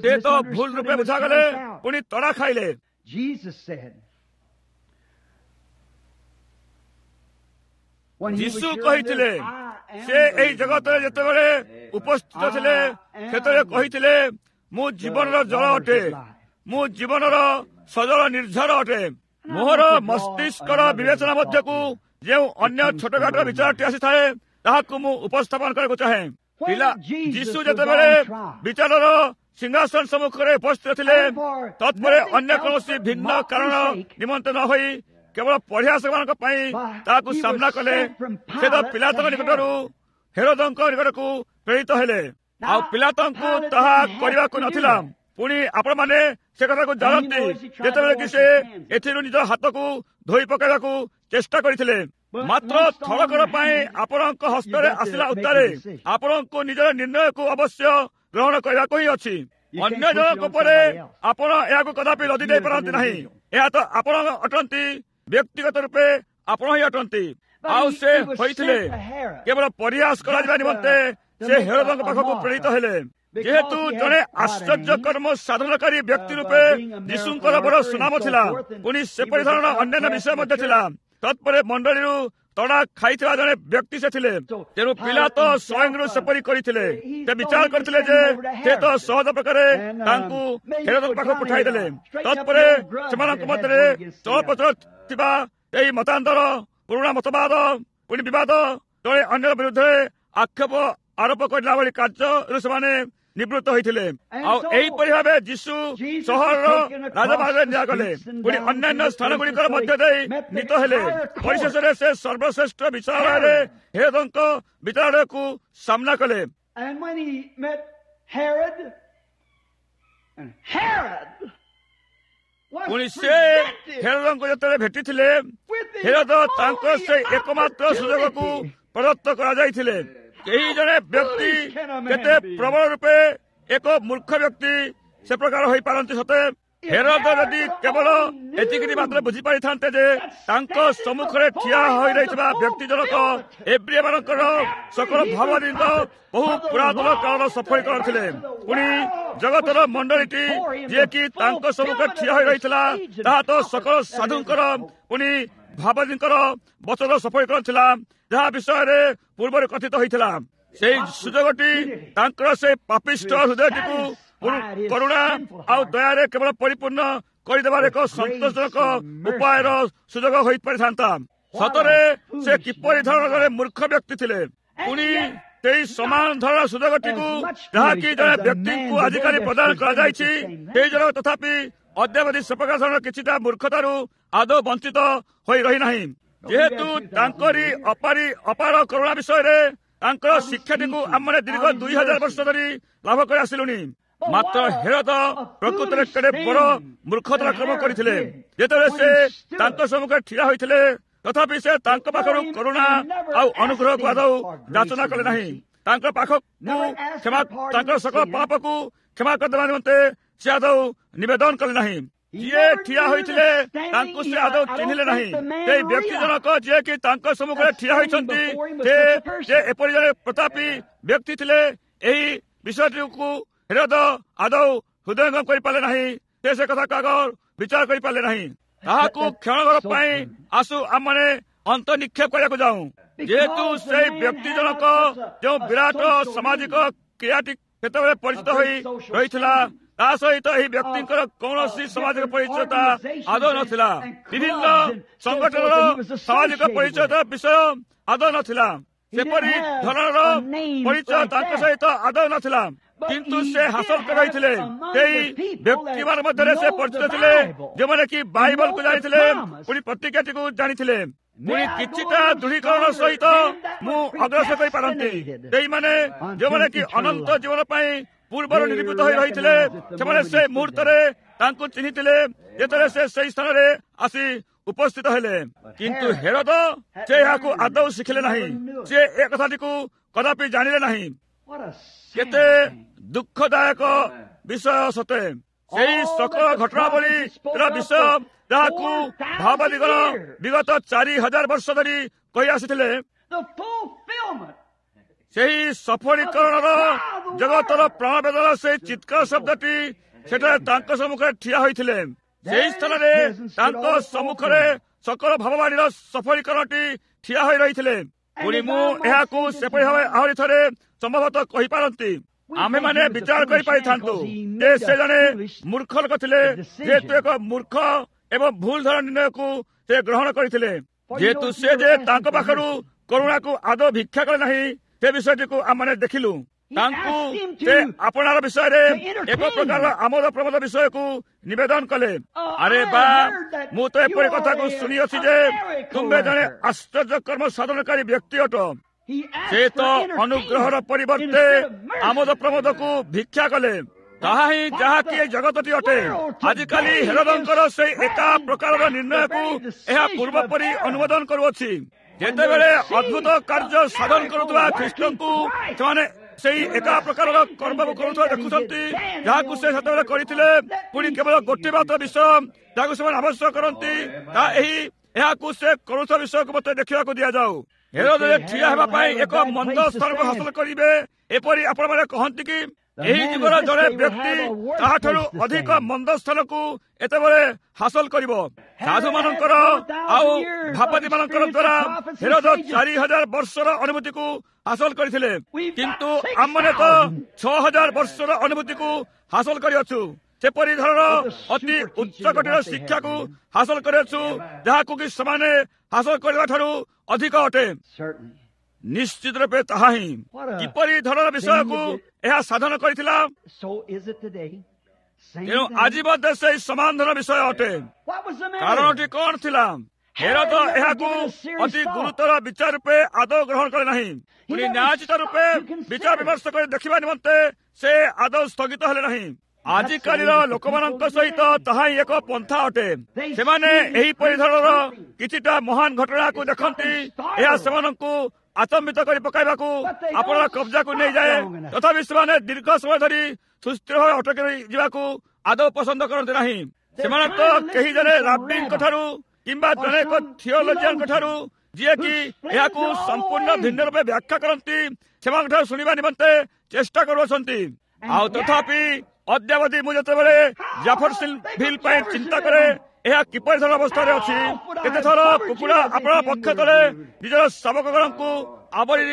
ସେ ତ ଭୁଲ ରୂପେ ବୁଝାଗଲେ, ପୁଣି ତଡ଼ା ଖାଇଲେ। ଯୀଶୁ କହିଥିଲେ, ସେ ଏହି ଜଗତରେ ଯେତେବେଳେ ଉପସ୍ଥିତ ଥିଲେ ସେତେବେଳେ କହିଥିଲେ, ମୁଁ ଜୀବନର ଜଳ ଅଟେ, ମୁଁ ଜୀବନର ସଜଳ ନିର୍ଝର ଅଟେ। ମୋହର ମସ୍ତିଷ୍କର ବିବେଚନା ମଧ୍ୟକୁ ଯେଉଁ ଅନ୍ୟ ଛୋଟଖାଟ ବିଚାରଟି ଆସିଥାଏ, ତାହାକୁ ମୁଁ ଉପସ୍ଥାପନ କରିବାକୁ ଚାହେଁ। ପିଲା ଯୀଶୁ ଯେତେବେଳେ ବିଚାରର ସିଂହାସନ ସମ୍ମୁଖରେ ଉପସ୍ଥିତ ଥିଲେ, ତତ୍ପରେ ଅନ୍ୟ କୌଣସି ଭିନ୍ନ କାରଣ ନିମନ୍ତେ ନ ହୋଇ କେବଳ ପରିହାସମାନଙ୍କ ପାଇଁ ତାହାକୁ ସାମ୍ନା କଲେ, ସେ ତ ପିଲାତଙ୍କ ନିକଟରୁ ହେରୋଦଙ୍କ ନିକଟକୁ ପ୍ରେରିତ ହେଲେ। ଆଉ ପିଲାତଙ୍କୁ ତାହା କରିବାକୁ ନଥିଲା। ପୁଣି ଆପଣମାନେ ସେ କଥାକୁ ଜାଣନ୍ତି, ଯେତେବେଳେ କି ସେ ଏଥିରୁ ନିଜ ହାତକୁ ଧୋଇ ପକାଇବାକୁ ଚେଷ୍ଟା କରିଥିଲେ। ମାତ୍ର ଥରକର ପାଇଁ ଆପଣଙ୍କ ହସ୍ତରେ ଆସିଲା ଉତ୍ତାରେ ଆପଣଙ୍କୁ ନିଜର ନିର୍ଣ୍ଣୟକୁ ଅବଶ୍ୟ ଗ୍ରହଣ କରିବାକୁ ହିଁ ଅଛି। ଅନ୍ୟ ଜଣଙ୍କ ଉପରେ ଆପଣ ଏହାକୁ କଦାପି ଲଦି ଦେଇପାରନ୍ତି ନାହିଁ। ଏହା ତ ଆପଣ ଅଟନ୍ତି, ବ୍ୟକ୍ତିଗତ ରୂପେ ଆପଣ ହିଁ ଅଟନ୍ତି। ଆଉ ସେ ହୋଇଥିଲେ କେବଳ ପରିହାସ କରାଯିବା ନିମନ୍ତେ ସେ ହେରୋଦଙ୍କ ପାଖକୁ ପ୍ରେରିତ ହେଲେ। ଯେହେତୁ ଜଣେ ଆଶ୍ଚର୍ଯ୍ୟ କର୍ମ ସାଧନକାରୀ ବ୍ୟକ୍ତି ରୂପେ ଯୀଶୁଙ୍କର ବଡ଼ ସୁନାମ ଥିଲା, ପୁଣି ସେପରି ଧରଣର ଅନ୍ୟାନ୍ୟ ବିଷୟ ମଧ୍ୟ ଥିଲା। ତତ୍ପରେ ମଣ୍ଡଳୀରୁ ତଡ଼ା ଖାଇଥିବା ଜଣେ ବ୍ୟକ୍ତି ସେ ଥିଲେ। ତେଣୁ ପିଲାତ ସ୍ୱୟଂରୁ ସେପରି କରିଥିଲେ। ସେ ବିଚାର କରିଥିଲେ ଯେ ସେ ତ ସହଜ ପ୍ରକାରେ ତାଙ୍କୁ ହେରୋଦଙ୍କ ପାଖକୁ ପଠାଇଦେଲେ। ତତ୍ପରେ ସେମାନଙ୍କ ମଧ୍ୟରେ ଚଳପ୍ରଚଳ ଥିବା ଏହି ମତାନ୍ତର, ପୁରୁଣା ମତବାଦ, ପୁଣି ବିବାଦ, ଜଣେ ଅନ୍ୟ ବିରୁଦ୍ଧରେ ଆକ୍ଷେପ ଆରୋପ କରିଲା ଭଳି କାର୍ଯ୍ୟରୁ ସେମାନେ ନିବୃତ୍ତ ହୋଇଥିଲେ। ଆଉ ଏହିପରି ଭାବେ ଯୀଶୁ ସହରର ରାଜମାର୍ଗରେ ନିଆଗଲେ, ପୁଣି ଅନ୍ୟାନ୍ୟ ସ୍ଥାନ ଗୁଡ଼ିକର ମଧ୍ୟ ଦେଇ ନୀତ ହେଲେ। ପରିଶେଷରେ ସେ ସର୍ବଶ୍ରେଷ୍ଠ ବିଚାରାଳୟରେ ହେରୋଦଙ୍କ ବିଚାରାଳୟକୁ ସାମ୍ନା କଲେ। ପୁଣି ସେ ହେରୋଦଙ୍କୁ ଯେତେବେଳେ ଭେଟିଥିଲେ, ହେରୋଦ ତାଙ୍କ ସେ ଏକମାତ୍ର ସୁଯୋଗକୁ ପ୍ରଦତ୍ତ କରାଯାଇଥିଲେ। କେହି ଜଣେ ବ୍ୟକ୍ତି କେତେ ପ୍ରବଳ ରୂପେ ଏକ ମୂର୍ଖ ବ୍ୟକ୍ତି ସେ ପ୍ରକାର ହୋଇପାରନ୍ତି ସତେ? ହେରୋଦ ଯଦି କେବଳ ଏତିକି ମାତ୍ର ବୁଝିପାରିଥାନ୍ତେ ଯେ ତାଙ୍କ ସମ୍ମୁଖରେ ଠିଆ ହୋଇ ରହିଥିବା ବ୍ୟକ୍ତି ଜଣକ ଏବ୍ରିୟମାନଙ୍କର ସକଳ ଭାବବାଦୀଙ୍କ ବହୁ ପୁରାତନ କାଳର ସଫଳୀକରଣ ଥିଲେ। ପୁଣି ଜଗତର ମଣ୍ଡଳୀଟି ଯିଏକି ତାଙ୍କ ସମ୍ମୁଖରେ ଠିଆ ହୋଇ ରହିଥିଲା, ତାହା ତ ସକଳ ସାଧୁଙ୍କର ପୁଣି ଭାବବାଦୀଙ୍କର ବଚନର ସଫଳୀକରଣ ଥିଲା, ଯାହା ବିଷୟରେ ପୂର୍ବରୁ କଥିତ ହୋଇଥିଲା। ସେଇ ସୁଯୋଗଟି ତାଙ୍କର ସେ ପାପିଷ୍ଠ ହୃଦୟଟିକୁ କରୁଣା ଆଉ ଦୟାରେ କେବଳ ପରିପୂର୍ଣ୍ଣ କରିଦେବାର ଏକ ସନ୍ତୋଷଜନକ ଉପାୟର ସୁଯୋଗ ହୋଇପାରିଥାନ୍ତା। ସତରେ ସେ କିପରି ଧରଣର ଜଣେ ମୂର୍ଖ ବ୍ୟକ୍ତି ଥିଲେ। ପୁଣି ସେଇ ସମାନ ଧରଣର ସୁଯୋଗଟିକୁ ଯାହାକି ଜଣେ ବ୍ୟକ୍ତିଙ୍କୁ ଆଜିକାଲି ପ୍ରଦାନ କରାଯାଇଛି, ସେଇ ଜଣ ତଥାପି ଅଦ୍ୟାବଧି ସେ ପ୍ରକାର ଧରଣର କିଛିଟା ମୂର୍ଖତାରୁ ଆଦୌ ବଞ୍ଚିତ ହୋଇ ରହିନାହିଁ। ଯେହେତୁ ତାଙ୍କରି ଅପାର କରୁଣା ବିଷୟରେ ତାଙ୍କର ଶିକ୍ଷାଟିକୁ ଆମମାନେ ଦୀର୍ଘ 2000 ବର୍ଷ ଧରି ଲାଭ କରି ଆସିଲୁଣି। ମାତ୍ର ହେରୋଦ ପ୍ରକୃତରେ କେଡ଼େ ବଡ଼ ମୂର୍ଖତାର କ୍ରମ କରିଥିଲେ। ଯେତେବେଳେ ସେ ତାଙ୍କ ସମ୍ମୁଖରେ ଠିଆ ହୋଇଥିଲେ, ତଥାପି ସେ ତାଙ୍କ ପାଖରୁ କରୁଣା ଆଉ ଅନୁଗ୍ରହକୁ ଆଦୌ ଯାଚନା କଲେ ନାହିଁ। ତାଙ୍କ ପାଖକୁ କ୍ଷମା, ତାଙ୍କର ସକଳ ପାପକୁ କ୍ଷମା କରିଦେବା ନିମନ୍ତେ ସେ ଆଦୌ ନିବେଦନ କଲେ ନାହିଁ। ଯିଏ ଠିଆ ହୋଇଥିଲେ ତାଙ୍କୁ ସେ ଆଦୌ ଚିହ୍ନିଲେ ନାହିଁ। ସେଇ ବ୍ୟକ୍ତି ଜଣକ ଯିଏକି ତାଙ୍କ ସମ୍ମୁଖରେ ଠିଆ ହୋଇଛନ୍ତି, ସେ ଏପରି ଜଣେ ପ୍ରତାପୀ ବ୍ୟକ୍ତି ଥିଲେ, ଏହି ବିଷୟଟିକୁ ହେରୋଦ ଆଦୌ ହୃଦୟଙ୍ଗମ କରିପାରିଲେ ନାହିଁ। ସେ କଥାକୁ ଆଗ ବିଚାର କରିପାରିଲେ ନାହିଁ। ତାହାକୁ କ୍ଷଣଘର ପାଇଁ ଆସୁ ଆମମାନେ ଅନ୍ତଃନିକ୍ଷେପ କରିବାକୁ ଯାଉ। ଯେହେତୁ ସେଇ ବ୍ୟକ୍ତି ଜଣକ ଯେଉଁ ବିରାଟ ସାମାଜିକ କ୍ରିୟାଟି ସେତେବେଳେ ପରିଚିତ ହୋଇ ରହିଥିଲା, ତା ସହିତ ଏହି ବ୍ୟକ୍ତିଙ୍କର କୌଣସି ସାମାଜିକ ପରିଚୟତା ଆଦୌ ନଥିଲା। ବିଭିନ୍ନ ସଂଗଠନର ସାମାଜିକ ପରିଚୟତା ବିଷୟ ଆଦୌ ନଥିଲା। ସେପରି ଧରଣର ପରିଚୟ ତାଙ୍କ ସହିତ ଆଦୌ ନଥିଲା, କିନ୍ତୁ ସେ ହାସଲ କରି ରହିଥିଲେ। ସେଇ ବ୍ୟକ୍ତିମାନଙ୍କ ମଧ୍ୟରେ ସେ ପରିଚିତ ଥିଲେ ଯେଉଁମାନେ କି ବାଇବଲକୁ ଜାଣିଥିଲେ, ପୁଣି ପ୍ରତିଜ୍ଞାଟିକୁ ଜାଣିଥିଲେ। ପୁଣି କିଛିଟା ଦୃଢ଼ୀକରଣ ସହିତ ମୁଁ ଅଗ୍ରସର କରିପାରନ୍ତି। ସେଇମାନେ ଯେଉଁମାନେ କି ଅନନ୍ତ ଜୀବନ ପାଇଁ ପୂର୍ବରୁ ନିରୂପିତ ହୋଇ ରହିଥିଲେ, ସେମାନେ ସେ ମୁହୂର୍ତ୍ତରେ ତାଙ୍କୁ ଚିହ୍ନିଥିଲେ ଯେତେବେଳେ ସେ ସେଇ ସ୍ଥାନରେ ଆସି ଉପସ୍ଥିତ ହେଲେ। କିନ୍ତୁ ହେରୋଦ ସେ ଏହାକୁ ଆଦୌ ଶିଖିଲେ ନାହିଁ। ସେ ଏ କଥାଟିକୁ କଦାପି ଜାଣିଲେ ନାହିଁ। କେତେ ଦୁଃଖଦାୟକ ବିଷୟ ସତେ! ସେଇ ସକଳ ଘଟଣାବଳୀର ବିଷୟ ଯାହାକୁ ଭାବବାଦୀଗଣ ବିଗତ 4000 ବର୍ଷ ଧରି କହି ଆସିଥିଲେ, ସେହି ସଫଳୀକରଣର ଜଗତର ପ୍ରାଣବେଦର ସେଇ ଚିତ୍କାର ଶବ୍ଦଟି ସେଠାରେ ତାଙ୍କ ସମ୍ମୁଖରେ ଠିଆ ହୋଇଥିଲେ। ସେହି ସ୍ଥାନରେ ତାଙ୍କ ସମ୍ମୁଖରେ ସକଳ ଭାବବାଣୀର ସଫଳୀକରଣଟି ଠିଆ ହୋଇ ରହିଥିଲେ। ପୁଣି ମୁଁ ଏହାକୁ ସେପରି ଭାବେ ଆହୁରି ଥରେ ସମ୍ଭବତଃ କହିପାରନ୍ତି। ଆମେମାନେ ବିଚାର କରିପାରିଥାନ୍ତୁ ଯେ ସେ ଜଣେ ମୂର୍ଖ ଲୋକ ଥିଲେ, ଯେହେତୁ ଏକ ମୂର୍ଖ ଏବଂ ଭୁଲ ଧରଣ ନିର୍ଣ୍ଣୟକୁ ସେ ଗ୍ରହଣ କରିଥିଲେ। ଯେହେତୁ ସେ ଯେ ତାଙ୍କ ପାଖରୁ କରୁଣାକୁ ଆଦୌ ଭିକ୍ଷା କଲେ ନାହିଁ, ସେ ବିଷୟଟିକୁ ଆମମାନେ ଦେଖିଲୁ। ତାଙ୍କୁ ସେ ଆପଣାର ବିଷୟରେ ଏକ ପ୍ରକାରର ଆମୋଦ ପ୍ରମୋଦ ବିଷୟକୁ ନିବେଦନ କଲେ। ଆରେ ବା, ମୁଁ ତ ଏପରି କଥାକୁ ଶୁଣିଅଛି ଯେ ତୁମ୍ଭେ ଜଣେ ଆଶ୍ଚର୍ଯ୍ୟ କର୍ମ ସାଧନକାରୀ ବ୍ୟକ୍ତି ଅଟ। ସେ ତ ଅନୁଗ୍ରହର ପରିବର୍ତ୍ତେ ଆମୋଦ ପ୍ରମୋଦକୁ ଭିକ୍ଷା କଲେ। ତାହା ହିଁ ଯାହାକି ଏ ଜଗତଟି ଅଟେ। ଆଜିକାଲି ହେରୋଦଙ୍କର ସେଇ ଏକା ପ୍ରକାରର ନିର୍ଣ୍ଣୟକୁ ଏହା ପୂର୍ବପରି ଅନୁମୋଦନ କରୁଅଛି। ଯେତେବେଳେ ଅଦ୍ଭୁତ କାର୍ଯ୍ୟ ସାଧନ କରୁଥିବା ଖ୍ରୀଷ୍ଟଙ୍କୁ ସେମାନେ ସେଇ ଏକା ପ୍ରକାରର କର୍ମକୁ କରୁଥିବା ଦେଖୁଛନ୍ତି ଯାହାକୁ ସେ ସେତେବେଳେ କରିଥିଲେ, ପୁଣି କେବଳ ଗୋଟିଏ ମାତ୍ର ବିଷୟ ଯାହାକୁ ସେମାନେ ଆବଶ୍ୟକ କରନ୍ତି ତାହା ଏହି, ଏହାକୁ ସେ କରୁଥିବା ବିଷୟକୁ ମୋତେ ଦେଖିବାକୁ ଦିଆଯାଉ। ହେରୋଦ ଠିଆ ହେବା ପାଇଁ ଏକ ମନ୍ଦ ସ୍ଥାନକୁ ହାସଲ କରିବେ ଏପରି ଆପଣମାନେ କହନ୍ତି କି? ଏହି ଯୁଗର ଜଣେ ବ୍ୟକ୍ତି ତାହାଠାରୁ ଅଧିକ ମନ୍ଦ ସ୍ଥାନକୁ ଏତେବେଳେ ହାସଲ କରିବ। ସାଧୁମାନଙ୍କର ଆଉ ଭାବାଦୀମାନଙ୍କର ଦ୍ୱାରା ହେରୋଦ 4000 ବର୍ଷର ଅନୁଭୂତିକୁ ହାସଲ କରିଥିଲେ, କିନ୍ତୁ ଆମମାନେ ତ 6000 ବର୍ଷର ଅନୁଭୂତିକୁ ହାସଲ କରିଅଛୁ। ସେପରି ଧରଣର ଅତି ଉଚ୍ଚକୋଟୀର ଶିକ୍ଷାକୁ ହାସଲ କରିଅଛୁ ଯାହାକୁ କି ସେମାନେ ହାସଲ କରିବା ଠାରୁ ଅଧିକ ଅଟେ। ନିଶ୍ଚିତ ରୂପେ ତାହା ହିଁ। କିପରି ଧରଣର ବିଷୟକୁ ଏହା ସାଧନ କରିଥିଲା, ତେଣୁ ଆଜି ମଧ୍ୟ ସେଇ ସମାନ ଧରଣ ବିଷୟ ଅଟେ। କାରଣଟି କଣ ଥିଲା? ହେରୋଦ ଏହାକୁ ଅତି ଗୁରୁତର ବିଚାର ରୂପେ ଆଦୌ ଗ୍ରହଣ କଲେ ନାହିଁ। ପୁଣି ନ୍ୟାୟୋଚିତ ରୂପେ ବିଚାର ବିମର୍ଶ କରି ଦେଖିବା ନିମନ୍ତେ ସେ ଆଦୌ ସ୍ଥଗିତ ହେଲେ ନାହିଁ। ଆଜିକାଲିର ଲୋକମାନଙ୍କ ସହିତ ତାହା ହିଁ ଏକ ପନ୍ଥା ଅଟେ। ସେମାନେ ଏହିପରି ଧରଣର କିଛିଟା ମହାନ ଘଟଣାକୁ ଦେଖନ୍ତି, ଏହା ସେମାନଙ୍କୁ ଆଚମ୍ବିତ କରି ପକାଇବାକୁ ଆପଣଙ୍କ କବ୍ଜାକୁ ନେଇଯାଏ। ତଥାପି ସେମାନେ ଦୀର୍ଘ ସମୟ ଧରି ସୁସ୍ଥିର ଭାବେ ଅଟକି ଯିବାକୁ ଆଦୌ ପସନ୍ଦ କରନ୍ତି ନାହିଁ। ସେମାନେ ତ କେହି ଜଣେ ରାବିଙ୍କ ଠାରୁ କିମ୍ବା ଜଣେ ଏକ ଥିଓଲୋଜିଆନଙ୍କ ଠାରୁ, ଯିଏକି ଏହାକୁ ସମ୍ପୂର୍ଣ୍ଣ ଭିନ୍ନ ରୂପେ ବ୍ୟାଖ୍ୟା କରନ୍ତି, ସେମାନଙ୍କ ଠାରୁ ଶୁଣିବା ନିମନ୍ତେ ଚେଷ୍ଟା କରୁଅଛନ୍ତି। ଆଉ ତଥାପି ଅଦ୍ୟାବଧି ମୁଁ ଯେତେବେଳେ ଜାଫରସିଲ୍ ପାଇଁ ଚିନ୍ତା କରେ, ଏହା କିପରି ଧର ଅବସ୍ଥାରେ ଅଛି। କେତେଥର କୁକୁଡ଼ା ଆପଣା ପକ୍ଷ ତଳେ ନିଜର ଶାବକଗଣଙ୍କୁ ଆବରି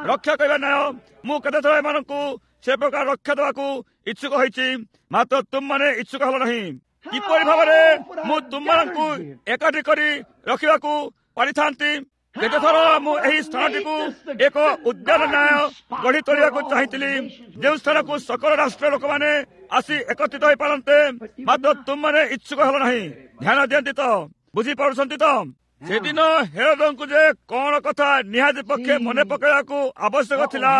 ରକ୍ଷା କରିବା ନ୍ୟାୟ, ମୁଁ କେତେଥର ଏମାନଙ୍କୁ ସେ ପ୍ରକାର ରକ୍ଷା ଦେବାକୁ ଇଚ୍ଛୁକ ହୋଇଛି, ମାତ୍ର ତୁମମାନେ ଇଚ୍ଛୁକ ହେଲ ନାହିଁ। କିପରି ଭାବରେ ମୁଁ ତୁମମାନଙ୍କୁ ଏକାଠି କରି ରଖିବାକୁ ପାରିଥାନ୍ତି? କେତେଥର ମୁଁ ଏହି ସ୍ଥାନଟିକୁ ଏକ ଉଦ୍ୟାନ ନ୍ୟାୟ ଗଢ଼ି ତୋଳିବାକୁ ଚାହିଁଥିଲି, ଯେଉଁ ସ୍ଥାନକୁ ସକଳ ରାଷ୍ଟ୍ର ଲୋକମାନେ ଆସି ଏକତ୍ରିତ ହୋଇପାରନ୍ତେ, ମାତ୍ର ତୁମମାନେ ଇଚ୍ଛୁକ ହେଲ ନାହିଁ। ଧ୍ୟାନ ଦିଅନ୍ତି ତ, ବୁଝିପାରୁଛନ୍ତି ତ? ସେଦିନ ହେରୋଦଙ୍କୁ ଯେ କଣ କଥା ନିହାତି ପକ୍ଷେ ମନେ ପକାଇବାକୁ ଆବଶ୍ୟକ ଥିଲା,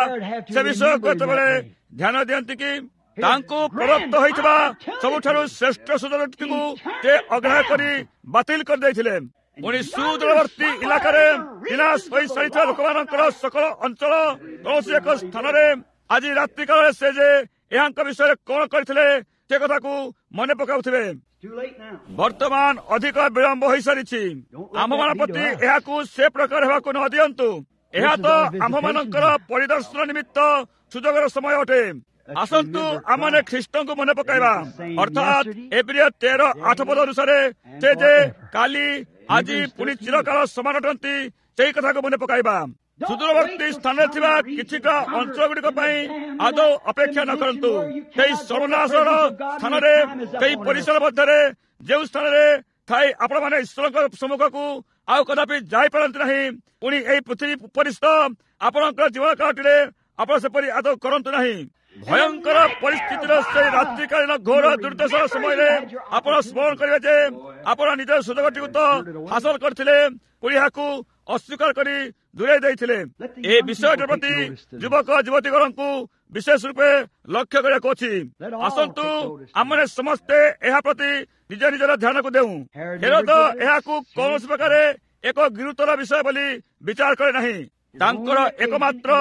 ସେ ବିଷୟକୁ ଏତେବେଳେ ଧ୍ୟାନ ଦିଅନ୍ତି କି? ତାଙ୍କୁ ପ୍ରଦତ୍ତ ହୋଇଥିବା ସବୁଠାରୁ ଶ୍ରେଷ୍ଠ ସୁଯୋଗଟିକୁ ସେ ଅଗ୍ରାହ୍ୟ କରି ବାତିଲ କରିଦେଇଥିଲେ। ପୁଣି ସୁଦୂରବର୍ତ୍ତୀ ଇଲାକାରେ ବିନାଶ ହୋଇସାରିଥିବା ଲୋକମାନଙ୍କର ସକଳ ଅଞ୍ଚଳ କୌଣସି ଏକ ସ୍ଥାନରେ ଆଜି ରାତ୍ରିକାଳରେ ସେ ଯେ ଏହାଙ୍କ ବିଷୟରେ କଣ କରିଥିଲେ ସେ କଥାକୁ ମନେ ପକାଉଥିବେ। ବର୍ତ୍ତମାନ ଅଧିକ ବିଳମ୍ବ ହୋଇସାରିଛି। ଆମ୍ଭମାନଙ୍କ ପ୍ରତି ଏହାକୁ ସେ ପ୍ରକାର ହେବାକୁ ନ ଦିଅନ୍ତୁ। ଏହା ତ ଆମ୍ଭମାନଙ୍କର ପରିଦର୍ଶନ ନିମିତ୍ତ ସୁଯୋଗର ସମୟ ଅଟେ। ଆସନ୍ତୁ ଆମମାନେ ଖ୍ରୀଷ୍ଟଙ୍କୁ ମନେ ପକାଇବା, ଅର୍ଥାତ୍ ଏବ୍ରିୟ 13:8 ପଦ ଅନୁସାରେ ସେ ଯେ କାଲି, ଆଜି, ପୁଣି ଚିରକାଳ ସମାନ ଅଟନ୍ତି, ସେଇ କଥାକୁ ମନେ ପକାଇବା। ସୁଦୂରବର୍ତ୍ତୀ ସ୍ଥାନରେ ଥିବା କିଛିଟା ଅଞ୍ଚଳ ଗୁଡ଼ିକ ପାଇଁ ଆଦୌ ଅପେକ୍ଷା ନ କରନ୍ତୁ। ସେହି ସର୍ବନାଶର ସ୍ଥାନରେ, ସେହି ପରିସର ମଧ୍ୟରେ ଯେଉଁ ସ୍ଥାନରେ ଥାଇ ଆପଣମାନେ ଈଶ୍ୱରଙ୍କ ସମ୍ମୁଖକୁ ଆଉ କଦାପି ଯାଇପାରନ୍ତି ନାହିଁ, ପୁଣି ଏହି ପୃଥିବୀ ପରିସ୍ଥ ଆପଣଙ୍କ ଜୀବନ କାଳଟିରେ ଆପଣ ସେପରି ଆଦୌ କରନ୍ତୁ ନାହିଁ। ଭୟଙ୍କର ପରିସ୍ଥିତିର ସେହି ରାତ୍ରିକାଳୀନ ଘୋର ଦୁର୍ଦ୍ଦଶାର ସମୟରେ ଆପଣ ସ୍ମରଣ କରିବେ ଯେ ଆପଣ ନିଜର ସୁଯୋଗଟିକୁ ତ ହାସଲ କରିଥିଲେ, ପୁଣି ଏହାକୁ ଅସ୍ୱୀକାର କରି ଦୂରେଇ ଦେଇଥିଲେ। ଏ ବିଷୟଟି ପ୍ରତି ଯୁବକ ଯୁବତୀଗଣଙ୍କୁ ବିଶେଷ ରୂପେ ଲକ୍ଷ୍ୟ କରିବାକୁ ଅଛି। ଆସନ୍ତୁ ଆମମାନେ ସମସ୍ତେ ଏହା ପ୍ରତି ନିଜ ନିଜର ଧ୍ୟାନକୁ ଦେଉ। ହେରୋଦ ଏହାକୁ କୌଣସି ପ୍ରକାରେ ଏକ ଗୁରୁତର ବିଷୟ ବୋଲି ବିଚାର କରେ ନାହିଁ। ତାଙ୍କର ଏକମାତ୍ର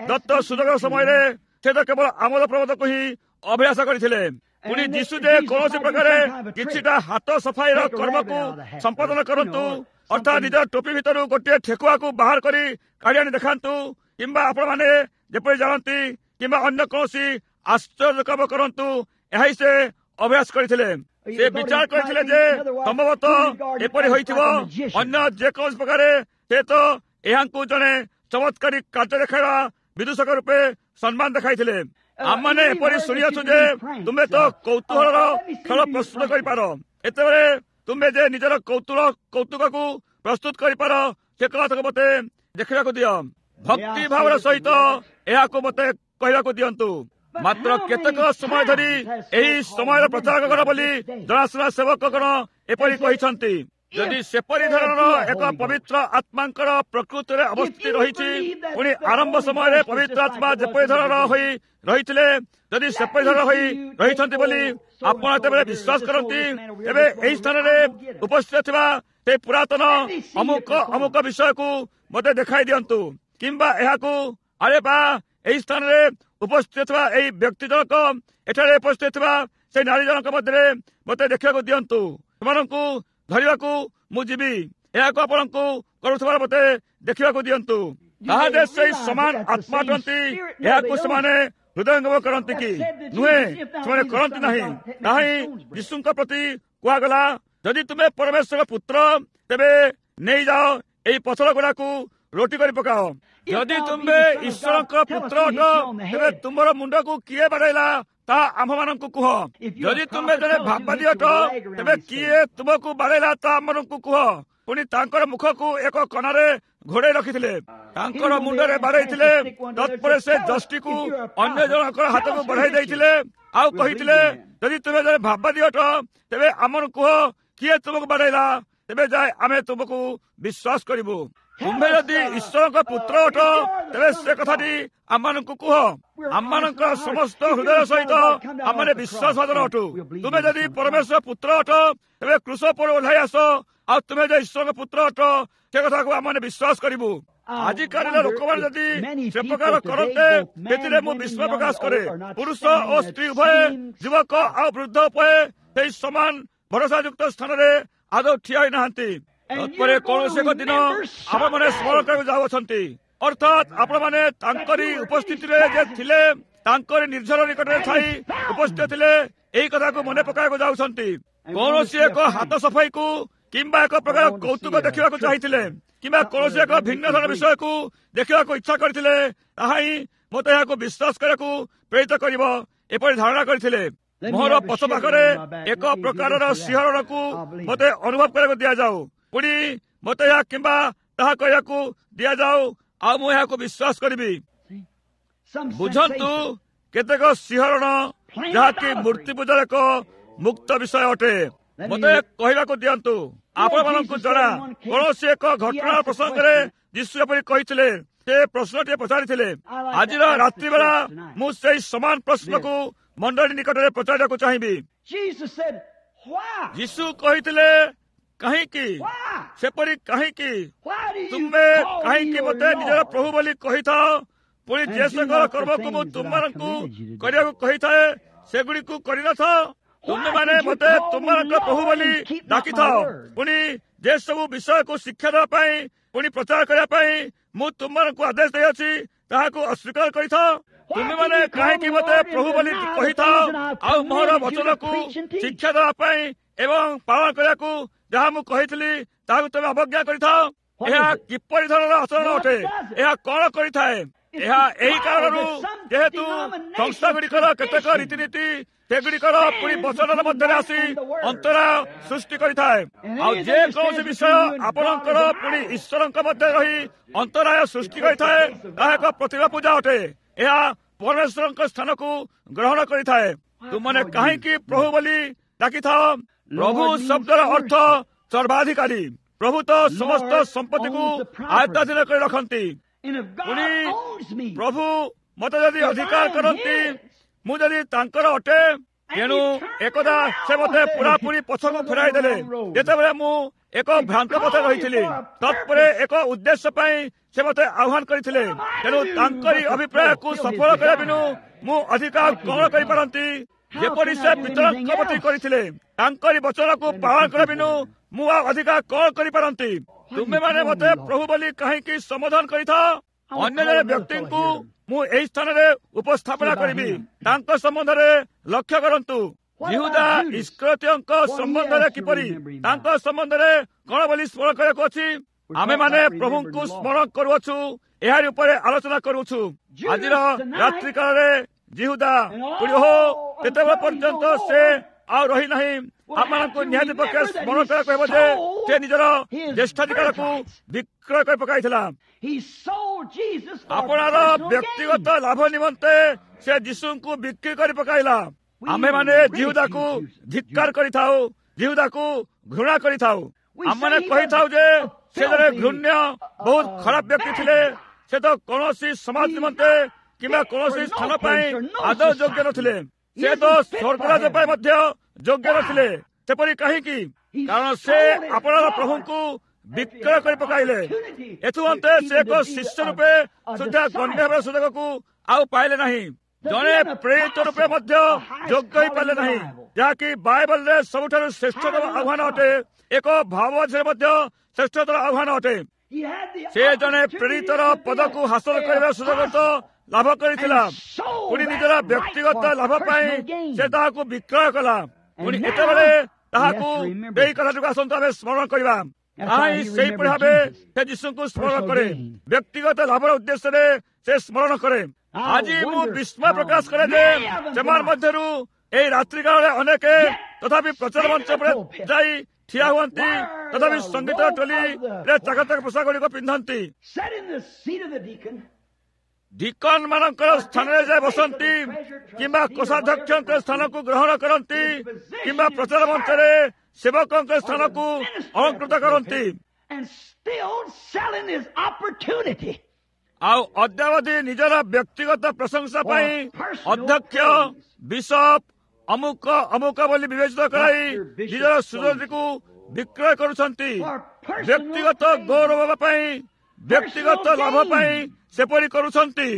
ଦତ୍ତ ସୁଯୋଗ ସମୟରେ ସେ ତ କେବଳ ଆମୋଦ ପ୍ରମୋଦକୁ ହିଁ ଅଭିଳାଷ କରିଥିଲେ। ପୁଣି ଯୀଶୁ ଯେ କୌଣସି ପ୍ରକାରେ କିଛିଟା ହାତ ସଫାଇର କର୍ମକୁ ସମ୍ପାଦନ କରନ୍ତୁ, ଅର୍ଥାତ୍ ନିଜ ଟୋପି ଭିତରୁ ଗୋଟିଏ ଠେକୁଆକୁ ବାହାର କରି କାଢ଼ି ଆଣି ଦେଖାନ୍ତୁ, କିମ୍ବା ଆପଣମାନେ ଯେପରି ଜାଣନ୍ତି, କିମ୍ବା ଅନ୍ୟ କୌଣସି ଆଶ୍ଚର୍ଯ୍ୟ କାମ କରନ୍ତୁ, ଏହା ହିଁ ସେ ଅଭ୍ୟାସ କରିଥିଲେ। ସେ ବିଚାର କରିଥିଲେ ଯେ ସମ୍ଭବତଃ ଏପରି ହୋଇଥିବ, ଅନ୍ୟ ଯେକୌଣସି ପ୍ରକାରେ ସେ ତ ଏହାଙ୍କୁ ଜଣେ ଚମତ୍କାରୀ କାର୍ଯ୍ୟ ଦେଖାଇବା ବିଦୂଷକ ରୂପେ ସମ୍ମାନ ଦେଖାଇଥିଲେ। ଆମମାନେ ଏପରି ଶୁଣିଅଛୁ ଯେ ତୁମେ ତ କୌତୁହଳର ଖେଳ ପ୍ରସ୍ତୁତ କରିପାର, ଏତେବେଳେ ତୁମେ ଯେ ନିଜର କୌତୁକକୁ ପ୍ରସ୍ତୁତ କରିପାର, ସେ କଥାକୁ ମତେ ଦେଖିବାକୁ ଦିଅ। ଭକ୍ତି ଭାବର ସହିତ ଏହାକୁ ମତେ କହିବାକୁ ଦିଅନ୍ତୁ। ମାତ୍ର କେତେକ ସମୟ ଧରି ଏହି ସମୟର ପ୍ରଚାରକଗଣ ବୋଲି ଜଣାଶୁଣା ସେବକଗଣ ଏପରି କହିଛନ୍ତି। ଯଦି ସେପରି ଧରଣର ଏକ ପବିତ୍ର ଆତ୍ମାଙ୍କର ପ୍ରକୃତିରେ ଅବସ୍ଥିତି ରହିଛି, ପୁଣି ଆରମ୍ଭ ସମୟରେ ପବିତ୍ର ଆତ୍ମା ଯେପରି ଧରଣର ହୋଇ ରହିଥିଲେ, ଯଦି ସେପରି ଧରଣର ହୋଇ ରହିଛନ୍ତି ବୋଲି ଆପଣ ଯେତେବେଳେ ବିଶ୍ୱାସ କରନ୍ତି, ତେବେ ଏହି ସ୍ଥାନରେ ଉପସ୍ଥିତ ଥିବା ସେ ପୁରାତନ ଅମୁକ ଅମୁକ ବିଷୟକୁ ମୋତେ ଦେଖାଇ ଦିଅନ୍ତୁ, କିମ୍ବା ଏହାକୁ ଆରେ ବା ଏହି ସ୍ଥାନରେ ଉପସ୍ଥିତ ଥିବା ଏହି ବ୍ୟକ୍ତି ଜଣକ, ଏଠାରେ ଉପସ୍ଥିତ ଥିବା ସେ ନାରୀ ଜଣକ ମଧ୍ୟରେ ମୋତେ ଦେଖିବାକୁ ଦିଅନ୍ତୁ, ସେମାନଙ୍କୁ ଧରିବାକୁ ମୁଁ ଯିବି, ଏହାକୁ ଆପଣଙ୍କୁ କରୁଥିବାର ମୋତେ ଦେଖିବାକୁ ଦିଅନ୍ତୁ। ତାହା ଯେ ସେଇ ସମାନ ଆତ୍ମା ଅଟନ୍ତି, ଏହାକୁ ସେମାନେ ହୃଦୟଙ୍ଗମ କରନ୍ତି କି? ନୁହେଁ, ସେମାନେ କରନ୍ତି ନାହିଁ। ତାହା ହିଁ ଯୀଶୁଙ୍କ ପ୍ରତି କୁହାଗଲା, ଯଦି ତୁମେ ପରମେଶ୍ୱରଙ୍କ ପୁତ୍ର, ତେବେ ନେଇଯାଅ ଏହି ପଥର ଗୁଡାକୁ ରୋଟି କରି ପକାଅ। ଯଦି ତୁମେ ଈଶ୍ୱରଙ୍କ ପୁତ୍ର ଅଟ, ତେବେ ତୁମର ମୁଣ୍ଡକୁ କିଏ ବାଡ଼େଇଲା ତାହା ଆମ୍ଭମାନଙ୍କୁ କୁହ। ଯଦି ତୁମେ ଜଣେ ଭାବବାଦୀ ଅଟ, ତେବେ କିଏ ତୁମକୁ ବାଡ଼େଇଲା ତାହା ଆମମାନଙ୍କୁ କୁହ। ପୁଣି ତାଙ୍କର ମୁଖକୁ ଏକ କନାରେ ଘୋଡ଼େଇ ରଖିଥିଲେ, ତାଙ୍କର ମୁଣ୍ଡରେ ବାଡ଼େଇଥିଲେ। ତତ୍ପରେ ସେ ଯଷ୍ଟିକୁ ଅନ୍ୟ ଜଣଙ୍କର ହାତକୁ ବଢ଼ାଇ ଦେଇଥିଲେ ଆଉ କହିଥିଲେ, ଯଦି ତୁମେ ଜଣେ ଭାବବାଦୀ ଅଟ, ତେବେ ଆମକୁ କୁହ କିଏ ତୁମକୁ ବାଡ଼େଇଲା, ତେବେ ଯାଏ ଆମେ ତୁମକୁ ବିଶ୍ୱାସ କରିବୁ। ତୁମ୍ଭେ ଯଦି ଈଶ୍ୱରଙ୍କ ପୁତ୍ର ଅଟ, ତେବେ ସେ କଥାଟି ଆମମାନଙ୍କୁ କୁହ। ଆମମାନଙ୍କର ସମସ୍ତ ହୃଦୟ ସହିତ ଆମମାନେ ବିଶ୍ୱାସଭାଜନ ଅଟୁ। ତୁମେ ଯଦି ପରମେଶ୍ୱର ପୁତ୍ର ଅଟ, ତେବେ କ୍ରୁଶ ଉପରୁ ଓହ୍ଲାଇ ଆସ, ଆଉ ତୁମେ ଯେ ଈଶ୍ୱରଙ୍କ ପୁତ୍ର ଅଟ ସେ କଥାକୁ ଆମମାନେ ବିଶ୍ୱାସ କରିବୁ। ଆଜିକାଲିର ଲୋକମାନେ ଯଦି ସେ ପ୍ରକାର କରନ୍ତେ, ସେଥିରେ ମୁଁ ବିସ୍ମୟ ପ୍ରକାଶ କରେ। ପୁରୁଷ ଓ ସ୍ତ୍ରୀ ଉଭୟେ, ଯୁବକ ଆଉ ବୃଦ୍ଧ ଉଭୟେ ସେହି ସମାନ ଭରସାଯୁକ୍ତ ସ୍ଥାନରେ ଆଦୌ ଠିଆ ହୋଇନାହାନ୍ତି। ତତ୍ପରେ କୌଣସି ଏକ ଦିନ ଆପଣମାନେ ସ୍ମରଣ କରିବାକୁ ଯାଉଅଛନ୍ତି, ଅର୍ଥାତ୍ ଆପଣମାନେ ତାଙ୍କରି ଉପସ୍ଥିତିରେ ଯେ ଥିଲେ, ତାଙ୍କରି ନିର୍ଝର ନିକଟରେ ଥାଇ ଉପସ୍ଥିତ ଥିଲେ, ଏହି କଥାକୁ ମନେ ପକାଇବାକୁ ଯାଉଛନ୍ତି। କୌଣସି ଏକ ହାତ ସଫାଇକୁ କିମ୍ବା ଏକ ପ୍ରକାର କୌତୁକ ଦେଖିବାକୁ ଚାହିଁଥିଲେ କିମ୍ବା କୌଣସି ଏକ ଭିନ୍ନ ଧରଣ ବିଷୟକୁ ଦେଖିବାକୁ ଇଚ୍ଛା କରିଥିଲେ, ତାହା ହିଁ ମୋତେ ଏହାକୁ ବିଶ୍ୱାସ କରିବାକୁ ପ୍ରେରିତ କରିବ, ଏପରି ଧାରଣା କରିଥିଲେ। ମୋର ପଛ ପାଖରେ ଏକ ପ୍ରକାରର ଶିହରଣକୁ ମୋତେ ଅନୁଭବ କରିବାକୁ ଦିଆଯାଉ, ପୁଣି ମୋତେ ଏହା କିମ୍ବା ତାହା କହିବାକୁ ଦିଆଯାଉ, ଆଉ ମୁଁ ଏହାକୁ ବିଶ୍ୱାସ କରିବି। ବୁଝନ୍ତୁ, କେତେକ ଶିହରଣ ଯାହାକି ମୂର୍ତ୍ତି ପୂଜାର ଏକ ମୁକ୍ତ ବିଷୟ ଅଟେ। ମୋତେ କହିବାକୁ ଦିଅନ୍ତୁ, ଆପଣମାନଙ୍କୁ ଜଣା କୌଣସି ଏକ ଘଟଣାର ପ୍ରସଙ୍ଗରେ ଯୀଶୁ ଏପରି କହିଥିଲେ, ସେ ପ୍ରଶ୍ନଟିଏ ପଚାରିଥିଲେ। ଆଜିର ରାତ୍ରି ବେଳା ମୁଁ ସେଇ ସମାନ ପ୍ରଶ୍ନକୁ ମଣ୍ଡଳୀ ନିକଟରେ ପଚାରିବାକୁ ଚାହିଁବି। ଯୀଶୁ କହିଥିଲେ, କାହିଁକି ସେପରି କାହିଁକି ତୁମେ କାହିଁକି ମୋତେ ନିଜର ପ୍ରଭୁ ବୋଲି କହିଥାଅ, ପୁଣି ଯେସଙ୍କର କର୍ମକୁ ମୁଁ ତୁମମାନଙ୍କୁ କରିବାକୁ କହିଥାଏ ସେଗୁଡ଼ିକୁ କରିନଥାଅ? ତୁମେମାନେ ମୋତେ ତୁମମାନଙ୍କ ପ୍ରଭୁ ବୋଲି ଡାକିଥାଅ, ପୁଣି ଯେସବୁ ବିଷୟକୁ ଶିକ୍ଷା ଦେବା ପାଇଁ ପୁଣି ପ୍ରଚାର କରିବା ପାଇଁ ମୁଁ ତୁମମାନଙ୍କୁ ଆଦେଶ ଦେଇଅଛି ତାହାକୁ ଅସ୍ୱୀକାର କରିଥାଅ। ତୁମେମାନେ କାହିଁକି ମୋତେ ପ୍ରଭୁ ବୋଲି କହିଥାଅ, ଆଉ ମୋହର ବଚନକୁ ଶିକ୍ଷା ଦେବା ପାଇଁ ଏବଂ ପାଳନ କରିବାକୁ ଯାହା ମୁଁ କହିଥିଲି ତାହାକୁ ତୁମେ ଅବଜ୍ଞା କରିଥାଅ? ଏହା କିପରି ଧରଣର ଆଚରଣ ଅଟେ? ଏହା କଣ କରିଥାଏ? ଏହା ଏହି କାରଣରୁ ଯେହେତୁ ସଂସ୍ଥାଗୁଡ଼ିକର କେତେକ ରୀତିନୀତି ସେଗୁଡ଼ିକର ପୁଣି ବଚନର ମଧ୍ୟରେ ଆସି ଅନ୍ତରାୟ ସୃଷ୍ଟି କରିଥାଏ। ଆଉ ଯେକୌଣସି ବିଷୟ ଆପଣଙ୍କର ପୁଣି ଈଶ୍ୱରଙ୍କ ମଧ୍ୟରେ ରହି ଅନ୍ତରାୟ ସୃଷ୍ଟି କରିଥାଏ, ତାହା ଏକ ପ୍ରତିମା ପୂଜା ଅଟେ। ଏହା ପରମେଶ୍ୱରଙ୍କ ସ୍ଥାନକୁ ଗ୍ରହଣ କରିଥାଏ। ତୁମମାନେ କାହିଁକି ପ୍ରଭୁ ବୋଲି ଡାକିଥାଅ? ପ୍ରଭୁ ଶବ୍ଦର ଅର୍ଥ ସର୍ବାଧିକାରୀ। ପ୍ରଭୁ ତ ସମସ୍ତ ସମ୍ପତ୍ତିକୁ ଆୟତ୍ତାଧୀନ କରି ରଖନ୍ତି। ପୁଣି ପ୍ରଭୁ ମତେ ଯଦି ଅଧିକାର କରନ୍ତି, ମୁଁ ଯଦି ତାଙ୍କର ଅଟେ, ତେଣୁ ଏକଦା ସେ ମତେ ପୁରାପୁରି ପଛକୁ ଫେରାଇ ଦେଲେ ଯେତେବେଳେ ମୁଁ ଏକ ଭ୍ରାନ୍ତ ପଥରେ ରହିଥିଲି। ତତ୍ପରେ ଏକ ଉଦ୍ଦେଶ୍ୟ ପାଇଁ ସେ ମତେ ଆହ୍ୱାନ କରିଥିଲେ। ତେଣୁ ତାଙ୍କରି ଅଭିପ୍ରାୟକୁ ସଫଳ କରିବା ବିନୁ ମୁଁ ଅଧିକ କଣ କରିପାରନ୍ତି? ଯେପରି ସେ ପିତରଙ୍କ ପ୍ରତି କରିଥିଲେ, ତାଙ୍କରି ବଚନକୁ ପାଳନ କରିବା ବିନୁ ମୁଁ ଆଉ ଅଧିକ କଣ କରିପାରନ୍ତି? ତୁମେମାନେ ମତେ ପ୍ରଭୁ ବୋଲି କାହିଁକି ସମ୍ବୋଧନ କରିଥାଅ? ଅନ୍ୟ ଜଣେ ବ୍ୟକ୍ତିଙ୍କୁ ମୁଁ ଏହି ସ୍ଥାନରେ ଉପସ୍ଥାପନା କରିବି, ତାଙ୍କ ସମ୍ବନ୍ଧରେ ଲକ୍ଷ୍ୟ କରନ୍ତୁ। ଯିହୁଦା ଇଷ୍କରିୟୋତୀୟଙ୍କ ସମ୍ବନ୍ଧରେ କିପରି, ତାଙ୍କ ସମ୍ବନ୍ଧରେ କଣ ବୋଲି ସ୍ମରଣ କରିବାକୁ ଅଛି? ଆମେମାନେ ପ୍ରଭୁଙ୍କୁ ସ୍ମରଣ କରୁଅଛୁ, ଏହାରି ଉପରେ ଆଲୋଚନା କରୁଅଛୁ। ଆଜିର ରାତ୍ରିକାଳରେ ଯିହୁଦା ପୁଣି ଓହୋ, ତେତେବେଳେ ପର୍ଯ୍ୟନ୍ତ ସେ ଆଉ ରହିନାହିଁ। ଆମମାନଙ୍କୁ ନିହାତି ପକ୍ଷେ ସ୍ମରଣ କରିବାକୁ ହେବ ଯେ ସେ ନିଜର ଜ୍ୟେଷ୍ଠାଧିକାରକୁ ବିକ୍ରୟ କରି ପକାଇଥିଲା। ଆପଣାର ବ୍ୟକ୍ତିଗତ ଲାଭ ନିମନ୍ତେ ସେ ଯୀଶୁଙ୍କୁ ବିକ୍ରି କରି ପକାଇଲା। ଆମେମାନେ ଯିହୁଦାକୁ ଧିକ୍କାର କରିଥାଉ, ଯିହୁଦାକୁ ଘୃଣା କରିଥାଉ। ଆମମାନେ କହିଥାଉ ଯେ ସେ ଜଣେ ଘୃଣ୍ୟ, ବହୁତ ଖରାପ ବ୍ୟକ୍ତି ଥିଲେ। ସେ ତ କୌଣସି ସମାଜ ନିମନ୍ତେ କିମ୍ବା କୌଣସି ସ୍ଥାନ ପାଇଁ ଆଦୌ ଯୋଗ୍ୟ ନଥିଲେ। ସେ ତ ସ୍ୱର୍ଗରାଜ ପାଇଁ ମଧ୍ୟ ଯୋଗ୍ୟ ନଥିଲେ। ସେପରି କାହିଁକି? କାରଣ ସେ ଆପଣାର ପ୍ରଭୁଙ୍କୁ ବିକ୍ରୟ କରି ପକାଇଲେ। ଏଥିମନ୍ତେ ସେ ଏକ ଶିଷ୍ୟ ରୂପେ ସୁଦ୍ଧା ଗଣ୍ୟ ହେବାର ସୁଯୋଗକୁ ଆଉ ପାଇଲେ ନାହିଁ। ଜଣେ ପ୍ରେରିତ ରୂପେ ମଧ୍ୟ ଯୋଗ୍ୟ ହୋଇପାରିଲେ ନାହିଁ, ଯାହାକି ବାଇବଲରେ ସବୁଠାରୁ ଶ୍ରେଷ୍ଠତମ ଆହ୍ୱାନ ଅଟେ, ଏକ ଭାବବାଦୀରେ ମଧ୍ୟ ଶ୍ରେଷ୍ଠତର ଆହ୍ୱାନ ଅଟେ। ସେ ଜଣେ ପ୍ରେରିତର ପଦକୁ ହାସଲ କରିବାର ସୁଯୋଗ ତ ଲାଭ କରିଥିଲା, ପୁଣି ନିଜର ବ୍ୟକ୍ତିଗତ ଲାଭ ପାଇଁ ସେ ତାହାକୁ ବିକ୍ରୟ କଲା। ପୁଣି ଏତେବେଳେ ତାହାକୁ ଏହି କଥାଟିକୁ ଆସନ୍ତୁ ଆମେ ସ୍ମରଣ କରିବା। ତାହା ହିଁ ସେହିପରି ଭାବେ ସେ ଯୀଶୁଙ୍କୁ ସ୍ମରଣ କରେ, ବ୍ୟକ୍ତିଗତ ଲାଭର ଉଦ୍ଦେଶ୍ୟରେ ସେ ସ୍ମରଣ କରେ। ଆଜି ମୁଁ ବିସ୍ମୟ ପ୍ରକାଶ କରେ ଯେ ସେମାନେ ମଧ୍ୟରୁ ଏହି ରାତ୍ରିକାଳରେ ଅନେକ ତଥାପି ପ୍ରଚାର ମଞ୍ଚ ଉପରେ ଯାଇ ଠିଆ ହୁଅନ୍ତି, ତଥାପି ସଙ୍ଗୀତ ଟୋଲିରେ ଚାକଚକ ପୋଷାକ ଗୁଡ଼ିକ ପିନ୍ଧନ୍ତି, ଡିକନ ମାନଙ୍କର ସ୍ଥାନରେ ଯାଇ ବସନ୍ତି, କିମ୍ବା କୋଷାଧ୍ୟକ୍ଷଙ୍କ ସ୍ଥାନକୁ ଗ୍ରହଣ କରନ୍ତି, କିମ୍ବା ପ୍ରଚାର ମଞ୍ଚରେ ସେବକଙ୍କ ସ୍ଥାନକୁ ଅଳଙ୍କୃତ କରନ୍ତି। ଆଉ ଅଦ୍ୟାବଧି ନିଜର ବ୍ୟକ୍ତିଗତ ପ୍ରଶଂସା ପାଇଁ ଅଧ୍ୟକ୍ଷ, ବିଶପ, ଅମୁକ ଅମୁକ ବୋଲି ବିବେଚିତ କରାଇ ନିଜର ସୁଯୋଗଟିକୁ ବିକ୍ରୟ କରୁଛନ୍ତି। ବ୍ୟକ୍ତିଗତ ଗୌରବ ପାଇଁ, ବ୍ୟକ୍ତିଗତ ଲାଭ ପାଇଁ ସେପରି କରୁଛନ୍ତି।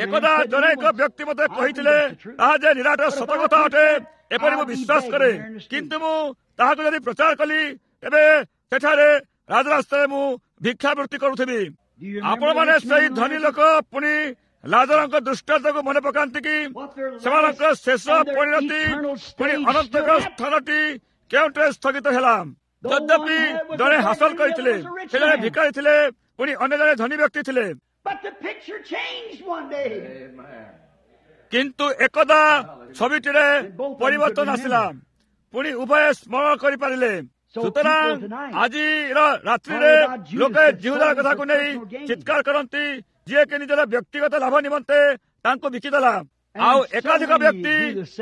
ଏକଦା ଜଣେ ଏକ ବ୍ୟକ୍ତି ମୋତେ କହିଥିଲେ, ତାହା ଯେ ନିରାଟ ସତ କଥା ଅଟେ ଏପରି ମୁଁ ବିଶ୍ୱାସ କରେ, କିନ୍ତୁ ମୁଁ ତାହାକୁ ଯଦି ପ୍ରଚାର କଲି ତେବେ ସେଠାରେ ରାଜରାସ୍ତାରେ ମୁଁ ଭିକ୍ଷାବୃତ୍ତି କରୁଥିବି। ଆପଣମାନେ ସେହି ଧନୀ ଲୋକ ପୁଣି ଲାଜରଙ୍କ ଦୃଷ୍ଟାନ୍ତକୁ ମନେ ପକାନ୍ତି କି? ସେମାନଙ୍କର ଶେଷ ପରିଣତି ପୁଣି ଅନନ୍ତକ ସ୍ଥାନଟି କେଉଁଠାରେ ସ୍ଥଗିତ ହେଲା? ଯଦ୍ୟପି ଜଣେ ହାସଲ କରିଥିଲେ, ସେ ଜଣେ ଭିକାରୀ ଥିଲେ, ପୁଣି ଅନ୍ୟ ଜଣେ ଧନୀ ବ୍ୟକ୍ତି ଥିଲେ। କିନ୍ତୁ ଏକଦା ଛବିଟିରେ ପରିବର୍ତ୍ତନ ଆସିଲା, ପୁଣି ଉଭୟ ସ୍ମରଣ କରିପାରିଲେ। ସୁତରାଂ ଆଜିର ରାତ୍ରିରେ ଲୋକେ ଜିହୁଦାର କଥାକୁ ନେଇ ଚିତ୍କାର କରନ୍ତି, ଯିଏକି ନିଜର ବ୍ୟକ୍ତିଗତ ଲାଭ ନିମନ୍ତେ ତାଙ୍କୁ ବିକିଦେଲା। ଆଉ ଏକାଧିକ ବ୍ୟକ୍ତି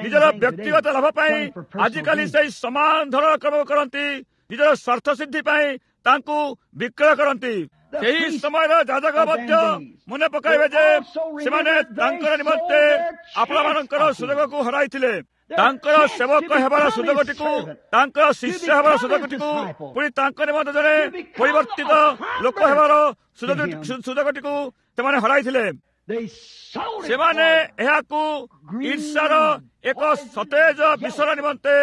ନିଜର ବ୍ୟକ୍ତିଗତ ଲାଭ ପାଇଁ ଆଜିକାଲି ସେଇ ସମାନ ଧରଣର କର୍ମ କରନ୍ତି, ନିଜର ସ୍ୱାର୍ଥ ସିଦ୍ଧି ପାଇଁ ତାଙ୍କୁ ବିକ୍ରୟ କରନ୍ତି। ସେହି ସମୟର ଯାଜକ ମଧ୍ୟ ମନେ ପକାଇବେ ଯେ ସେମାନେ ତାଙ୍କର ନିମନ୍ତେ ଆପଣମାନଙ୍କର ସୁଯୋଗକୁ ହରାଇଥିଲେ, ତାଙ୍କର ସେବକ ହେବାର ସୁଯୋଗଟିକୁ, ତାଙ୍କର ଶିଷ୍ୟ ହେବାର ସୁଯୋଗଟିକୁ, ପୁଣି ତାଙ୍କ ନିମନ୍ତେ ଜଣେ ପରିବର୍ତ୍ତିତ ଲୋକ ହେବାର ସୁଯୋଗଟିକୁ ସେମାନେ ହରାଇଥିଲେ। ସେମାନେ ଏହାକୁ ଈର୍ଷାର ଏକ ସତେଜ ବିଷୟ ନିମନ୍ତେ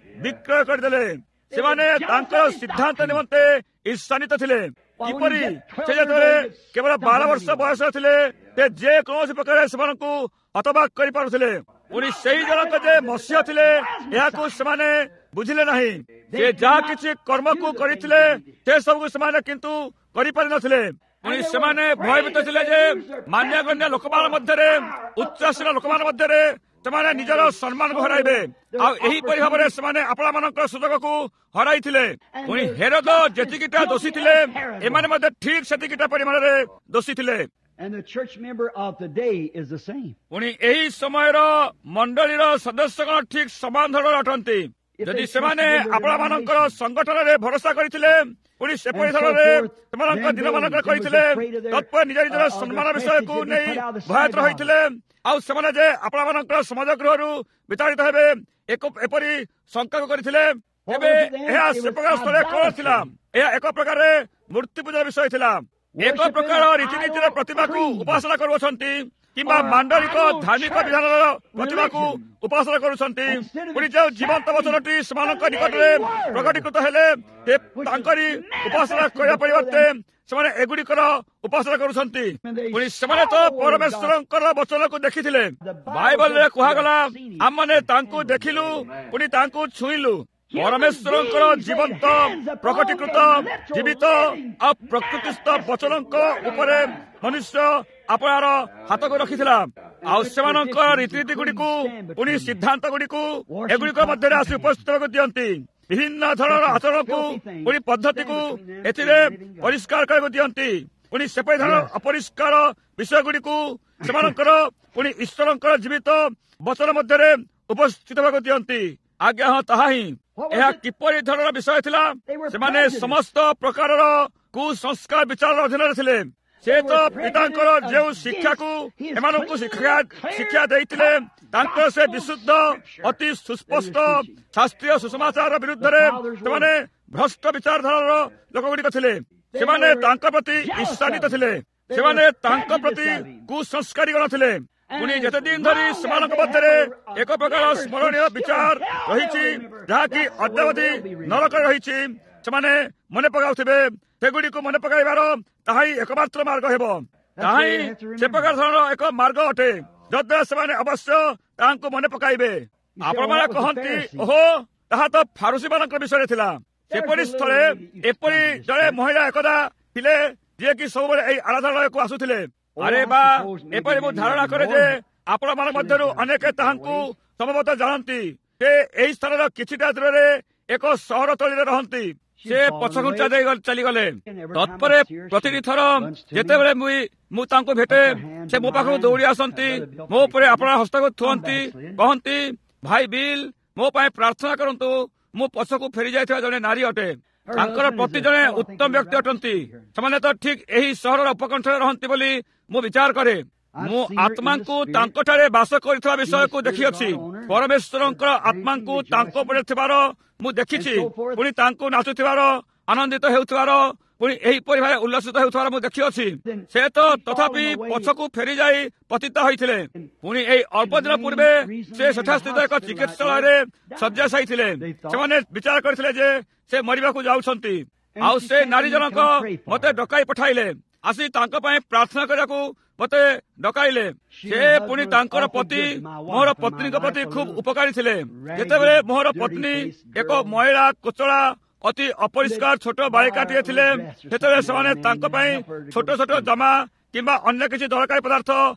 ବିକ୍ରୟ କରିଦେଲେ। ସେମାନେ ତାଙ୍କର ସିଦ୍ଧାନ୍ତ ନିମନ୍ତେ ଈର୍ଷାନ୍ୱିତ ଥିଲେ। କିପରି ସେ ଯେତେବେଳେ କେବଳ 12 ବର୍ଷ ବୟସ ଥିଲେ, ସେ ଯେକୌଣସି ପ୍ରକାର ସେମାନଙ୍କୁ ହତବାକ କରିପାରୁଥିଲେ। ପୁଣି ସେଇ ଜଣକ ଯେ ମସିହ ଥିଲେ ଏହାକୁ ସେମାନେ ବୁଝିଲେ ନାହିଁ। ସେ ଯାହା କିଛି କର୍ମକୁ କରିଥିଲେ ସେ ସବୁକୁ ସେମାନେ କିନ୍ତୁ କରିପାରିନଥିଲେ। ପୁଣି ସେମାନେ ଭୟଭୀତ ଥିଲେ ଯେ ମାନ୍ୟଗଣ୍ୟ ଲୋକମାନଙ୍କ ମଧ୍ୟରେ, ଉଚ୍ଚାସୀନ ଲୋକମାନଙ୍କ ମଧ୍ୟରେ ସେମାନେ ନିଜର ସମ୍ମାନକୁ ହରାଇବେ। ଆଉ ଏହିପରି ଭାବରେ ସେମାନେ ଆପଣାମାନଙ୍କର ସୁଯୋଗକୁ ହରାଇଥିଲେ। ପୁଣି ହେରୋଦ ଯେତିକିଟା ଦୋଷୀ ଥିଲେ, ଏମାନେ ମଧ୍ୟ ଠିକ ସେତିକିଟା ପରିମାଣରେ ଦୋଷୀ ଥିଲେ। ପୁଣି ଏହି ସମୟର ମଣ୍ଡଳୀର ସଦସ୍ୟଗଣ ଠିକ ସମାନ ଧରଣର ଅଟନ୍ତି। ଯଦି ସେମାନେ ଆପଣାମାନଙ୍କର ସଂଗଠନରେ ଭରସା କରିଥିଲେ, ପୁଣି ସେପରି ଧରଣରେ ସେମାନଙ୍କ ଦିନମାନଙ୍କରେ କରିଥିଲେ, ତତ୍ପରେ ନିଜ ନିଜର ସମ୍ମାନ ବିଷୟକୁ ନେଇ ଭୟଭୀତ ହୋଇଥିଲେ, ଆଉ ସେମାନେ ଯେ ଆପଣାମାନଙ୍କର ସମାଜ ଗୃହରୁ ବିତାଡ଼ିତ ହେବେ ଏପରି ଶଙ୍କାକୁ କରିଥିଲେ, ତେବେ ଏହା ସେ ପ୍ରକାର ସ୍ଥଳରେ କଣ ଥିଲା? ଏହା ଏକ ପ୍ରକାରରେ ମୂର୍ତ୍ତି ପୂଜାର ବିଷୟ ଥିଲା। ଏକ ପ୍ରକାର ରୀତିନୀତିର ପ୍ରତିମାକୁ ଉପାସନା କରୁଅଛନ୍ତି କିମ୍ବା ମାଣ୍ଡଳିକ ଧାର୍ମିକ ବିଧାନର ପ୍ରତିମାକୁ ଉପାସନା କରୁଛନ୍ତି। ପୁଣି ଯେଉଁ ଜୀବନ୍ତ ବଚନଟି ସେମାନଙ୍କ ନିକଟରେ ପ୍ରକଟୀକୃତ ହେଲେ ତାଙ୍କରି ଉପାସନା କରିବା ପରିବର୍ତ୍ତେ ସେମାନେ ଏଗୁଡ଼ିକର ଉପାସନା କରୁଛନ୍ତି। ପୁଣି ସେମାନେ ତ ପରମେଶ୍ୱରଙ୍କର ବଚନକୁ ଦେଖିଥିଲେ। ବାଇବଲରେ କୁହାଗଲା, ଆମମାନେ ତାଙ୍କୁ ଦେଖିଲୁ, ପୁଣି ତାଙ୍କୁ ଛୁଇଁଲୁ। ପରମେଶ୍ୱରଙ୍କର ଜୀବନ୍ତ ପ୍ରକଟୀକୃତ ଜୀବିତ ଆଉ ପ୍ରକୃତିସ୍ଥ ବଚନଙ୍କ ଉପରେ ମନୁଷ୍ୟ ଆପଣାର ହାତକୁ ରଖିଥିଲା। ଆଉ ସେମାନଙ୍କ ରୀତିନୀତି ଗୁଡ଼ିକୁ ପୁଣି ସିଦ୍ଧାନ୍ତ ଗୁଡ଼ିକୁ ଏଗୁଡ଼ିକ ମଧ୍ୟରେ ଆସି ଉପସ୍ଥିତ ହେବାକୁ ଦିଅନ୍ତି। ବିଭିନ୍ନ ଧରଣର ଆଚରଣକୁ ପୁଣି ପଦ୍ଧତିକୁ ଏଥିରେ ପରିଷ୍କାର କରିବାକୁ ଦିଅନ୍ତି। ପୁଣି ସେପରି ଧରଣର ଅପରିଷ୍କାର ବିଷୟ ଗୁଡ଼ିକୁ ସେମାନଙ୍କର ପୁଣି ଈଶ୍ୱରଙ୍କର ଜୀବିତ ବଚନ ମଧ୍ୟରେ ଉପସ୍ଥିତ ହେବାକୁ ଦିଅନ୍ତି। ଆଜ୍ଞା ହଁ, ତାହା ହିଁ। ଏହା କିପରି ଧରଣର ବିଷୟ ଥିଲା? ସେମାନେ ସମସ୍ତ ପ୍ରକାରର କୁସଂସ୍କାର ବିଚାରର ଅଧୀନରେ ଥିଲେ। ସେ ତ ପିତାଙ୍କର ଯେଉଁ ଶିକ୍ଷାକୁ ଏମାନଙ୍କୁ ଶିକ୍ଷା ଦେଇଥିଲେ, ତାଙ୍କର ସେ ବିଶୁଦ୍ଧ ଅତି ସୁସ୍ପଷ୍ଟ ଶାସ୍ତ୍ରୀୟ ସୁସମାଚାର ବିରୁଦ୍ଧରେ ସେମାନେ ଭ୍ରଷ୍ଟ ବିଚାରଧାରାର ଲୋକଗୁଡ଼ିକ ଥିଲେ। ସେମାନେ ତାଙ୍କ ପ୍ରତି ଈର୍ଷାନ୍ୱିତ ଥିଲେ। ସେମାନେ ତାଙ୍କ ପ୍ରତି କୁସଂସ୍କାରୀଗଣ ଥିଲେ। ପୁଣି ଯେତେ ଦିନ ଧରି ସେମାନଙ୍କ ମଧ୍ୟରେ ଏକ ପ୍ରକାର ସ୍ମରଣୀୟ ବିଚାର ରହିଛି, ଯାହାକି ଅଦ୍ୟାବଧି ନରକରେ ରହିଛି, ସେମାନେ ମନେ ପକାଉଥିବେ। ସେଗୁଡ଼ିକୁ ମନେ ପକାଇବାର ତାହା ହିଁ ଏକମାତ୍ର ମାର୍ଗ ହେବ। ତାହା ହିଁ ସେ ପ୍ରକାର ଧରଣର ଏକ ମାର୍ଗ ଅଟେ, ଯଦ୍ୱାରା ସେମାନେ ଅବଶ୍ୟ ତାହାଙ୍କୁ ମନେ ପକାଇବେ। ଆପଣମାନେ କହନ୍ତି, ଓହୋ, ତାହା ତ ଫାରୁସୀ ମାନଙ୍କର ବିଷୟରେ ଥିଲା। ସେପରି ସ୍ଥଳେ ଏପରି ଜଣେ ମହିଳା ଏକଦା ଥିଲେ, ଯିଏକି ସବୁବେଳେ ଏହି ଆରାଧନାଳୟକୁ ଆସୁଥିଲେ। ଆରେ ବା, ଏପରି ମୁଁ ଧାରଣା କରେ ଯେ ଆପଣମାନଙ୍କ ମଧ୍ୟରୁ ଅନେକ ତାହାଙ୍କୁ ସମ୍ଭବତଃ ଜାଣନ୍ତି। ସେ ଏହି ସ୍ଥାନର କିଛିଟା ଦୂରରେ ଏକ ସହର ତଳିରେ ରହନ୍ତି। ସେ ପଛଘୁଞ୍ଚା ଦେଇ ଚାଲିଗଲେ। ତତ୍ପରେ ପ୍ରତିଟି ଥର ଯେତେବେଳେ ମୁଁ ତାଙ୍କୁ ଭେଟେ, ସେ ମୋ ପାଖକୁ ଦୌଡ଼ି ଆସନ୍ତି, ମୋ ଉପରେ ଆପଣା ହସ୍ତକୁ ଥୁଅନ୍ତି, କହନ୍ତି, ଭାଇ ବିଲ୍, ମୋ ପାଇଁ ପ୍ରାର୍ଥନା କରନ୍ତୁ, ମୁଁ ପଛକୁ ଫେରି ଯାଇଥିବା ଜଣେ ନାରୀ ଅଟେ। ତାଙ୍କର ପ୍ରତି ଜଣେ ଉତ୍ତମ ବ୍ୟକ୍ତି ଅଟନ୍ତି। ସେମାନେ ତ ଠିକ ଏହି ସହରର ଉପକଣ୍ଠରେ ରହନ୍ତି ବୋଲି ମୁଁ ବିଚାର କରେ। ମୁଁ ଆତ୍ମାଙ୍କୁ ତାଙ୍କଠାରେ ବାସ କରିଥିବା ବିଷୟକୁ ଦେଖିଅଛି। ପରମେଶ୍ୱରଙ୍କର ଆତ୍ମାଙ୍କୁ ତାଙ୍କ ଉପରେ ଥିବାର ମୁଁ ଦେଖିଛି। ପୁଣି ତାଙ୍କୁ ନାଚୁଥିବାର, ଆନନ୍ଦିତ ହେଉଥିବାର, ପୁଣି ଏହିପରି ଭାବେ ଉଲ୍ଲସିତ ହେଉଥିବାର ମୁଁ ଦେଖିଅଛି। ସେ ତ ତଥାପି ପଛକୁ ଫେରିଯାଇ ପତିତ ହୋଇଥିଲେ। ପୁଣି ଏହି ଅଳ୍ପ ଦିନ ପୂର୍ବେ ସେ ସେଠାସ୍ଥିତ ଏକ ଚିକିତ୍ସାଳୟରେ ଶଯ୍ୟାଶାୟୀ ଥିଲେ। ସେମାନେ ବିଚାର କରିଥିଲେ ଯେ ସେ ମରିବାକୁ ଯାଉଛନ୍ତି। ଆଉ ସେ ନାରୀ ଜଣକ ମତେ ଡକାଇ ପଠାଇଲେ, ଆସି ତାଙ୍କ ପାଇଁ ପ୍ରାର୍ଥନା କରିବାକୁ ମତେ ଡକାଇଲେ। ସେ ପୁଣି ତାଙ୍କର ପତି ମୋର ପତ୍ନୀଙ୍କ ପ୍ରତି ଖୁବ ଉପକାରୀ ଥିଲେ। ଯେତେବେଳେ ମୋର ପତ୍ନୀ ଏକ ମଇଳା କୋଚଳା ଅତି ଅପରିଷ୍କାର ଛୋଟ ବାଳିକାଟିଏ ଥିଲେ, ସେତେବେଳେ ସେମାନେ ତାଙ୍କ ପାଇଁ ଛୋଟ ଛୋଟ ଜାମା କିମ୍ବା ଅନ୍ୟ କିଛି ଦରକାରୀ ପଦାର୍ଥ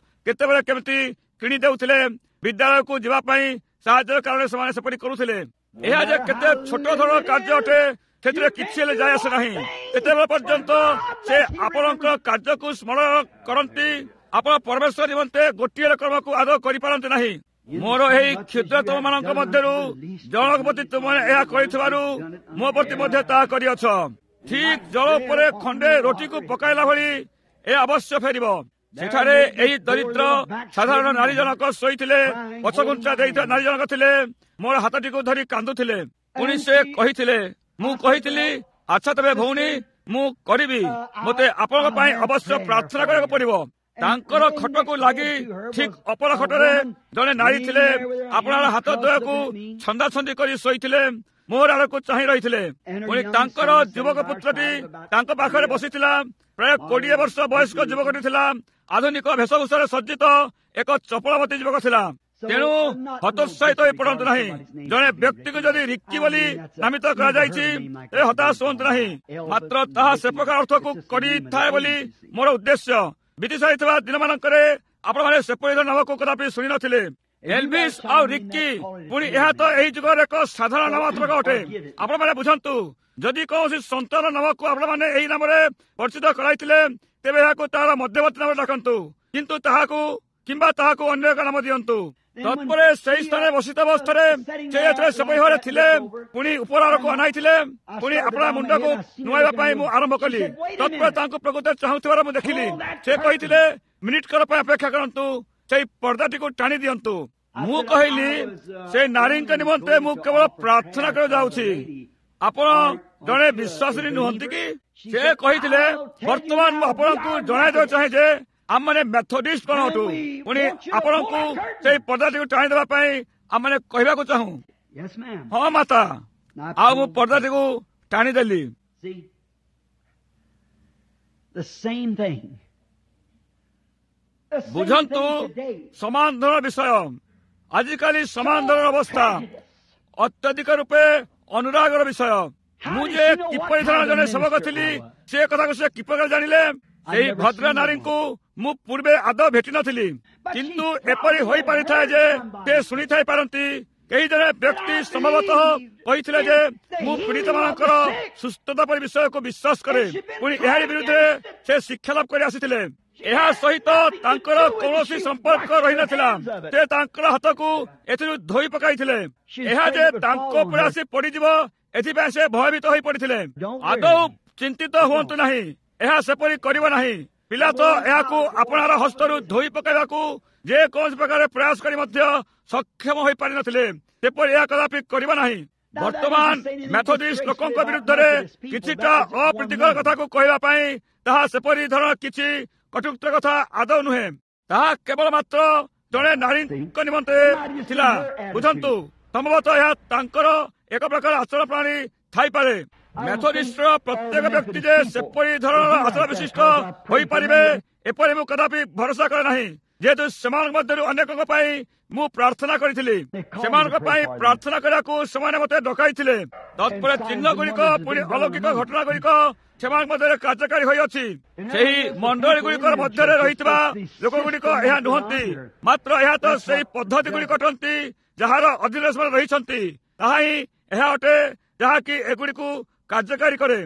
କେତେବେଳେ କେମିତି କିଣି ଦେଉଥିଲେ। ବିଦ୍ୟାଳୟକୁ ଯିବା ପାଇଁ ସାହାଯ୍ୟର କାରଣରେ ସେମାନେ ସେପରି କରୁଥିଲେ। ଏହା ଯେ କେତେ ଛୋଟ ଧରଣର କାର୍ଯ୍ୟ ଅଟେ, ସେଥିରେ କିଛି ହେଲେ ଯାଇ ଆସେ ନାହିଁ। ସେତେବେଳେ ପର୍ଯ୍ୟନ୍ତ ସେ ଆପଣଙ୍କ କାର୍ଯ୍ୟକୁ ସ୍ମରଣ କରନ୍ତି, ଆପଣ ପରମେଶ୍ୱର ନିମନ୍ତେ ଗୋଟିଏ କର୍ମକୁ ଆଦୌ କରିପାରନ୍ତି ନାହିଁ। ମୋର ଏହି କ୍ଷୁଦ୍ରତମ ମାନଙ୍କ ମଧ୍ୟରୁ ଜଣକ ପ୍ରତି ତୁମେ ଏହା କରିଥିବାରୁ ମୋ ପ୍ରତି ମଧ୍ୟ ତାହା କରିଅଛ। ଠିକ ଜଳ ଉପରେ ଖଣ୍ଡେ ରୋଟିକୁ ପକାଇଲା ଭଳି ଏ ଅବଶ୍ୟ ଫେରିବ। ସେଠାରେ ଏହି ଦରିଦ୍ର ସାଧାରଣ ନାରୀ ଜଣକ ଶୋଇଥିଲେ, ପଛଘୁଞ୍ଚା ଦେଇଥିବା ନାରୀ ଜଣକ ଥିଲେ, ମୋର ହାତଟିକୁ ଧରି କାନ୍ଦୁଥିଲେ। ପୁଣି ସେ କହିଥିଲେ, ମୁଁ କହିଥିଲି, ଆଚ୍ଛା ତେବେ ଭଉଣୀ, ମୁଁ କରିବି, ମୋତେ ଆପଣଙ୍କ ପାଇଁ ଅବଶ୍ୟ ପ୍ରାର୍ଥନା କରିବାକୁ ପଡିବ। ତାଙ୍କର ଖଟକୁ ଲାଗି ଠିକ ଅପର ଖଟରେ ଜଣେ ନାରୀ ଥିଲେ, ଆପଣାର ହାତ ଦ୍ୱୟକୁ ଛନ୍ଦାଛନ୍ଦି କରି ଶୋଇଥିଲେ, ମୋର ଆଡ଼କୁ ଚାହିଁ ରହିଥିଲେ। ପୁଣି ତାଙ୍କର ଯୁବକ ପୁତ୍ରଟି ତାଙ୍କ ପାଖରେ ବସିଥିଲା। ପ୍ରାୟ 20 ବର୍ଷ ବୟସ୍କ ଯୁବକଟି ଥିଲା, ଆଧୁନିକ ବେଶଭୂଷାରେ ସଜ୍ଜିତ ଏକ ଚପଳବତୀ ଯୁବକ ଥିଲା। ତେଣୁ ହତୋତ୍ସାହିତ ହୋଇ ପଡ଼ନ୍ତୁ ନାହିଁ। ଜଣେ ବ୍ୟକ୍ତିକୁ ଯଦି ରିକି ବୋଲି ନାମିତ କରାଯାଇଛି, ତେବେ ହତାଶ ହୁଅନ୍ତୁ ନାହିଁ। ମାତ୍ର ତାହା ସେ ପ୍ରକାର ଅର୍ଥକୁ କରିଥାଏ ବୋଲି ମୋର ଉଦ୍ଦେଶ୍ୟ। ବିତି ସାରିଥିବା ଦିନମାନଙ୍କରେ ଆପଣମାନେ ସେପରି ନାମକୁ କଦାପି ଶୁଣି ନଥିଲେ, ଏଲଭିସ୍ ଆଉ ରିକି। ପୁଣି ଏହା ତ ଏହି ଯୁଗର ଏକ ସାଧାରଣ ନାମାତ୍ମକ ଅଟେ। ଆପଣମାନେ ବୁଝନ୍ତୁ, ଯଦି କୌଣସି ସନ୍ତାନ ନାମକୁ ଆପଣମାନେ ଏହି ନାମରେ ପରିଚିତ କରାଇଥିଲେ, ତେବେ ଏହାକୁ ତାହାର ମଧ୍ୟବର୍ତ୍ତୀ ନାମରେ ଡାକନ୍ତୁ, କିନ୍ତୁ ତାହାକୁ କିମ୍ବା ତାହାକୁ ଅନ୍ୟ ଏକ ନାମ ଦିଅନ୍ତୁ। ତତ୍ପରେ ସେହି ସ୍ଥାନରେ ବସିତ ଅବସ୍ଥାରେ ସେ ଯେତେବେଳେ ସେପରି ଭାବରେ ଥିଲେ, ପୁଣି ଉପର ଆଡ଼କୁ ଅନାଇଥିଲେ, ପୁଣି ଆପଣା ମୁଣ୍ଡକୁ ନୁଆଇବା ପାଇଁ ମୁଁ ଆରମ୍ଭ କଲି। ତତ୍ପରେ ତାଙ୍କୁ ପ୍ରକୃତରେ ଚାହୁଁଥିବାର ମୁଁ ଦେଖିଲି। ସେ କହିଥିଲେ, ମିନିଟ୍ କର ପାଇଁ ଅପେକ୍ଷା କରନ୍ତୁ, ସେଇ ପର୍ଦ୍ଦାଟିକୁ ଟାଣି ଦିଅନ୍ତୁ। ମୁଁ କହିଲି, ସେ ନାରୀଙ୍କ ନିମନ୍ତେ ମୁଁ କେବଳ ପ୍ରାର୍ଥନା କରିବାକୁ ଯାଉଛି, ଆପଣ ଜଣେ ବିଶ୍ୱାସିନୀ ନୁହନ୍ତି କି? ସେ କହିଥିଲେ, ବର୍ତ୍ତମାନ ମୁଁ ଆପଣଙ୍କୁ ଜଣାଇ ଦେବାକୁ ଚାହେଁ ଯେ ଆମମାନେ ମେଥୋଡିଷ୍ଟ କଣ ଅଟୁ। ପୁଣି ଆପଣଙ୍କୁ ସେଇ ପର୍ଦ୍ଦାଟିକୁ ଟାଣି ଦେବା ପାଇଁ ଆମମାନେ କହିବାକୁ ଚାହୁଁ। ହଁ ମାତା। ଆଉ ମୁଁ ପର୍ଦ୍ଦାଟିକୁ ଟାଣିଦେଲି। ବୁଝନ୍ତୁ, ସମାନ ଧରଣର ବିଷୟ ଆଜିକାଲି, ସମାନ ଧରଣର ଅବସ୍ଥା, ଅତ୍ୟଧିକ ରୂପେ ଅନୁରାଗର ବିଷୟ। ମୁଁ ଯେ କିପରି ଧରଣର ଜଣେ ସେବକ ଥିଲି, ସେ କଥାକୁ ସେ କିପରି ଜାଣିଲେ? ସେହି ଭଦ୍ର ନାରୀଙ୍କୁ ମୁଁ ପୂର୍ବେ ଆଦୌ ଭେଟି ନଥିଲି, କିନ୍ତୁ ଏପରି ହୋଇପାରିଥାଏ ଯେ ସେ ଶୁଣିଥାଇ ପାରନ୍ତି। କେହି ଜଣେ ବ୍ୟକ୍ତି ସମ୍ଭବତଃ କହିଥିଲେ ଯେ ମୁଁ ପୀଡ଼ିତମାନଙ୍କର ସୁସ୍ଥତା ପରି ବିଷୟକୁ ବିଶ୍ୱାସ କରେ। ପୁଣି ଏହାରି ବିରୁଦ୍ଧରେ ସେ ଶିକ୍ଷା ଲାଭ କରି ଆସିଥିଲେ। ଏହା ସହିତ ତାଙ୍କର କୌଣସି ସମ୍ପର୍କ ରହିନଥିଲା। ସେ ତାଙ୍କର ହାତକୁ ଏଥିରୁ ଧୋଇ ପକାଇଥିଲେ। ଏହା ଯେ ତାଙ୍କ ଉପରେ ଆସି ପଡ଼ିଯିବ, ଏଥିପାଇଁ ସେ ଭୟଭୀତ ହୋଇ ପଡ଼ିଥିଲେ। ଆଦୌ ଚିନ୍ତିତ ହୁଅନ୍ତୁ ନାହିଁ, ଏହା ସେପରି କରିବ ନାହିଁ। ପିଲା ତ ଏହାକୁ ଆପଣାର ହସ୍ତରୁ ଧୋଇ ପକାଇବାକୁ ଯେକୌଣସି ପ୍ରକାର ପ୍ରୟାସ କରି ମଧ୍ୟ ସକ୍ଷମ ହୋଇପାରିନଥିଲେ, ସେପରି ଏହା କଦାପି କରିବ ନାହିଁ। ବର୍ତ୍ତମାନ ମେଥୋଡିଷ୍ଟ ଲୋକଙ୍କ ବିରୁଦ୍ଧରେ କିଛିଟା ଅପ୍ରୀତିକର କଥାକୁ କହିବା ପାଇଁ ତାହା ସେପରି ଧରଣର କିଛି କଟୁକ୍ତ କଥା ଆଦୌ ନୁହେଁ। ତାହା କେବଳ ମାତ୍ର ଜଣେ ନାରୀଙ୍କ ନିମନ୍ତେ ଥିଲା। ବୁଝନ୍ତୁ, ସମ୍ଭବତଃ ଏହା ତାଙ୍କର ଏକ ପ୍ରକାର ଆଚରଣ ପ୍ରଣାଳୀ ଥାଇପାରେ। ମେଥୋଡିଷ୍ଟର ପ୍ରତ୍ୟେକ ବ୍ୟକ୍ତି ଯେ ସେପରି ଧରଣର ଆଚରଣ ବିଶିଷ୍ଟ ହୋଇପାରିବେ, ଏପରି ମୁଁ କଦାପି ଭରସା କରେ ନାହିଁ। ଯେହେତୁ ସେମାନଙ୍କ ମଧ୍ୟରୁ ଅନେକଙ୍କ ପାଇଁ ମୁଁ ପ୍ରାର୍ଥନା କରିଥିଲି, ସେମାନଙ୍କ ପାଇଁ ପ୍ରାର୍ଥନା କରିବାକୁ ସେମାନେ ମୋତେ ଡକାଇଥିଲେ। ତତ୍ପରେ ଚିହ୍ନ ଗୁଡ଼ିକ ପୁଣି ଅଲୌକିକ ଘଟଣା ଗୁଡ଼ିକ ସେମାନଙ୍କ ମଧ୍ୟରେ କାର୍ଯ୍ୟକାରୀ ହୋଇଅଛି। ସେହି ମଣ୍ଡଳୀ ଗୁଡ଼ିକର ମଧ୍ୟରେ ରହିଥିବା ଲୋକଗୁଡ଼ିକ ଏହା ନୁହନ୍ତି, ମାତ୍ର ଏହା ତ ସେହି ପଦ୍ଧତି ଗୁଡ଼ିକ ଅଟନ୍ତି ଯାହାର ଅଧୀନରେ ସେମାନେ ରହିଛନ୍ତି। ତାହା ହିଁ ଏହା ଅଟେ ଯାହାକି ଏଗୁଡ଼ିକୁ କାର୍ଯ୍ୟକାରୀ କରେ।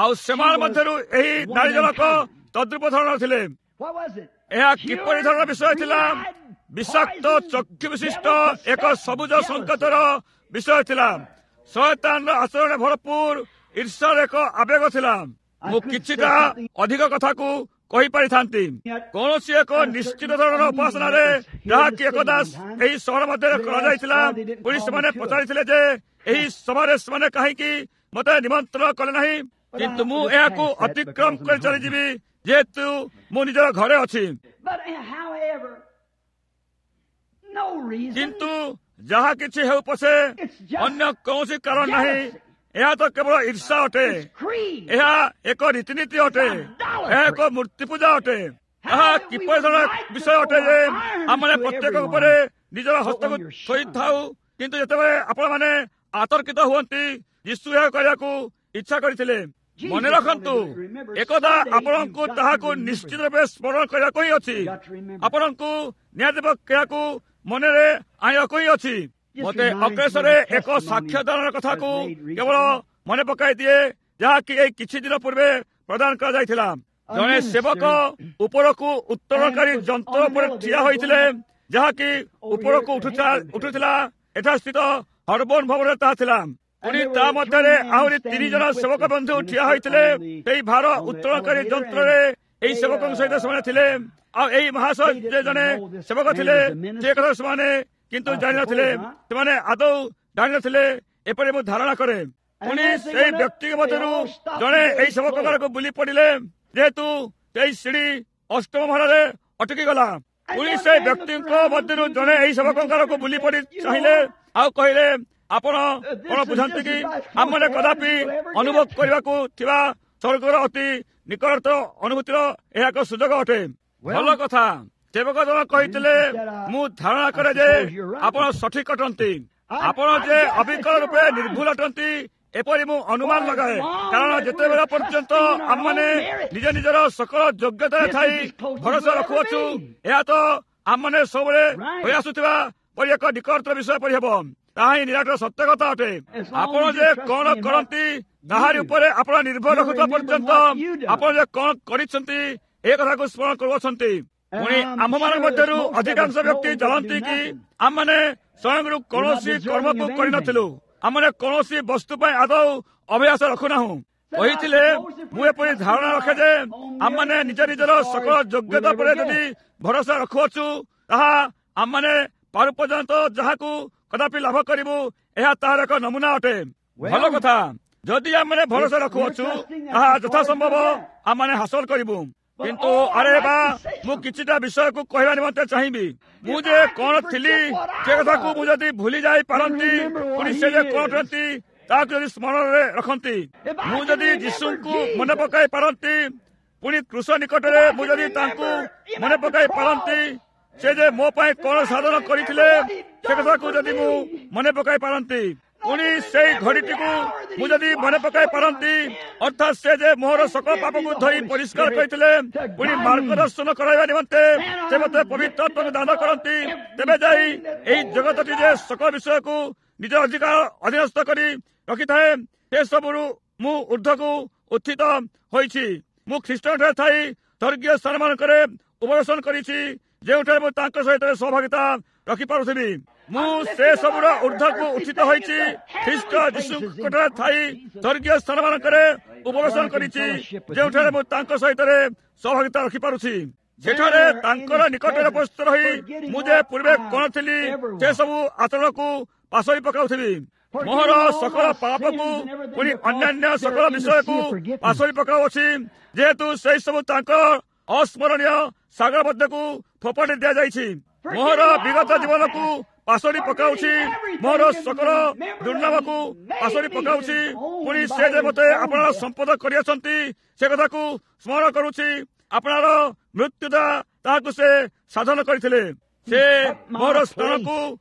ଆଉ ସେମାନଙ୍କ ମଧ୍ୟରୁ ଏହି ନାରୀ ଜଣକ ତଦ୍ରୂପ ଧରଣର ଥିଲେ। ଏହା କିପରି ଧରଣର ବିଷୟ ଥିଲା? ବିଷାକ୍ତ ଚକ୍ଷୁ ବିଶିଷ୍ଟ ଏକ ସବୁଜ ସଂକେତର ବିଷୟ ଥିଲା। ଶୟତାନର ଆଚରଣରେ ଭରପୁର ଈର୍ଷାର ଏକ ଆବେଗ ଥିଲା। ମୁଁ କିଛିଟା ଅଧିକ କଥାକୁ କହିପାରିଥାନ୍ତି। କୌଣସି ଏକ ନିଶ୍ଚିତ ଧରଣର ଉପାସନାରେ ଯାହାକି ଏକଦା ଏହି ସହର ମଧ୍ୟରେ କରାଯାଇଥିଲା, ପୁଣି ସେମାନେ ପଚାରିଥିଲେ ଯେ ଏହି ସଭାରେ ସେମାନେ କାହିଁକି ମୋତେ ନିମନ୍ତ୍ରଣ କଲେ ନାହିଁ। କିନ୍ତୁ ମୁଁ ଏହାକୁ ଅତିକ୍ରମ କରି ଚାଲିଯିବି, ଯେହେତୁ ମୁଁ ନିଜର ଘରେ ଅଛି। କିନ୍ତୁ ଯାହା କିଛି ହେଉ ପଛେ, ଅନ୍ୟ କୌଣସି କାରଣ ନାହିଁ, ଏହା ତ କେବଳ ଈର୍ଷା ଅଟେ, ଏହା ଏକ ରୀତିନୀତି ଅଟେ, ଏହା ଏକ ମୂର୍ତ୍ତି ପୂଜା ଅଟେ। ଏହା କିପରି ଧରଣର ବିଷୟ ଅଟେ ଯେ ଆମମାନେ ପ୍ରତ୍ୟେକ ଉପରେ ନିଜର ହସ୍ତକୁ ଥୋଇଥାଉ, କିନ୍ତୁ ଯେତେବେଳେ ଆପଣମାନେ ଆତର୍କିତ ହୁଅନ୍ତି, ଯୀଶୁ ଏହା କରିବାକୁ ଇଚ୍ଛା କରିଥିଲେ। ମନେ ରଖନ୍ତୁ, ଏକଦା ଆପଣଙ୍କୁ ତାହାକୁ ନିଶ୍ଚିତ ରୂପେ ସ୍ମରଣ କରିବାକୁ ହିଁ ଅଛି। ଆପଣଙ୍କୁ ନିହାତି ଏହାକୁ ମନରେ ଆଣିବାକୁ ହିଁ ଅଛି। ମୋତେ ଅଗ୍ରେସରେ ଏକ ସାକ୍ଷ୍ୟଦାନର କଥାକୁ କେବଳ ମନେ ପକାଇ ଦିଏ, ଯାହାକି ଏଇ କିଛି ଦିନ ପୂର୍ବେ ପ୍ରଦାନ କରାଯାଇଥିଲା। ଜଣେ ସେବକ ଉପରକୁ ଉତ୍ତୋଳନକାରୀ ଯନ୍ତ୍ର ଉପରେ ଠିଆ ହୋଇଥିଲେ, ଯାହାକି ଉପରକୁ ଉଠୁଥିଲା। ଏଠାସ୍ଥିତ ହରବନ ଭବନରେ ତାହା ଥିଲା। ପୁଣି ତା ମଧ୍ୟରେ ଆହୁରି 3 ଜଣ ସେବକ ବନ୍ଧୁ ଠିଆ ହୋଇଥିଲେ। ସେହି ଭାର ଉତ୍ତୋଳନକାରୀ ଯନ୍ତ୍ରରେ ଏହି ସେବକଙ୍କ ସହିତ ସେମାନେ ଥିଲେ। ଆଉ ଏହି ମହାଶୟ ଯେ ଜଣେ ସେବକ ଥିଲେ, ସେ କଥା ସେମାନେ କିନ୍ତୁ ଜାଣିନଥିଲେ। ସେମାନେ ଆଦୌ ଜାଣିନଥିଲେ, ଏପରି ମୁଁ ଧାରଣା କରେ। ପୁଣି ସେଇ ବ୍ୟକ୍ତିଙ୍କ ମଧ୍ୟରୁ ଜଣେ ଏହି ସେବକଙ୍କ ଆଡ଼କୁ ବୁଲି ପଡ଼ିଲେ, ଯେହେତୁ ସେଇ ସିଡ଼ି 8ମ ମହଲାରେ ଅଟକି ଗଲା। ପୁଣି ସେ ବ୍ୟକ୍ତିଙ୍କ ମଧ୍ୟରୁ ଜଣେ ଏହି ସେବକଙ୍କ ଆଡ଼କୁ ବୁଲି ପଡ଼ି ଚାହିଁଲେ ଆଉ କହିଲେ, ଆପଣ କଣ ବୁଝନ୍ତି କି ଆମମାନେ କଦାପି ଅନୁଭବ କରିବାକୁ ଥିବା ସ୍ୱର୍ଗର ଅତି ନିକଟତର ଅନୁଭୂତିର ଏହା ଏକ ସୁଯୋଗ ଅଟେ। ଭଲ କଥା, ସେବକ ଜଣ କହିଥିଲେ, ମୁଁ ଧାରଣା କରେ ଯେ ଆପଣ ସଠିକ ଅଟନ୍ତି, ଆପଣ ଯେ ଅବିକଳ ରୂପେ ନିର୍ଭୁଲ ଅଟନ୍ତି ଏପରି ମୁଁ ଅନୁମାନ ଲଗାଏ। କାରଣ ଯେତେବେଳେ ପର୍ଯ୍ୟନ୍ତ ଆମମାନେ ନିଜ ନିଜର ସକଳ ଯୋଗ୍ୟତାରେ ଥାଇ ଭରସା ରଖୁଅଛୁ, ଏହା ତ ଆମମାନେ ସବୁବେଳେ ହୋଇଆସୁଥିବା ପରି ଏକ ନିକଟତର ବିଷୟ ପରି ହେବ। ତାହା ହିଁ ନିରାଟ ସତ୍ୟ କଥା ଅଟେ। ଆପଣ ଯେ କଣ କରନ୍ତି ତାହାରି ଉପରେ ଆପଣ ନିର୍ଭର ରଖୁଥିବା ପର୍ଯ୍ୟନ୍ତ ଆପଣ ଯେ କଣ କରିଛନ୍ତି ଏ କଥାକୁ ସ୍ମରଣ କରୁଅଛନ୍ତି। ପୁଣି ଆମ୍ଭମାନଙ୍କ ମଧ୍ୟରୁ ଅଧିକାଂଶ ବ୍ୟକ୍ତି ଜାଣନ୍ତି କି ଆମମାନେ ସ୍ୱୟଂରୁ କୌଣସି କର୍ମକୁ କରିନଥିଲୁ, ଆମମାନେ କୌଣସି ବସ୍ତୁ ପାଇଁ ଆଦୌ ଅଭ୍ୟାସ ରଖୁନାହୁଁ। କହିଥିଲେ, ମୁଁ ଏପରି ଧାରଣା ରଖେ ଯେ ଆମମାନେ ନିଜ ନିଜର ସକଳ ଯୋଗ୍ୟତା ଉପରେ ଯଦି ଭରସା ରଖୁଅଛୁ, ତାହା ଆମମାନେ ପାରୁ ପର୍ଯ୍ୟନ୍ତ ଯାହାକୁ କଦାପି ଲାଭ କରିବୁ, ଏହା ତାହାର ଏକ ନମୁନା ଅଟେ। ଭଲ କଥା, ଯଦି ଆମମାନେ ଭରସା ରଖୁଅଛୁ, ତାହା ଯଥାସମ୍ଭବ ଆମମାନେ ହାସଲ କରିବୁ। କିନ୍ତୁ ଆରେ ବା, ମୁଁ କିଛିଟା ବିଷୟକୁ କହିବା ନିମନ୍ତେ ଚାହିଁବି। ମୁଁ ଯେ କଣ ଥିଲି ସେ କଥାକୁ ମୁଁ ଯଦି ଭୁଲି ଯାଇ ପାରନ୍ତି, ପୁଣି ସେ ଯେ କଣ ଅଟନ୍ତି ତାହାକୁ ଯଦି ସ୍ମରଣରେ ରଖନ୍ତି, ମୁଁ ଯଦି ଯୀଶୁଙ୍କୁ ମନେ ପକାଇ ପାରନ୍ତି, ପୁଣି କୃଷ ନିକଟରେ ମୁଁ ଯଦି ତାଙ୍କୁ ମନେ ପକାଇ ପାରନ୍ତି, ସେ ଯେ ମୋ ପାଇଁ କଣ ସାଧନ କରିଥିଲେ ସେ କଥାକୁ ଯଦି ମୁଁ ମନେ ପକାଇ ପାରନ୍ତି, ପୁଣି ସେଇ ଘଡ଼ିଟିକୁ ମୁଁ ଯଦି ମନେ ପକାଇ ପାରନ୍ତି, ଅର୍ଥାତ୍ ସେ ଯେ ମୋହର ସକଳ ପାପକୁ ଧୋଇ ପରିଷ୍କାର କରିଥିଲେ, ପୁଣି ମାର୍ଗଦର୍ଶନ କରାଇବା ନିମନ୍ତେ ସେ ମୋତେ ପବିତ୍ର ଆତ୍ମାକୁ ଦାନ କରନ୍ତି, ତେବେ ଯାଇ ଏହି ଜଗତଟି ଯେ ସକଳ ବିଷୟକୁ ନିଜ ଅଧିକାର ଅଧୀନସ୍ଥ କରି ରଖିଥାଏ, ସେସବୁରୁ ମୁଁ ଉର୍ଦ୍ଧ୍ୱକୁ ଉତ୍ଥିତ ହୋଇଛି। ମୁଁ ଖ୍ରୀଷ୍ଟଙ୍କଠାରେ ଥାଇ ସ୍ୱର୍ଗୀୟ ସ୍ଥାନମାନଙ୍କରେ ଉପବେଶନ କରିଛି, ଯେଉଁଠାରେ ମୁଁ ତାଙ୍କ ସହିତ ସହଭାଗିତା ରଖିପାରୁଥିବି। ମୁଁ ସେ ସବୁର ଉର୍ଦ୍ଧ୍ୱକୁ ଉତ୍ଥିତ ହୋଇଛି, ଖ୍ରୀଷ୍ଟ ଯୀଶୁଙ୍କଠାରେ ଥାଇ ସ୍ୱର୍ଗୀୟ ସ୍ଥାନମାନଙ୍କରେ ଉପବେଶନ କରିଛି, ଯେଉଁଠାରେ ମୁଁ ତାଙ୍କ ସହିତ ସହଭାଗିତା ରଖିପାରୁଛି। ସେଠାରେ ତାଙ୍କର ନିକଟରେ ଉପସ୍ଥିତ ରହି ମୁଁ ଯେ ପୂର୍ବେ କଣ ଥିଲି ସେସବୁ ଆଚରଣକୁ ପାଶୋରି ପକାଉଥିବି। ମୋହର ସକଳ ପାପକୁ ପୁଣି ଅନ୍ୟାନ୍ୟ ସକଳ ବିଷୟକୁ ପାଶୋରି ପକାଉଅଛି, ଯେହେତୁ ସେଇ ସବୁ ତାଙ୍କ ଅସ୍ମରଣୀୟ ସାଗର ମଧ୍ୟକୁ ଫୋପାଡ଼ି ଦିଆଯାଇଛି। ମୋହର ବିଗତ ଜୀବନକୁ ପାଶୋରି ପକାଉଛି, ମୋହର ସକଳ ଦୁର୍ନାମକୁ ପାଶୋରି ପକାଉଛି, ପୁଣି ସେ ଯେ ମୋତେ ଆପଣାର ସମ୍ପଦ କରିଅଛନ୍ତି ସେ କଥାକୁ ସ୍ମରଣ କରୁଛି। ଆପଣାର ମୃତ୍ୟୁଦା ତାହାକୁ ସେ ସାଧନ କରିଥିଲେ, ସେ ମୋର ସ୍ଥାନକୁ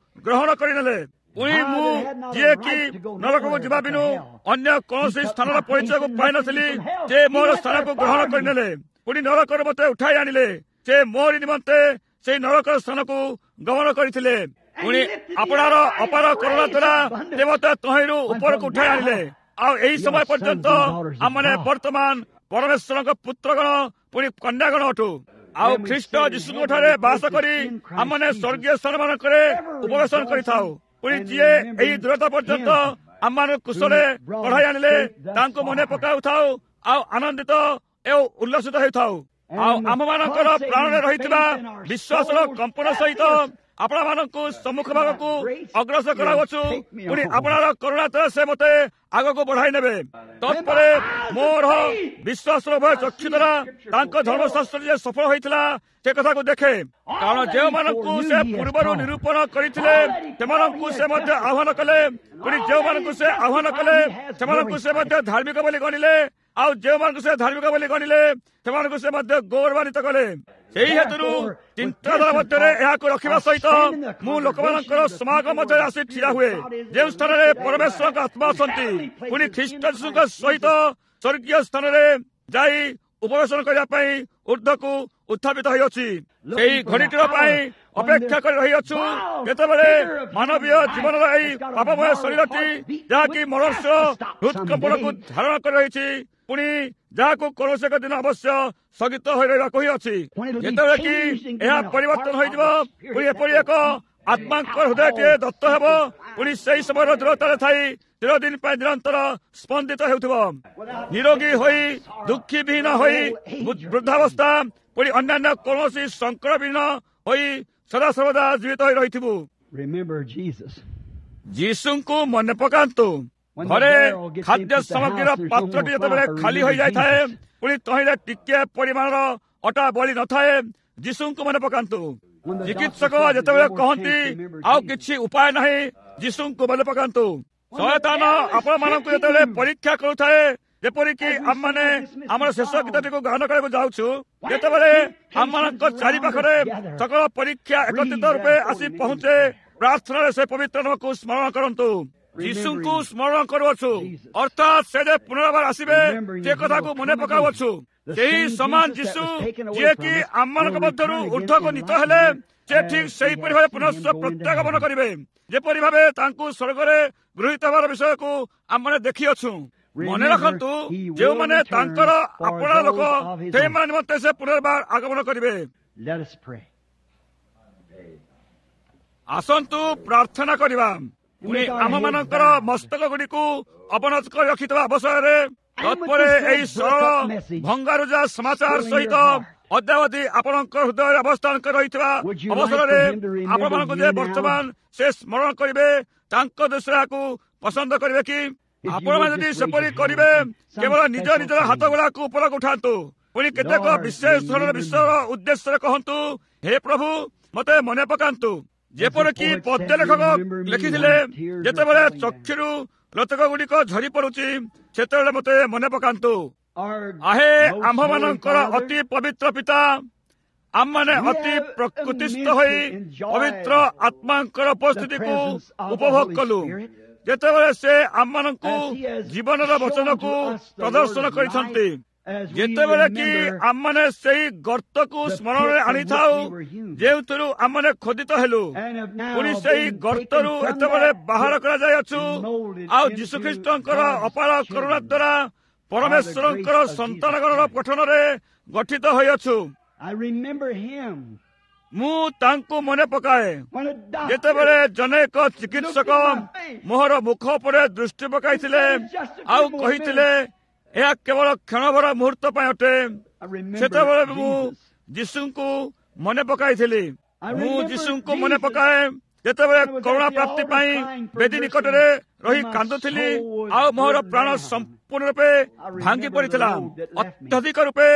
ଗ୍ରହଣ କରିନେଲେ। ପୁଣି ମୁଁ ଯିଏକି ନରକକୁ ଯିବା ବିନୁ ଅନ୍ୟ କୌଣସି ସ୍ଥାନର ପରିଚୟକୁ ପାଇନଥିଲି, ସେ ମୋର ସ୍ଥାନକୁ ଗ୍ରହଣ କରିନେଲେ। ପୁଣି ନରକରୁ ମୋତେ ଉଠାଇ ଆଣିଲେ, ସେ ମୋରି ନିମନ୍ତେ ସେଇ ନରକର ସ୍ଥାନକୁ ଗମନ କରିଥିଲେ। ପୁଣି ଆପଣାର ଅପାର କରୁଣା ଦ୍ୱାରା ସେ ମୋତେ ତହିଁରୁ ଉପରକୁ ଉଠାଇ ଆଣିଲେ। ଆଉ ଏହି ସମୟ ପର୍ଯ୍ୟନ୍ତ ଆମମାନେ ବର୍ତ୍ତମାନ ପରମେଶ୍ୱରଙ୍କ ପୁତ୍ରଗଣ ପୁଣି କନ୍ୟାଗଣ ଅଟୁ। ଆଉ ଖ୍ରୀଷ୍ଟ ଯୀଶୁଙ୍କ ଠାରେ ବାସ କରି ଆମମାନେ ସ୍ୱର୍ଗୀୟ ସ୍ଥାନମାନଙ୍କରେ ଉପବେଶନ କରିଥାଉ। ପୁଣି ଯିଏ ଏହି ଦୂରତା ପର୍ଯ୍ୟନ୍ତ ଆମମାନଙ୍କୁ କୁଶଳେ କଢ଼ାଇ ଆଣିଲେ ତାଙ୍କୁ ମନେ ପକାଉଥାଉ ଆଉ ଆନନ୍ଦିତ ଓ ଉଲ୍ଲସିତ ହେଉଥାଉ। ଆଉ ଆମମାନଙ୍କର ପ୍ରାଣରେ ରହିଥିବା ବିଶ୍ୱାସର କମ୍ପନ ସହିତ ଆପଣମାନଙ୍କୁ ସମ୍ମୁଖ ଭାଗକୁ ଅଗ୍ରସର କରାଉଅଛୁ। ପୁଣି ଆପଣର କରୁଣା ଦ୍ୱାରା ସେ ମୋତେ ଆଗକୁ ବଢାଇ ନେବେ। ତତ୍ପରେ ମୋର ବିଶ୍ୱାସର ଉଭୟ ଚକ୍ଷୁ ଦ୍ୱାରା ତାଙ୍କ ଧର୍ମଶାସ୍ତ୍ର ଯେ ସଫଳ ହୋଇଥିଲା ସେ କଥାକୁ ଦେଖେ। କାରଣ ଯେଉଁମାନଙ୍କୁ ସେ ପୂର୍ବରୁ ନିରୂପଣ କରିଥିଲେ ସେମାନଙ୍କୁ ସେ ମଧ୍ୟ ଆହ୍ୱାନ କଲେ। ପୁଣି ଯେଉଁମାନଙ୍କୁ ସେ ଆହ୍ୱାନ କଲେ ସେମାନଙ୍କୁ ସେ ମଧ୍ୟ ଧାର୍ମିକ ବୋଲି ଗଣିଲେ। ଆଉ ଯେଉଁମାନଙ୍କୁ ସେ ଧାର୍ମିକ ବୋଲି ଗଣିଲେ ସେମାନଙ୍କୁ ସେ ମଧ୍ୟ ଗୌରବାନ୍ୱିତ କଲେ। ସେହି ହେତୁରୁ ଚିନ୍ତାଧାରା ମଧ୍ୟରେ ଏହାକୁ ରଖିବା ସହିତ ମୁଁ ଲୋକମାନଙ୍କର ସମାଗମ ମଧ୍ୟରେ ଆସି ଠିଆ ହୁଏ, ଯେଉଁ ସ୍ଥାନରେ ପରମେଶ୍ୱରଙ୍କ ଆତ୍ମା ଅଛନ୍ତି। ପୁଣି ଖ୍ରୀଷ୍ଟ ଯୀଶୁଙ୍କ ସହିତ ସ୍ୱର୍ଗୀୟ ସ୍ଥାନରେ ଯାଇ ଉପବେଶନ କରିବା ପାଇଁ ଉର୍ଦ୍ଧ୍ୱକୁ ଉତ୍ଥାପିତ ହୋଇଅଛି। ସେହି ଘଡ଼ିଟିର ପାଇଁ ଅପେକ୍ଷା କରି ରହିଅଛୁ, ଯେତେବେଳେ ମାନବୀୟ ଜୀବନର ଏହି ପାପମୟ ଶରୀରଟି, ଯାହାକି ମନୁଷ୍ୟ ହୃତ୍କମ୍ପନକୁ ଧାରଣ କରି ରହିଛି, ପୁଣି ଯାହାକୁ କୌଣସି ଏକ ଦିନ ଅବଶ୍ୟ ସ୍ଥଗିତ ହୋଇ ରହିବାକୁ ହିଁ ଅଛି, ଯେତେବେଳେ କି ଏହା ପରିବର୍ତ୍ତନ ହୋଇଯିବ, ପୁଣି ଏପରି ଏକ ଆତ୍ମାଙ୍କ ହୃଦୟଟିଏ ଦତ୍ତ ହେବ, ପୁଣି ସେହି ସମୟର ଦୂରତାରେ ଥାଇ ଚିରଦିନ ପାଇଁ ନିରନ୍ତର ସ୍ପନ୍ଦିତ ହେଉଥିବ, ନିରୋଗୀ ହୋଇ, ଦୁଃଖୀ ବିହୀନ ହୋଇ, ବୃଦ୍ଧାବସ୍ଥା ପୁଣି ଅନ୍ୟାନ୍ୟ କୌଣସି ସଙ୍କଟବିହୀନ ହୋଇ ସଦାସର୍ବଦା ଜୀବିତ ହୋଇ ରହିଥିବୁ। ଯୀଶୁଙ୍କୁ ମନେ ପକାନ୍ତୁ। ଘରେ ଖାଦ୍ୟ ସାମଗ୍ରୀର ପାତ୍ରଟି ଯେତେବେଳେ ଖାଲି ହୋଇଯାଇଥାଏ, ପୁଣି ତହିଁରେ ଟିକିଏ ପରିମାଣର ଅଟା ବଳି ନଥାଏ, ଯୀଶୁଙ୍କୁ ମନେ ପକାନ୍ତୁ। ଚିକିତ୍ସକ ଯେତେବେଳେ କହନ୍ତି ଆଉ କିଛି ଉପାୟ ନାହିଁ, ଯୀଶୁଙ୍କୁ ମନେ ପକାନ୍ତୁ। ଶୟତାନ ଆପଣମାନଙ୍କୁ ଯେତେବେଳେ ପରୀକ୍ଷା କରୁଥାଏ, ଯେପରିକି ଆମମାନେ ଆମର ଶେଷ ଗୀତଟିକୁ ଗାନ କରିବାକୁ ଯାଉଛୁ, ଯେତେବେଳେ ଆମମାନଙ୍କ ଚାରିପାଖରେ ସକଳ ପରୀକ୍ଷା ଏକତ୍ରିତ ରୂପେ ଆସି ପହଞ୍ଚେ, ପ୍ରାର୍ଥନାରେ ସେ ପବିତ୍ର ନାମକୁ ସ୍ମରଣ କରନ୍ତୁ। ଯୀଶୁଙ୍କୁ ସ୍ମରଣ କରୁଅଛୁ, ଅର୍ଥାତ୍ ସେ ଯେ ପୁନର୍ବାର ଆସିବେ ସେ କଥାକୁ ମନେ ପକାଉଅଛୁ। ସେହି ସମାନ ଯୀଶୁ ଯିଏକି ଆମମାନଙ୍କ ମଧ୍ୟରୁ ଉର୍ଦ୍ଧ୍ୱକୁ ନୀତ ହେଲେ, ସେ ଠିକ୍ ସେହିପରି ଭାବେ ପୁନଶ୍ଚ ପ୍ରତ୍ୟାଗମନ କରିବେ, ଯେପରି ଭାବେ ତାଙ୍କୁ ସ୍ୱର୍ଗରେ ଗୃହୀତ ହେବାର ବିଷୟକୁ ଆମମାନେ ଦେଖିଅଛୁ। ମନେ ରଖନ୍ତୁ, ଯେଉଁମାନେ ତାଙ୍କର ଆପଣା ଲୋକ ସେଇମାନେ ନିମନ୍ତେ ସେ ପୁନର୍ବାର ଆଗମନ କରିବେ। ଆସନ୍ତୁ ପ୍ରାର୍ଥନା କରିବା। ପୁଣି ଆମମାନଙ୍କର ମସ୍ତକ ଗୁଡ଼ିକୁ ଅବନତ କରି ରଖିଥିବା ଅବସରରେ, ତତ୍ପରେ ଏହି ସରଳ ଭଙ୍ଗାରୁଜା ସମାଚାର ସହିତ ଅଦ୍ୟାବଧି ଆପଣଙ୍କ ହୃଦୟରେ ଅବସ୍ଥାନ କରି ରହିଥିବା ଅବସରରେ ଆପଣମାନଙ୍କୁ ଯେ ବର୍ତ୍ତମାନ ସେ ସ୍ମରଣ କରିବେ, ତାଙ୍କ ଦୃଷ୍ଟିରେ ଏହାକୁ ପସନ୍ଦ କରିବେ କି? ଆପଣମାନେ ଯଦି ସେପରି କରିବେ, କେବଳ ନିଜ ନିଜର ହାତ ଗୁଡାକୁ ଉପରକୁ ଉଠାନ୍ତୁ। ପୁଣି କେତେକ ବିଶେଷ ଧରଣର ବିଷୟର ଉଦ୍ଦେଶ୍ୟରେ କହନ୍ତୁ, ହେ ପ୍ରଭୁ, ମତେ ମନେ ପକାନ୍ତୁ। ଯେପରିକି ପଦ୍ୟ ଲେଖକ ଲେଖିଥିଲେ, ଯେତେବେଳେ ଚକ୍ଷୁରୁ ଲୋତକ ଗୁଡ଼ିକ ଝରି ପଡୁଛି, ସେତେବେଳେ ମତେ ମନେ ପକାନ୍ତୁ। ଆହେ ଆମ୍ଭମାନଙ୍କର ଅତି ପବିତ୍ର ପିତା, ଆମମାନେ ଅତି ପ୍ରକୃତିସ୍ଥ ହୋଇ ପବିତ୍ର ଆତ୍ମାଙ୍କର ଉପସ୍ଥିତିକୁ ଉପଭୋଗ କଲୁ, ଯେତେବେଳେ ସେ ଆମମାନଙ୍କୁ ଜୀବନର ବଚନକୁ ପ୍ରଦର୍ଶନ କରିଛନ୍ତି। ଯେତେବେଳେ କି ଆମମାନେ ସେଇ ଗର୍ତ୍ତକୁ ସ୍ମରଣରେ ଆଣିଥାଉ ଯେଉଁଥିରୁ ଆମମାନେ ଖୋଦିତ ହେଲୁ, ପୁଣି ସେଇ ଗର୍ତ୍ତରୁ ଏତେବେଳେ ବାହାର କରାଯାଇଅଛୁ, ଆଉ ଯୀଶୁଖ୍ରୀଷ୍ଟଙ୍କର ଅପାର କରୁଣା ଦ୍ୱାରା ପରମେଶ୍ୱରଙ୍କର ସନ୍ତାନଗଣର ଗଠନରେ ଗଠିତ ହୋଇଅଛୁ। ମୁଁ ତାଙ୍କୁ ମନେ ପକାଏ, ଯେତେବେଳେ ଜଣେ ଏକ ଚିକିତ୍ସକ ମୋହର ମୁଖ ଉପରେ ଦୃଷ୍ଟି ପକାଇଥିଲେ ଆଉ କହିଥିଲେ, ଏହା କେବଳ କ୍ଷଣଭର ମୁହୂର୍ତ୍ତ ପାଇଁ ଅଟେ, ସେତେବେଳେ ମୁଁ ଯୀଶୁଙ୍କୁ ମନେ ପକାଇଥିଲି। ମୁଁ ଯୀଶୁଙ୍କୁ ମନେ ପକାଏ ଯେତେବେଳେ କରୁଣା ପ୍ରାପ୍ତି ପାଇଁ ବେଦୀ ନିକଟରେ ରହି କାନ୍ଦୁଥିଲି ଆଉ ମୋହର ପ୍ରାଣ ସମ୍ପୂର୍ଣ୍ଣ ରୂପେ ଭାଙ୍ଗି ପଡ଼ିଥିଲା, ଅତ୍ୟଧିକ ରୂପେ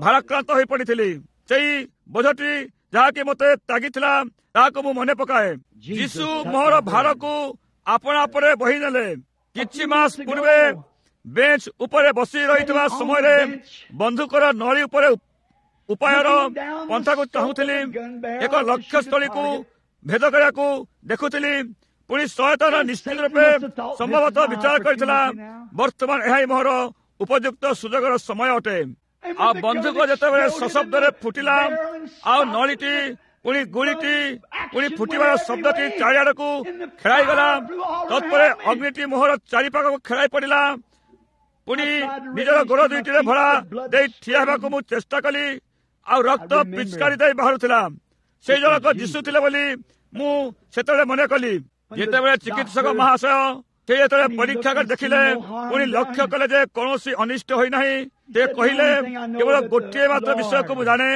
ଭାରାକ୍ରାନ୍ତ ହୋଇ ପଡ଼ିଥିଲି। ସେଇ ବୋଝଟି ଯାହାକି ମୋତେ ତାଗିଥିଲା, ତାହାକୁ ମୁଁ ମନେ ପକାଏ। ଯୀଶୁ ମୋହର ଭାରକୁ ଆପଣା ପରେ ବହି ନେଲେ। କିଛି ମାସ ପୂର୍ବେ ବେଞ୍ଚ ଉପରେ ବସି ରହିଥିବା ସମୟରେ ବନ୍ଧୁକର ନଳୀ ଉପରେ ଉପାୟର ପନ୍ଥାକୁ ଚାହୁଁଥିଲି, ଏକ ଲକ୍ଷ୍ୟସ୍ଥଳୀକୁ ଭେଦ କରିବାକୁ ଦେଖୁଥିଲି। ପୁଣି ଶୟତାନ ନିଶ୍ଚିତ ରୂପେ ସମ୍ଭବତଃ ବିଚାର କରିଥିଲା, ବର୍ତ୍ତମାନ ଏହା ହିଁ ମୋହର ଉପଯୁକ୍ତ ସୁଯୋଗର ସମୟ ଅଟେ। ଆଉ ବନ୍ଧୁକ ଯେତେବେଳେ ସଶବ୍ଦରେ ଫୁଟିଲା, ଆଉ ନଳୀଟି ପୁଣି ଗୁଳିଟି ପୁଣି ଫୁଟିବାର ଶବ୍ଦଟି ଚାରିଆଡ଼କୁ ଖେଳାଇଗଲା, ତତ୍ପରେ ଅଗ୍ନିଟି ମୋହର ଚାରିପାଖକୁ ଖେଳାଇ ପଡ଼ିଲା। ପୁଣି ନିଜର ଗୋଡ଼ ଦୁଇଟିରେ ଭରା ଦେଇ ଠିଆ ହେବାକୁ ମୁଁ ଚେଷ୍ଟା କଲି, ଆଉ ରକ୍ତ ପିଚକାରି ଦେଇ ବାହାରୁଥିଲା। ସେଇ ଜଣକ ଯୀଶୁ ଥିଲେ ବୋଲି ମୁଁ ସେତେବେଳେ ମନେ କଲି। ଯେତେବେଳେ ଚିକିତ୍ସକ ମହାଶୟ ସେ ଯେତେବେଳେ ପରୀକ୍ଷା କରି ଦେଖିଲେ, ପୁଣି ଲକ୍ଷ୍ୟ କଲେ ଯେ କୌଣସି ଅନିଷ୍ଟ ହୋଇନାହିଁ, ସେ କହିଲେ, କେବଳ ଗୋଟିଏ ମାତ୍ର ବିଷୟକୁ ମୁଁ ଜାଣେ,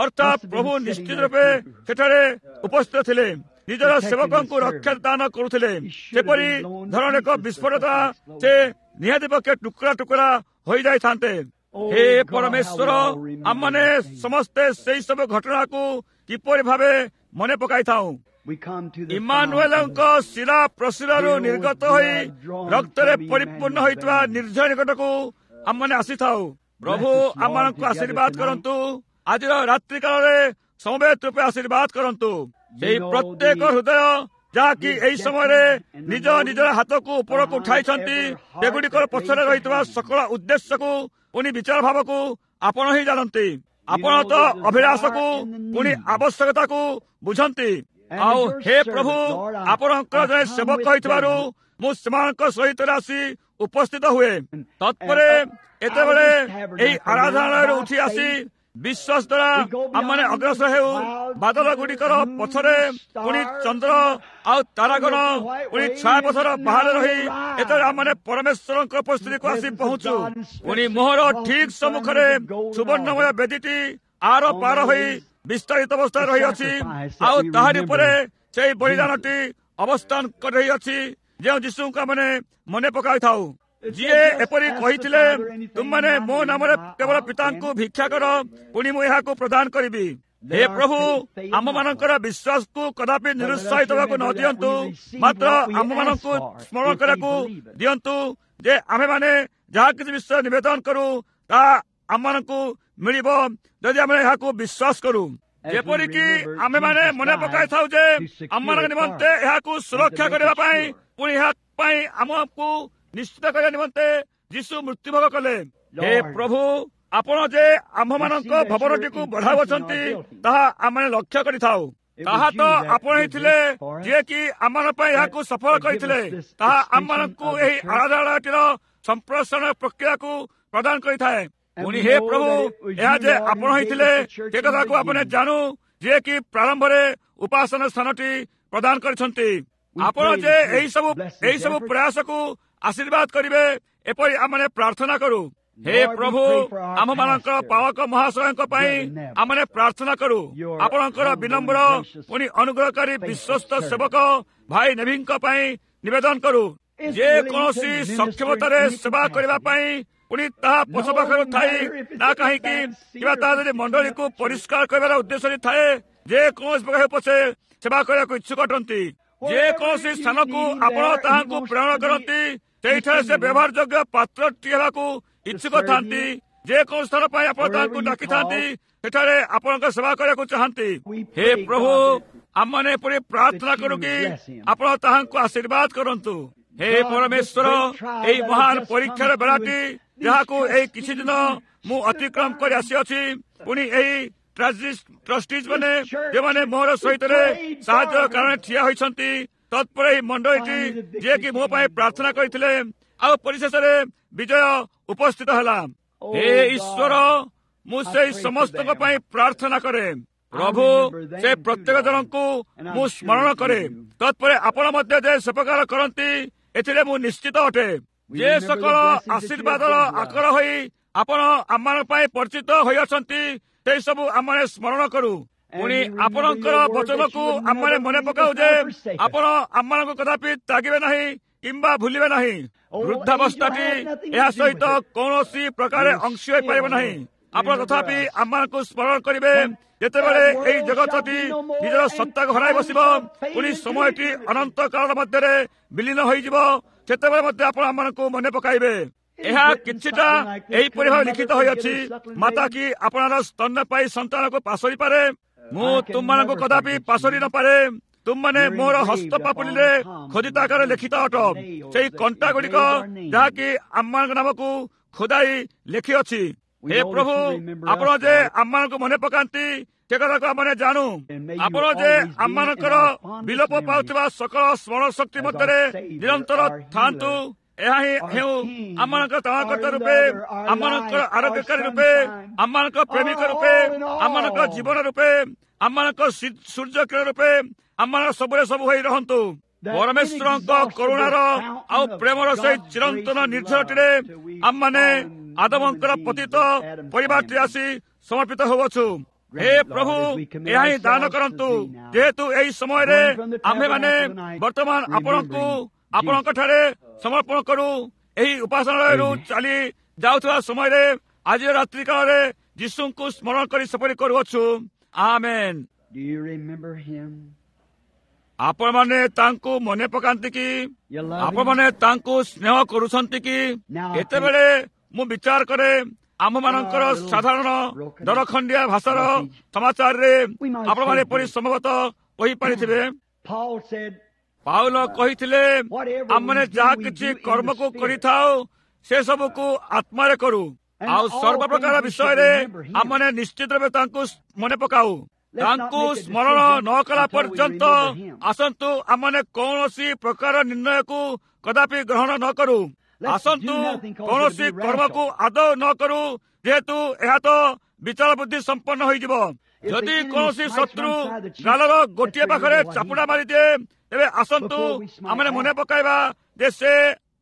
ଅର୍ଥାତ୍ ପ୍ରଭୁ ନିଶ୍ଚିତ ରୂପେ ସେଠାରେ ଉପସ୍ଥିତ ଥିଲେ, ନିଜର ସେବକଙ୍କୁ ରକ୍ଷା ଦାନ କରୁଥିଲେ। ସେପରି ଧରଣର ଏକ ବିସ୍ଫୋରତା ସେ ନିହାତି ପକ୍ଷେ ଟୁକୁରା ଟୁକୁରା ହୋଇଯାଇଥାନ୍ତେ। ହେ ପରମେଶ୍ୱର, ଆମମାନେ ସମସ୍ତେ ସେଇ ସବୁ ଘଟଣାକୁ କିପରି ଭାବେ ମନେ ପକାଇଥାଉ। ଇମାନୁଏଲଙ୍କ ଶିରା ପ୍ରଶିରାରୁ ନିର୍ଗତ ହୋଇ ରକ୍ତରେ ପରିପୂର୍ଣ୍ଣ ହୋଇଥିବା ନିର୍ଝର ନିକଟକୁ ଆମମାନେ ଆସିଥାଉ। ପ୍ରଭୁ ଆମମାନଙ୍କୁ ଆଶୀର୍ବାଦ କରନ୍ତୁ। ଆଜିର ରାତ୍ରି କାଳରେ ସମବେତ ରୂପେ ଆଶୀର୍ବାଦ କରନ୍ତୁ। ସେଇ ପ୍ରତ୍ୟେକ ହୃଦୟ ଯାହାକି ଏହି ସମୟରେ ନିଜ ନିଜର ହାତକୁ ଉପରକୁ ଉଠାଇଛନ୍ତି, ସେଗୁଡ଼ିକର ପଛରେ ରହିଥିବା ସକଳ ଉଦ୍ଦେଶ୍ୟକୁ ପୁଣି ବିଚାର ଭାବକୁ ଆପଣ ହିଁ ଜାଣନ୍ତି। ଆପଣ ତ ଅଭିଳାଷକୁ ପୁଣି ଆବଶ୍ୟକତାକୁ ବୁଝନ୍ତି। ଆଉ ହେ ପ୍ରଭୁ, ଆପଣଙ୍କର ଜଣେ ସେବକ ହୋଇଥିବାରୁ ମୁଁ ସେମାନଙ୍କ ସହିତ ଆସି ଉପସ୍ଥିତ ହୁଏ। ତତ୍ପରେ ଏତେବେଳେ ଏହି ଆରାଧନାଳୟରୁ ଉଠି ଆସି ବିଶ୍ୱାସ ଦ୍ୱାରା ଆମମାନେ ଅଗ୍ରସର ହେଉ। ବାଦଲ ଗୁଡ଼ିକର ପଛରେ ପୁଣି ଚନ୍ଦ୍ର ଆଉ ତାରାଗଣ ପୁଣି ଛାୟାପଥର ବାହାରେ ରହି ଏତେବେଳେ ଆମମାନେ ପରମେଶ୍ୱରଙ୍କ ଉପସ୍ଥିତିକୁ ଆସି ପହଞ୍ଚୁ। ପୁଣି ମୋହର ଠିକ ସମ୍ମୁଖରେ ସୁବର୍ଣ୍ଣମୟ ବେଦୀଟି ଆର ପାର ହୋଇ ବିସ୍ତାରିତ ଅବସ୍ଥାରେ ରହିଅଛି, ଆଉ ତାହାରି ଉପରେ ସେଇ ବଳିଦାନଟି ଅବସ୍ଥାନ କରି ରହିଅଛି, ଯେଉଁ ଯୀଶୁଙ୍କୁ ଆମେ ମନେ ପକାଇଥାଉ, ଯିଏ ଏପରି କହିଥିଲେ, ତୁମମାନେ ମୋ ନାମରେ କେବଳ ପିତାଙ୍କୁ ଭିକ୍ଷା କର, ପୁଣି ମୁଁ ଏହାକୁ ପ୍ରଦାନ କରିବି। ହେ ପ୍ରଭୁ, ଆମମାନଙ୍କର ବିଶ୍ୱାସକୁ କଦାପି ନିରୁତ୍ସାହିତ ହେବାକୁ ନ ଦିଅନ୍ତୁ, ମାତ୍ର ଆମମାନଙ୍କୁ ସ୍ମରଣ କରିବାକୁ ଦିଅନ୍ତୁ ଯେ ଆମେମାନେ ଯାହା କିଛି ବିଷୟ ନିବେଦନ କରୁ ତାହା ଆମମାନଙ୍କୁ ମିଳିବ, ଯଦି ଆମେ ଏହାକୁ ବିଶ୍ୱାସ କରୁ। ଯେପରିକି ଆମେମାନେ ମନେ ପକାଇଥାଉ ଯେ ଆମମାନଙ୍କ ନିମନ୍ତେ ଏହାକୁ ସୁରକ୍ଷା କରିବା ପାଇଁ, ପୁଣି ଏହା ପାଇଁ ଆମକୁ ନିଶ୍ଚିତ କରିବା ନିମନ୍ତେ ଯୀଶୁ ମୃତ୍ୟୁଭୋଗ କଲେ। ହେ ପ୍ରଭୁ, ଆପଣ ଯେ ଆମ୍ଭମାନଙ୍କ ଭବନଟିକୁ ବଢାଉଅଛନ୍ତି ତାହା ଆମେ ଲକ୍ଷ୍ୟ କରିଥାଉ। ତାହା ତ ଆପଣ ହିଁ ଥିଲେ ଯିଏକି ଆମମାନଙ୍କ ପାଇଁ ଏହାକୁ ସଫଳ କରିଥିଲେ। ତାହା ଆମମାନଙ୍କୁ ଏହି ଆରାଧନାଳୟଟିର ସମ୍ପ୍ରସାରଣ ପ୍ରକ୍ରିୟାକୁ ପ୍ରଦାନ କରିଥାଏ। ପୁଣି ହେ ପ୍ରଭୁ, ଏହା ଯେ ଆପଣ ହିଁ ଥିଲେ ସେ କଥାକୁ ଆପଣ ଜାଣୁ, ଯିଏକି ପ୍ରାରମ୍ଭରେ ଉପାସନା ସ୍ଥାନଟି ପ୍ରଦାନ କରିଛନ୍ତି। ଆପଣ ଯେ ଏହି ସବୁ ପ୍ରୟାସକୁ ଆଶୀର୍ବାଦ କରିବେ, ଏପରି ଆମେ ପ୍ରାର୍ଥନା କରୁ। ହେ ପ୍ରଭୁ, ଆମମାନଙ୍କର ପାଳକ ମହାଶୟଙ୍କ ପାଇଁ ଆମେ ପ୍ରାର୍ଥନା କରୁ। ଆପଣଙ୍କର ବିନମ୍ର ପୁଣି ଅନୁଗ୍ରହକାରୀ ବିଶ୍ୱସ୍ତ ସେବକ ଭାଇ ନେଭିଙ୍କ ପାଇଁ ନିବେଦନ କରୁ। ଯେ କୌଣସି ସକ୍ଷମତାରେ ସେବା କରିବା ପାଇଁ, ପୁଣି ତାହା ପଛ ପାଖରୁ ଥାଇ ନା କାହିଁକି, କିମ୍ବା ତାହା ଯଦି ମଣ୍ଡଳୀକୁ ପରିଷ୍କାର କରିବାର ଉଦ୍ଦେଶ୍ୟରେ ଥାଏ, ଯେ କୌଣସି ପ୍ରକାର ପଛେ ସେବା କରିବାକୁ ଇଚ୍ଛୁକ ଅଟନ୍ତି। ଯେ କୌଣସି ସ୍ଥାନକୁ ଆପଣ ତାହାଙ୍କୁ ପ୍ରେରଣ କରନ୍ତି, ସେଇଠାରେ ସେ ବ୍ୟବହାର ଯୋଗ୍ୟ ପାତ୍ରଟି ହେବାକୁ ଇଚ୍ଛୁକ ଥାନ୍ତି। ଯେକୌଣସି ସ୍ଥାନ ପାଇଁ ଆପଣ ତାହାଙ୍କୁ ଡାକିଥାନ୍ତି, ସେଠାରେ ଆପଣଙ୍କ ସେବା କରିବାକୁ ଚାହାନ୍ତି। ହେ ପ୍ରଭୁ, ଆମମାନେ ଏପରି ପ୍ରାର୍ଥନା କରୁ କି ଆପଣ ତାହାଙ୍କୁ ଆଶୀର୍ବାଦ କରନ୍ତୁ। ହେ ପରମେଶ୍ୱର, ଏହି ମହାନ ପରୀକ୍ଷାର ବେଳାଟି ଯାହାକୁ ଏଇ କିଛି ଦିନ ମୁଁ ଅତିକ୍ରମ କରି ଆସିଅଛି, ପୁଣି ଏହି ଟ୍ରଷ୍ଟିଜ ମାନେ ଯେଉଁମାନେ ମୋର ସହିତରେ ସାହାଯ୍ୟର କାରଣ ଠିଆ ହୋଇଛନ୍ତି, ତତ୍ପରେ ଏହି ମଣ୍ଡଳୀଟି ଯିଏକି ମୋ ପାଇଁ ପ୍ରାର୍ଥନା କରିଥିଲେ, ଆଉ ପରିଶେଷରେ ବିଜୟ ଉପସ୍ଥିତ ହେଲା। ହେ ଈଶ୍ୱର, ମୁଁ ସେଇ ସମସ୍ତଙ୍କ ପାଇଁ ପ୍ରାର୍ଥନା କରେ। ପ୍ରଭୁ, ସେ ପ୍ରତ୍ୟେକ ଜଣଙ୍କୁ ମୁଁ ସ୍ମରଣ କରେ। ତତ୍ପରେ ଆପଣ ମଧ୍ୟ ଯେ ସେ ପ୍ରକାର କରନ୍ତି, ଏଥିରେ ମୁଁ ନିଶ୍ଚିତ ଅଟେ। ଯେ ସକଳ ଆଶୀର୍ବାଦର ଆକର ହୋଇ ଆପଣ ଆମମାନଙ୍କ ପାଇଁ ପରିଚିତ ହୋଇଅଛନ୍ତି, ସେଇ ସବୁ ଆମମାନେ ସ୍ମରଣ କରୁ। ପୁଣି ଆପଣଙ୍କର ବଚନକୁ ଆମମାନେ ମନେ ପକାଉ ଯେ ଆପଣ ଆମମାନଙ୍କୁ କଦାପି ତ୍ୟାଗିବେ ନାହିଁ କିମ୍ବା ଭୁଲିବେ ନାହିଁ। ବୃଦ୍ଧାବସ୍ଥାଟି ଏହା ସହିତ କୌଣସି ପ୍ରକାର ଅଂଶୀ ହୋଇପାରିବ ନାହିଁ। ଆପଣ ତଥାପି ଆମମାନଙ୍କୁ ସ୍ମରଣ କରିବେ। ଯେତେବେଳେ ଏହି ଜଗତଟି ନିଜର ସତ୍ତାକୁ ହରାଇ ବସିବ, ପୁଣି ସମୟଟି ଅନନ୍ତ କାଳ ମଧ୍ୟରେ ବିଲୀନ ହୋଇଯିବ, ସେତେବେଳେ ମଧ୍ୟ ଆପଣ ଆମମାନଙ୍କୁ ମନେ ପକାଇବେ। ଏହା କିଛିଟା ଏହିପରି ଭାବେ ଲିଖିତ ହୋଇଅଛି, ମାତା କି ଆପଣାର ସ୍ତନ୍ୟପାୟୀ ସନ୍ତାନକୁ ପାଶୋରି ପାରେ? ମୁଁ ତୁମମାନଙ୍କୁ କଦାପି ପାଶୋରି ନପାରେ। ତୁମମାନେ ମୋର ହସ୍ତ ପାପୁଲିରେ ଖୋଦିତ ଆକାରରେ ଲିଖିତ ଅଟ, ସେଇ କଣ୍ଟା ଗୁଡ଼ିକ ଯାହାକି ଆମମାନଙ୍କ ନାମକୁ ଖୋଦାଇ ଲେଖିଅଛି। ହେ ପ୍ରଭୁ, ଆପଣ ଯେ ଆମମାନଙ୍କୁ ମନେ ପକାନ୍ତି, ସେ କଥାକୁ ଆମେ ଜାଣୁ। ଆପଣ ଯେ ଆମମାନଙ୍କର ବିଲୋପ ପାଉଥିବା ସକଳ ସ୍ମରଣ ଶକ୍ତି ମଧ୍ୟରେ ନିରନ୍ତର ଥାଆନ୍ତୁ। ଏହା ହିଁ ହେଉ ଆମମାନଙ୍କର ତ୍ରାଣକର୍ତ୍ତା ରୂପେ, ଆମମାନଙ୍କର ଆରୋଗ୍ୟକାରୀ ରୂପେ, ଆମମାନଙ୍କ ପ୍ରେମିକ ରୂପେ, ଆମମାନଙ୍କ ଜୀବନ ରୂପେ, ଆମମାନଙ୍କ ସୂର୍ଯ୍ୟ କିରଣ ରୂପେ, ଆମମାନଙ୍କ ସବୁରେ ସବୁ ହୋଇ ରହନ୍ତୁ। ପରମେଶ୍ୱରଙ୍କ କରୁଣାର ଆଉ ପ୍ରେମର ସେହି ଚିରନ୍ତନ ନିର୍ଝରଟିରେ ଆମମାନେ ଆଦମଙ୍କର ପତିତ ପରିବାରଟି ଆସି ସମର୍ପିତ ହେଉଅଛୁ। ହେ ପ୍ରଭୁ, ଏହା ହିଁ ଦାନ କରନ୍ତୁ, ଯେହେତୁ ଏହି ସମୟରେ ଆମ୍ଭେମାନେ ବର୍ତ୍ତମାନ ଆପଣଙ୍କୁ ଆପଣଙ୍କ ଠାରେ ସମର୍ପଣ କରୁ। ଏହି ଉପାସନାଳୟରୁ ଚାଲି ଯାଉଥିବା ସମୟରେ ଆଜିର ରାତ୍ରି କାଳରେ ଯୀଶୁଙ୍କୁ ସ୍ମରଣ କରି ସେପରି କରୁଅଛୁ। ଆମେନ୍। ଆପଣମାନେ ତାଙ୍କୁ ମନେ ପକାନ୍ତି କି? ଆପଣମାନେ ତାଙ୍କୁ ସ୍ନେହ କରୁଛନ୍ତି କି? ଏତେବେଳେ ମୁଁ ବିଚାର କରେ, ଆମମାନଙ୍କର ସାଧାରଣ ଦରଖଣ୍ଡିଆ ଭାଷାର ସମାଚାରରେ ଆପଣମାନେ ଏପରି ସମ୍ଭବତଃ କହିପାରିଥିବେ। ପାଉଲ କହିଥିଲେ, ଆମମାନେ ଯାହା କିଛି କର୍ମକୁ କରିଥାଉ ସେ ସବୁକୁ ଆତ୍ମାରେ କରୁ, ଆଉ ସର୍ବ ପ୍ରକାର ବିଷୟରେ ଆମମାନେ ନିଶ୍ଚିତ ରୂପେ ତାଙ୍କୁ ମନେ ପକାଉ। ତାଙ୍କୁ ସ୍ମରଣ ନ କଲା ପର୍ଯ୍ୟନ୍ତ ଆସନ୍ତୁ ଆମମାନେ କୌଣସି ପ୍ରକାର ନିର୍ଣ୍ଣୟକୁ କଦାପି ଗ୍ରହଣ ନ କରୁ। ଆସନ୍ତୁ କୌଣସି କର୍ମକୁ ଆଦୌ ନ କରୁ, ଯେହେତୁ ଏହା ତ ବିଚାର ବୁଦ୍ଧି ସମ୍ପନ୍ନ ହୋଇଯିବ। ଯଦି କୌଣସି ଶତ୍ରୁ ଗାଲର ଗୋଟିଏ ପାଖରେ ଚାପୁଡ଼ା ମାରିଦିଏ, ତେବେ ଆସନ୍ତୁ ଆମେ ମନେ ପକାଇବା ଯେ ସେ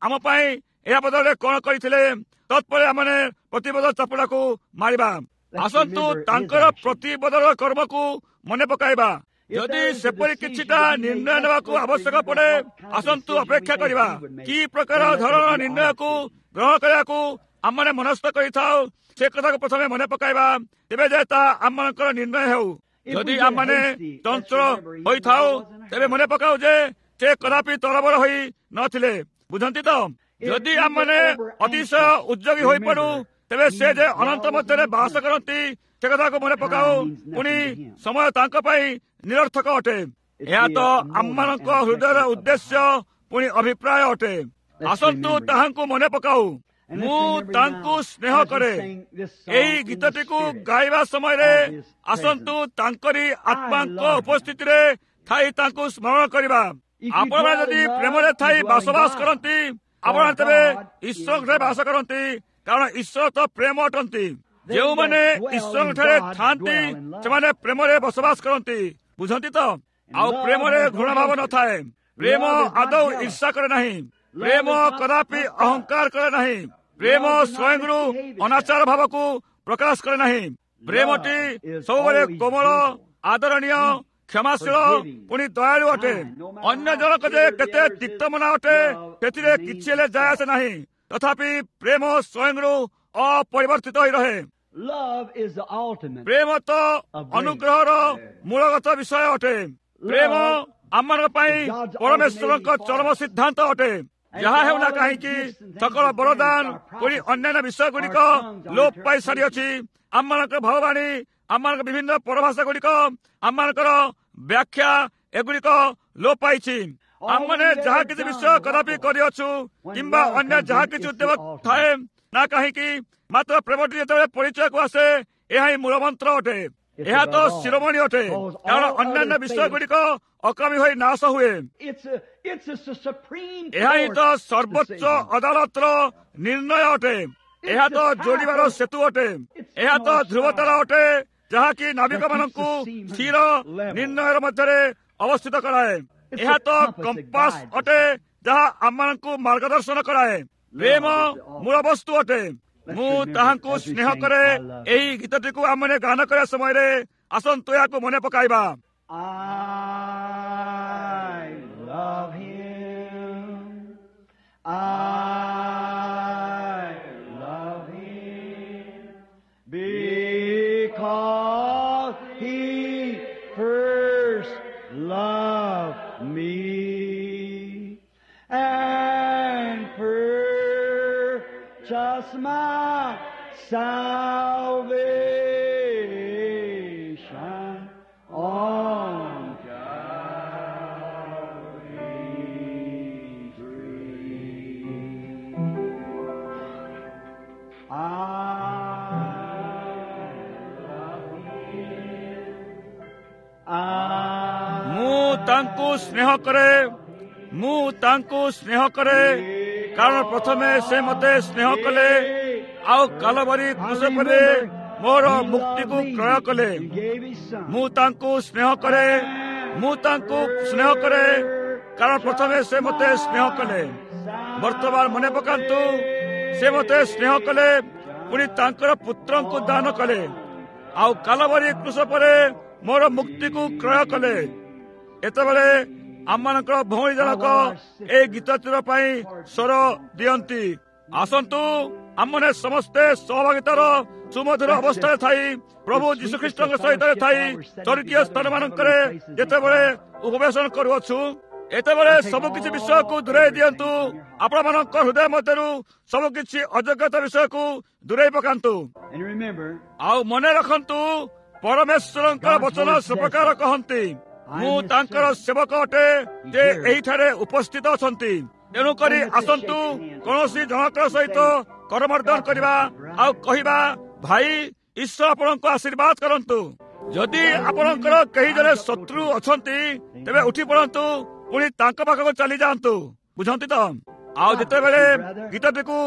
ଆମ ପାଇଁ ଏହା ବଦଳରେ କଣ କରିଥିଲେ। ତତ୍ପରେ ଆମେ ପ୍ରତିବଦଳ ଚାପୁଡ଼ାକୁ ମାରିବା। ଆସନ୍ତୁ ତାଙ୍କର ପ୍ରତିବଦଳ କର୍ମକୁ ମନେ ପକାଇବା। ଯଦି ସେପରି କିଛିଟା ନିର୍ଣ୍ଣୟ ନେବାକୁ ଆବଶ୍ୟକ ପଡେ, ଆସନ୍ତୁ ଅପେକ୍ଷା କରିବା। କି ପ୍ରକାର ଧରଣର ନିର୍ଣ୍ଣୟକୁ ଗ୍ରହଣ କରିବାକୁ ଆମମାନେ ମନସ୍ଥ କରିଥାଉ, ସେ କଥାକୁ ପ୍ରଥମେ ମନେ ପକାଇବା, ତେବେ ଯେ ତାହା ଆମମାନଙ୍କର ନିର୍ଣ୍ଣୟ ହେଉ। ଯଦି ଆମମାନେ ଚଞ୍ଚଳ ହୋଇଥାଉ, ତେବେ ମନେ ପକାଉ ଯେ ସେ କଦାପି ତରବର ହୋଇ ନଥିଲେ। ବୁଝନ୍ତି ତ? ଯଦି ଆମମାନେ ଅତିଶୟ ଉଦ୍ଯୋଗୀ ହୋଇପଡୁ, ତେବେ ସେ ଯେ ଅନନ୍ତ ମଧ୍ୟରେ ବାସ କରନ୍ତି ସେ କଥାକୁ ମନେ ପକାଉ। ପୁଣି ସମୟ ତାଙ୍କ ପାଇଁ ନିରର୍ଥକ ଅଟେ। ଏହା ତ ଆମମାନଙ୍କ ହୃଦୟର ଉଦ୍ଦେଶ୍ୟ ପୁଣି ଅଭିପ୍ରାୟ ଅଟେ। ଆସନ୍ତୁ ତାହାଙ୍କୁ ମନେ ପକାଉ। ମୁଁ ତାଙ୍କୁ ସ୍ନେହ କରେ। ଏହି ଗୀତଟିକୁ ଗାଇବା ସମୟରେ ଆସନ୍ତୁ ତାଙ୍କରି ଆତ୍ମାଙ୍କ ଉପସ୍ଥିତିରେ ଥାଇ ତାଙ୍କୁ ସ୍ମରଣ କରିବା। ଆପଣମାନେ ଯଦି ପ୍ରେମରେ ଥାଇ ବସବାସ କରନ୍ତି, ଆପଣ ତେବେ ଈଶ୍ୱରଙ୍କଠାରେ ବାସ କରନ୍ତି, କାରଣ ଈଶ୍ୱର ତ ପ୍ରେମ ଅଟନ୍ତି। ଯେଉଁମାନେ ଈଶ୍ୱରଙ୍କଠାରେ ଥାଆନ୍ତି ସେମାନେ ପ୍ରେମରେ ବସବାସ କରନ୍ତି। ବୁଝନ୍ତି ତ? ଆଉ ପ୍ରେମରେ ଘୃଣାଭାବ ନଥାଏ। ପ୍ରେମ ଆଦୌ ଈର୍ଷା କରେ ନାହିଁ। ପ୍ରେମ କଦାପି ଅହଙ୍କାର କରେ ନାହିଁ। ପ୍ରେମ ସ୍ୱୟଂରୁ ଅନାଚାର ଭାବକୁ ପ୍ରକାଶ କରେ ନାହିଁ। ପ୍ରେମଟି ସବୁବେଳେ କୋମଳ, ଆଦରଣୀୟ, କ୍ଷମାଶୀଳ, ପୁଣି ଦୟାଳୁ ଅଟେ। ଅନ୍ୟ ଜଣକ ଯେ କେତେ ତିକ୍ତମନା ଅଟେ ସେଥିରେ କିଛି ହେଲେ ଯାଏ ଆସେ ନାହିଁ, ତଥାପି ପ୍ରେମ ସ୍ୱୟଂରୁ ଅପରିବର୍ତ୍ତିତ ହୋଇ ରହେ। ପ୍ରେମ ତ ଅନୁଗ୍ରହର ମୂଳଗତ ବିଷୟ ଅଟେ। ପ୍ରେମ ଆମମାନଙ୍କ ପାଇଁ ପରମେଶ୍ୱରଙ୍କ ଚରମ ସିଦ୍ଧାନ୍ତ ଅଟେ। ଯାହା ହେଉନା କାହିଁକି, ସକଳ ବରଦାନ ପୁଣି ଅନ୍ୟାନ୍ୟ ବିଷୟ ଗୁଡ଼ିକ ଲୋପ ପାଇ ସାରିଅଛି। ଆମମାନଙ୍କର ଭାବବାଣୀ, ଆମମାନଙ୍କ ବିଭିନ୍ନ ପରଭାଷା ଗୁଡ଼ିକ, ଆମମାନଙ୍କର ବ୍ୟାଖ୍ୟା, ଏଗୁଡ଼ିକ ଲୋପ ପାଇଛି। ଆମମାନେ ଯାହା କିଛି ବିଷୟ କଦାପି କରିଅଛୁ କିମ୍ବା ଅନ୍ୟ ଯାହା କିଛି ଉଦ୍ୟମ ଥାଏ ନା କାହିଁକି, ମାତ୍ର ପ୍ରେମଟି ଯେତେବେଳେ ପରିଚୟକୁ ଆସେ, ଏହା ହିଁ ମୂଳମନ୍ତ୍ର ଅଟେ। ଏହା ତ ଶିରୋମଣି ଅଟେ, କାରଣ ଅନ୍ୟାନ୍ୟ ବିଷୟ ଗୁଡ଼ିକ ଅକାମୀ ହୋଇ ନାଶ ହୁଏ। ଏହା ହିଁ ତ ସର୍ବୋଚ୍ଚ ଅଦାଲତର ନିର୍ଣ୍ଣୟ ଅଟେ। ଏହା ତ ଯୋଡ଼ିବାର ସେତୁ ଅଟେ। ଏହା ତ ଧ୍ରୁବତାରା ଅଟେ, ଯାହାକି ନାବିକମାନଙ୍କୁ ସ୍ଥିର ନିର୍ଣ୍ଣୟର ମଧ୍ୟରେ ଅବସ୍ଥିତ କରାଏ। ଏହା ତ କମ୍ପାସ ଅଟେ, ଯାହା ଆମମାନଙ୍କୁ ମାର୍ଗଦର୍ଶନ କରାଏ। ପ୍ରେମ ମୂଳ ବସ୍ତୁ ଅଟେ। ମୁଁ ତାହାଙ୍କୁ ସ୍ନେହ କରେ। ଏହି ଗୀତଟିକୁ ଆମମାନେ ଗାନ କରିବା ସମୟରେ ଆସନ୍ତୁ ଏହାକୁ ମନେ ପକାଇବା। Because he first loved me and purchased my salvation on Calvary's tree. I ମୁଁ ତାଙ୍କୁ ସ୍ନେହ କରେ, ମୁଁ ତାଙ୍କୁ ସ୍ନେହ କରେ, କାରଣ ପ୍ରଥମେ ସେ ମତେ ସ୍ନେହ କଲେ ଆଉ କାଲବରୀ କ୍ରୁଶରେ ମୋର ମୁକ୍ତିକୁ କ୍ରୟ କଲେ। ମୁଁ ତାଙ୍କୁ ସ୍ନେହ କରେ, ମୁଁ ତାଙ୍କୁ ସ୍ନେହ କରେ, କାରଣ ପ୍ରଥମେ ସେ ମୋତେ ସ୍ନେହ କଲେ। ବର୍ତ୍ତମାନ ମନେ ପକାନ୍ତୁ, ସେ ମୋତେ ସ୍ନେହ କଲେ, ପୁଣି ତାଙ୍କର ପୁତ୍ରଙ୍କୁ ଦାନ କଲେ, ଆଉ କାଲବରୀ କୃଷ ପରେ ମୋର ମୁକ୍ତିକୁ କ୍ରୟ କଲେ। ଏତେବେଳେ ଆମମାନଙ୍କର ଭଉଣୀ ଜଣକ ଏଇ ଗୀତଟିର ପାଇଁ ସ୍ୱର ଦିଅନ୍ତି। ଆସନ୍ତୁ ଆମମାନେ ସମସ୍ତେ ସହଭାଗିତାର ସୁମଧୁର ଅବସ୍ଥାରେ ଥାଇ ପ୍ରଭୁ ଯୀଶୁଖ୍ରୀଷ୍ଟଙ୍କ ସହିତ ଥାଇ ସ୍ୱର୍ଗୀୟ ସ୍ଥାନମାନଙ୍କରେ ଯେତେବେଳେ ଉପବେଶନ କରୁଅଛୁ, ଏତେବେଳେ ସବୁକିଛି ବିଷୟକୁ ଦୂରେଇ ଦିଅନ୍ତୁ। ଆପଣମାନଙ୍କ ହୃଦୟ ମଧ୍ୟରୁ ସବୁକିଛି ଅଯୋଗ୍ୟତା ବିଷୟକୁ ଦୂରେଇ ପକାନ୍ତୁ। ଆଉ ମନେ ରଖନ୍ତୁ, ପରମେଶ୍ୱରଙ୍କର ବଚନ ସେପ୍ରକାର କହନ୍ତି, ମୁଁ ତାଙ୍କର ସେବକ ଅଟେ ଯେ ଏହିଠାରେ ଉପସ୍ଥିତ ଅଛନ୍ତି। ତେଣୁକରି ଆସନ୍ତୁ କୌଣସି ଜଣଙ୍କ ସହିତ କରମର୍ଦ୍ଦନ କରିବା ଆଉ କହିବା, ଭାଇ, ଈଶ୍ୱର ଆପଣଙ୍କୁ ଆଶୀର୍ବାଦ କରନ୍ତୁ। ଯଦି ଆପଣଙ୍କର କେହି ଜଣେ ଶତ୍ରୁ ଅଛନ୍ତି, ତେବେ ଉଠି ପଡ଼ନ୍ତୁ, ପୁଣି ତାଙ୍କ ପାଖକୁ ଚାଲି ଯାଆନ୍ତୁ। ବୁଝନ୍ତି ତ? ଆଉ ଯେତେବେଳେ ଗୀତଟିକୁ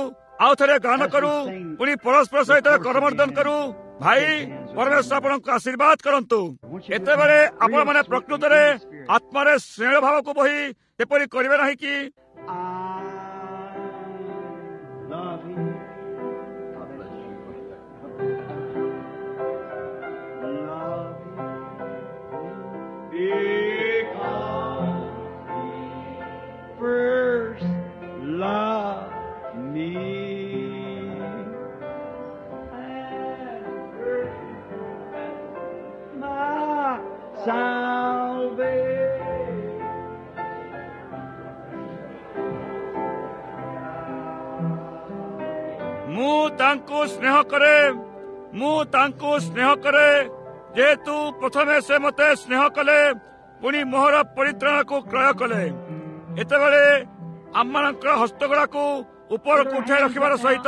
ଆଉ ଥରେ ଗାନ କରୁ, ପୁଣି ପରସ୍ପର ସହିତ କରମର୍ଦ୍ଦନ କରୁ, ଭାଇ, ପରମେଶ୍ୱର ଆପଣଙ୍କୁ ଆଶୀର୍ବାଦ କରନ୍ତୁ। ଏତେବେଳେ ଆପଣମାନେ ପ୍ରକୃତରେ ଆତ୍ମାରେ ସ୍ନେହ ଭାବକୁ ବହି ଏପରି କରିବେ ନାହିଁ କି? First love me and my salvation. ମୁଁ ତାଙ୍କୁ ସ୍ନେହ କରେ, ମୁଁ ତାଙ୍କୁ ସ୍ନେହ କରେ, ଯେହେତୁ ପ୍ରଥମେ ସେ ମୋତେ ସ୍ନେହ କଲେ, ପୁଣି ମୋହର ପରିତ୍ରାଣକୁ କ୍ରୟ କଲେ। ଏତେବେଳେ ଆମମାନଙ୍କର ହସ୍ତଗୁଡ଼ାକୁ ଉପରକୁ ଉଠାଇ ରଖିବାର ସହିତ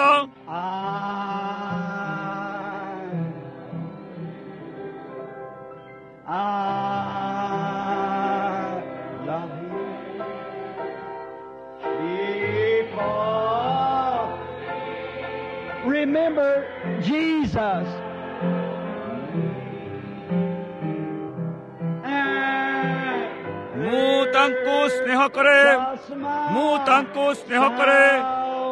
Remember Jesus. ମୁଁ ତାଙ୍କୁ ସ୍ନେହ କରେ, ମୁଁ ତାଙ୍କୁ ସ୍ନେହ କରେ,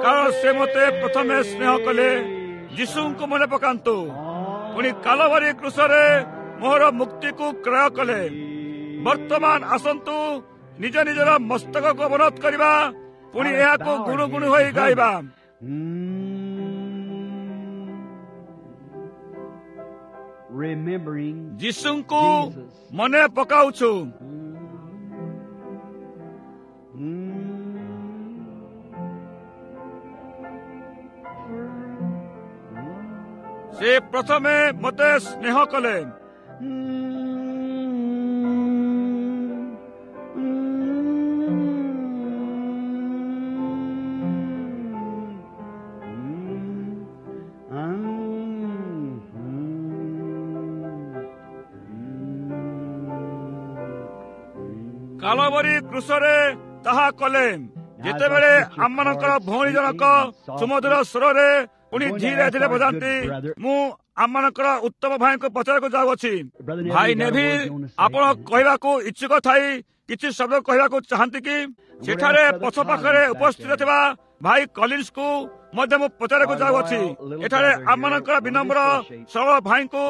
କାରଣ ସେ ମୋତେ ପ୍ରଥମେ ସ୍ନେହ କଲେ। ଯୀଶୁଙ୍କୁ ମନେ ପକାନ୍ତୁ, ପୁଣି କାଲବରୀ କୃଷରେ ମୋହର ମୁକ୍ତିକୁ କ୍ରୟ କଲେ। ବର୍ତ୍ତମାନ ଆସନ୍ତୁ ନିଜ ନିଜର ମସ୍ତକକୁ ଅବନତ କରିବା, ପୁଣି ଏହାକୁ ଗୁଣୁ ଗୁଣୁ ହୋଇ ଗାଇବା। ଯୀଶୁଙ୍କୁ ମନେ ପକାଉଛୁ। ସେ ପ୍ରଥମେ ମୋତେ ସ୍ନେହ କଲେ। କାଲବରୀ କୃଷରେ ତାହା କଲେ। ଯେତେବେଳେ ଆମମାନଙ୍କର ଭଉଣୀ ଜଣକ ସୁମଧୁର ସ୍ୱରରେ ପୁଣି ଧୀରେ ଧୀରେ ବଜାନ୍ତି, ମୁଁ ଆମମାନଙ୍କର ଉତ୍ତମ ଭାଇଙ୍କୁ ପଚାରିବାକୁ ଯାଉଅଛି, ଭାଇ ନେଭିଲ, ଆପଣ କହିବାକୁ ଇଚ୍ଛୁକ ଥାଇ କିଛି ଶବ୍ଦ କହିବାକୁ ଚାହାନ୍ତି କି? ସେଠାରେ ପଛ ପାଖରେ ଉପସ୍ଥିତ ଥିବା ଭାଇ କଲିନ୍ସକୁ ମଧ୍ୟ ମୁଁ ପଚାରିବାକୁ ଯାଉଅଛି। ଏଠାରେ ଆମମାନଙ୍କର ବିନମ୍ର ସରଳ ଭାଇଙ୍କୁ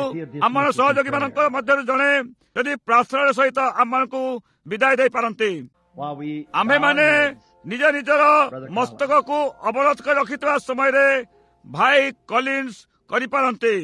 ଆମ ସହଯୋଗୀମାନଙ୍କ ମଧ୍ୟରୁ ଜଣେ ଯଦି ପ୍ରାର୍ଥନାର ସହିତ ଆମମାନଙ୍କୁ ବିଦାୟ ଦେଇପାରନ୍ତି। ଆମ୍ଭେମାନେ ନିଜ ନିଜର ମସ୍ତକକୁ ଅବରୋଧ କରି ରଖିଥିବା ସମୟରେ ଭାଇ କଲିନ୍ସ କରିପାରନ୍ତି।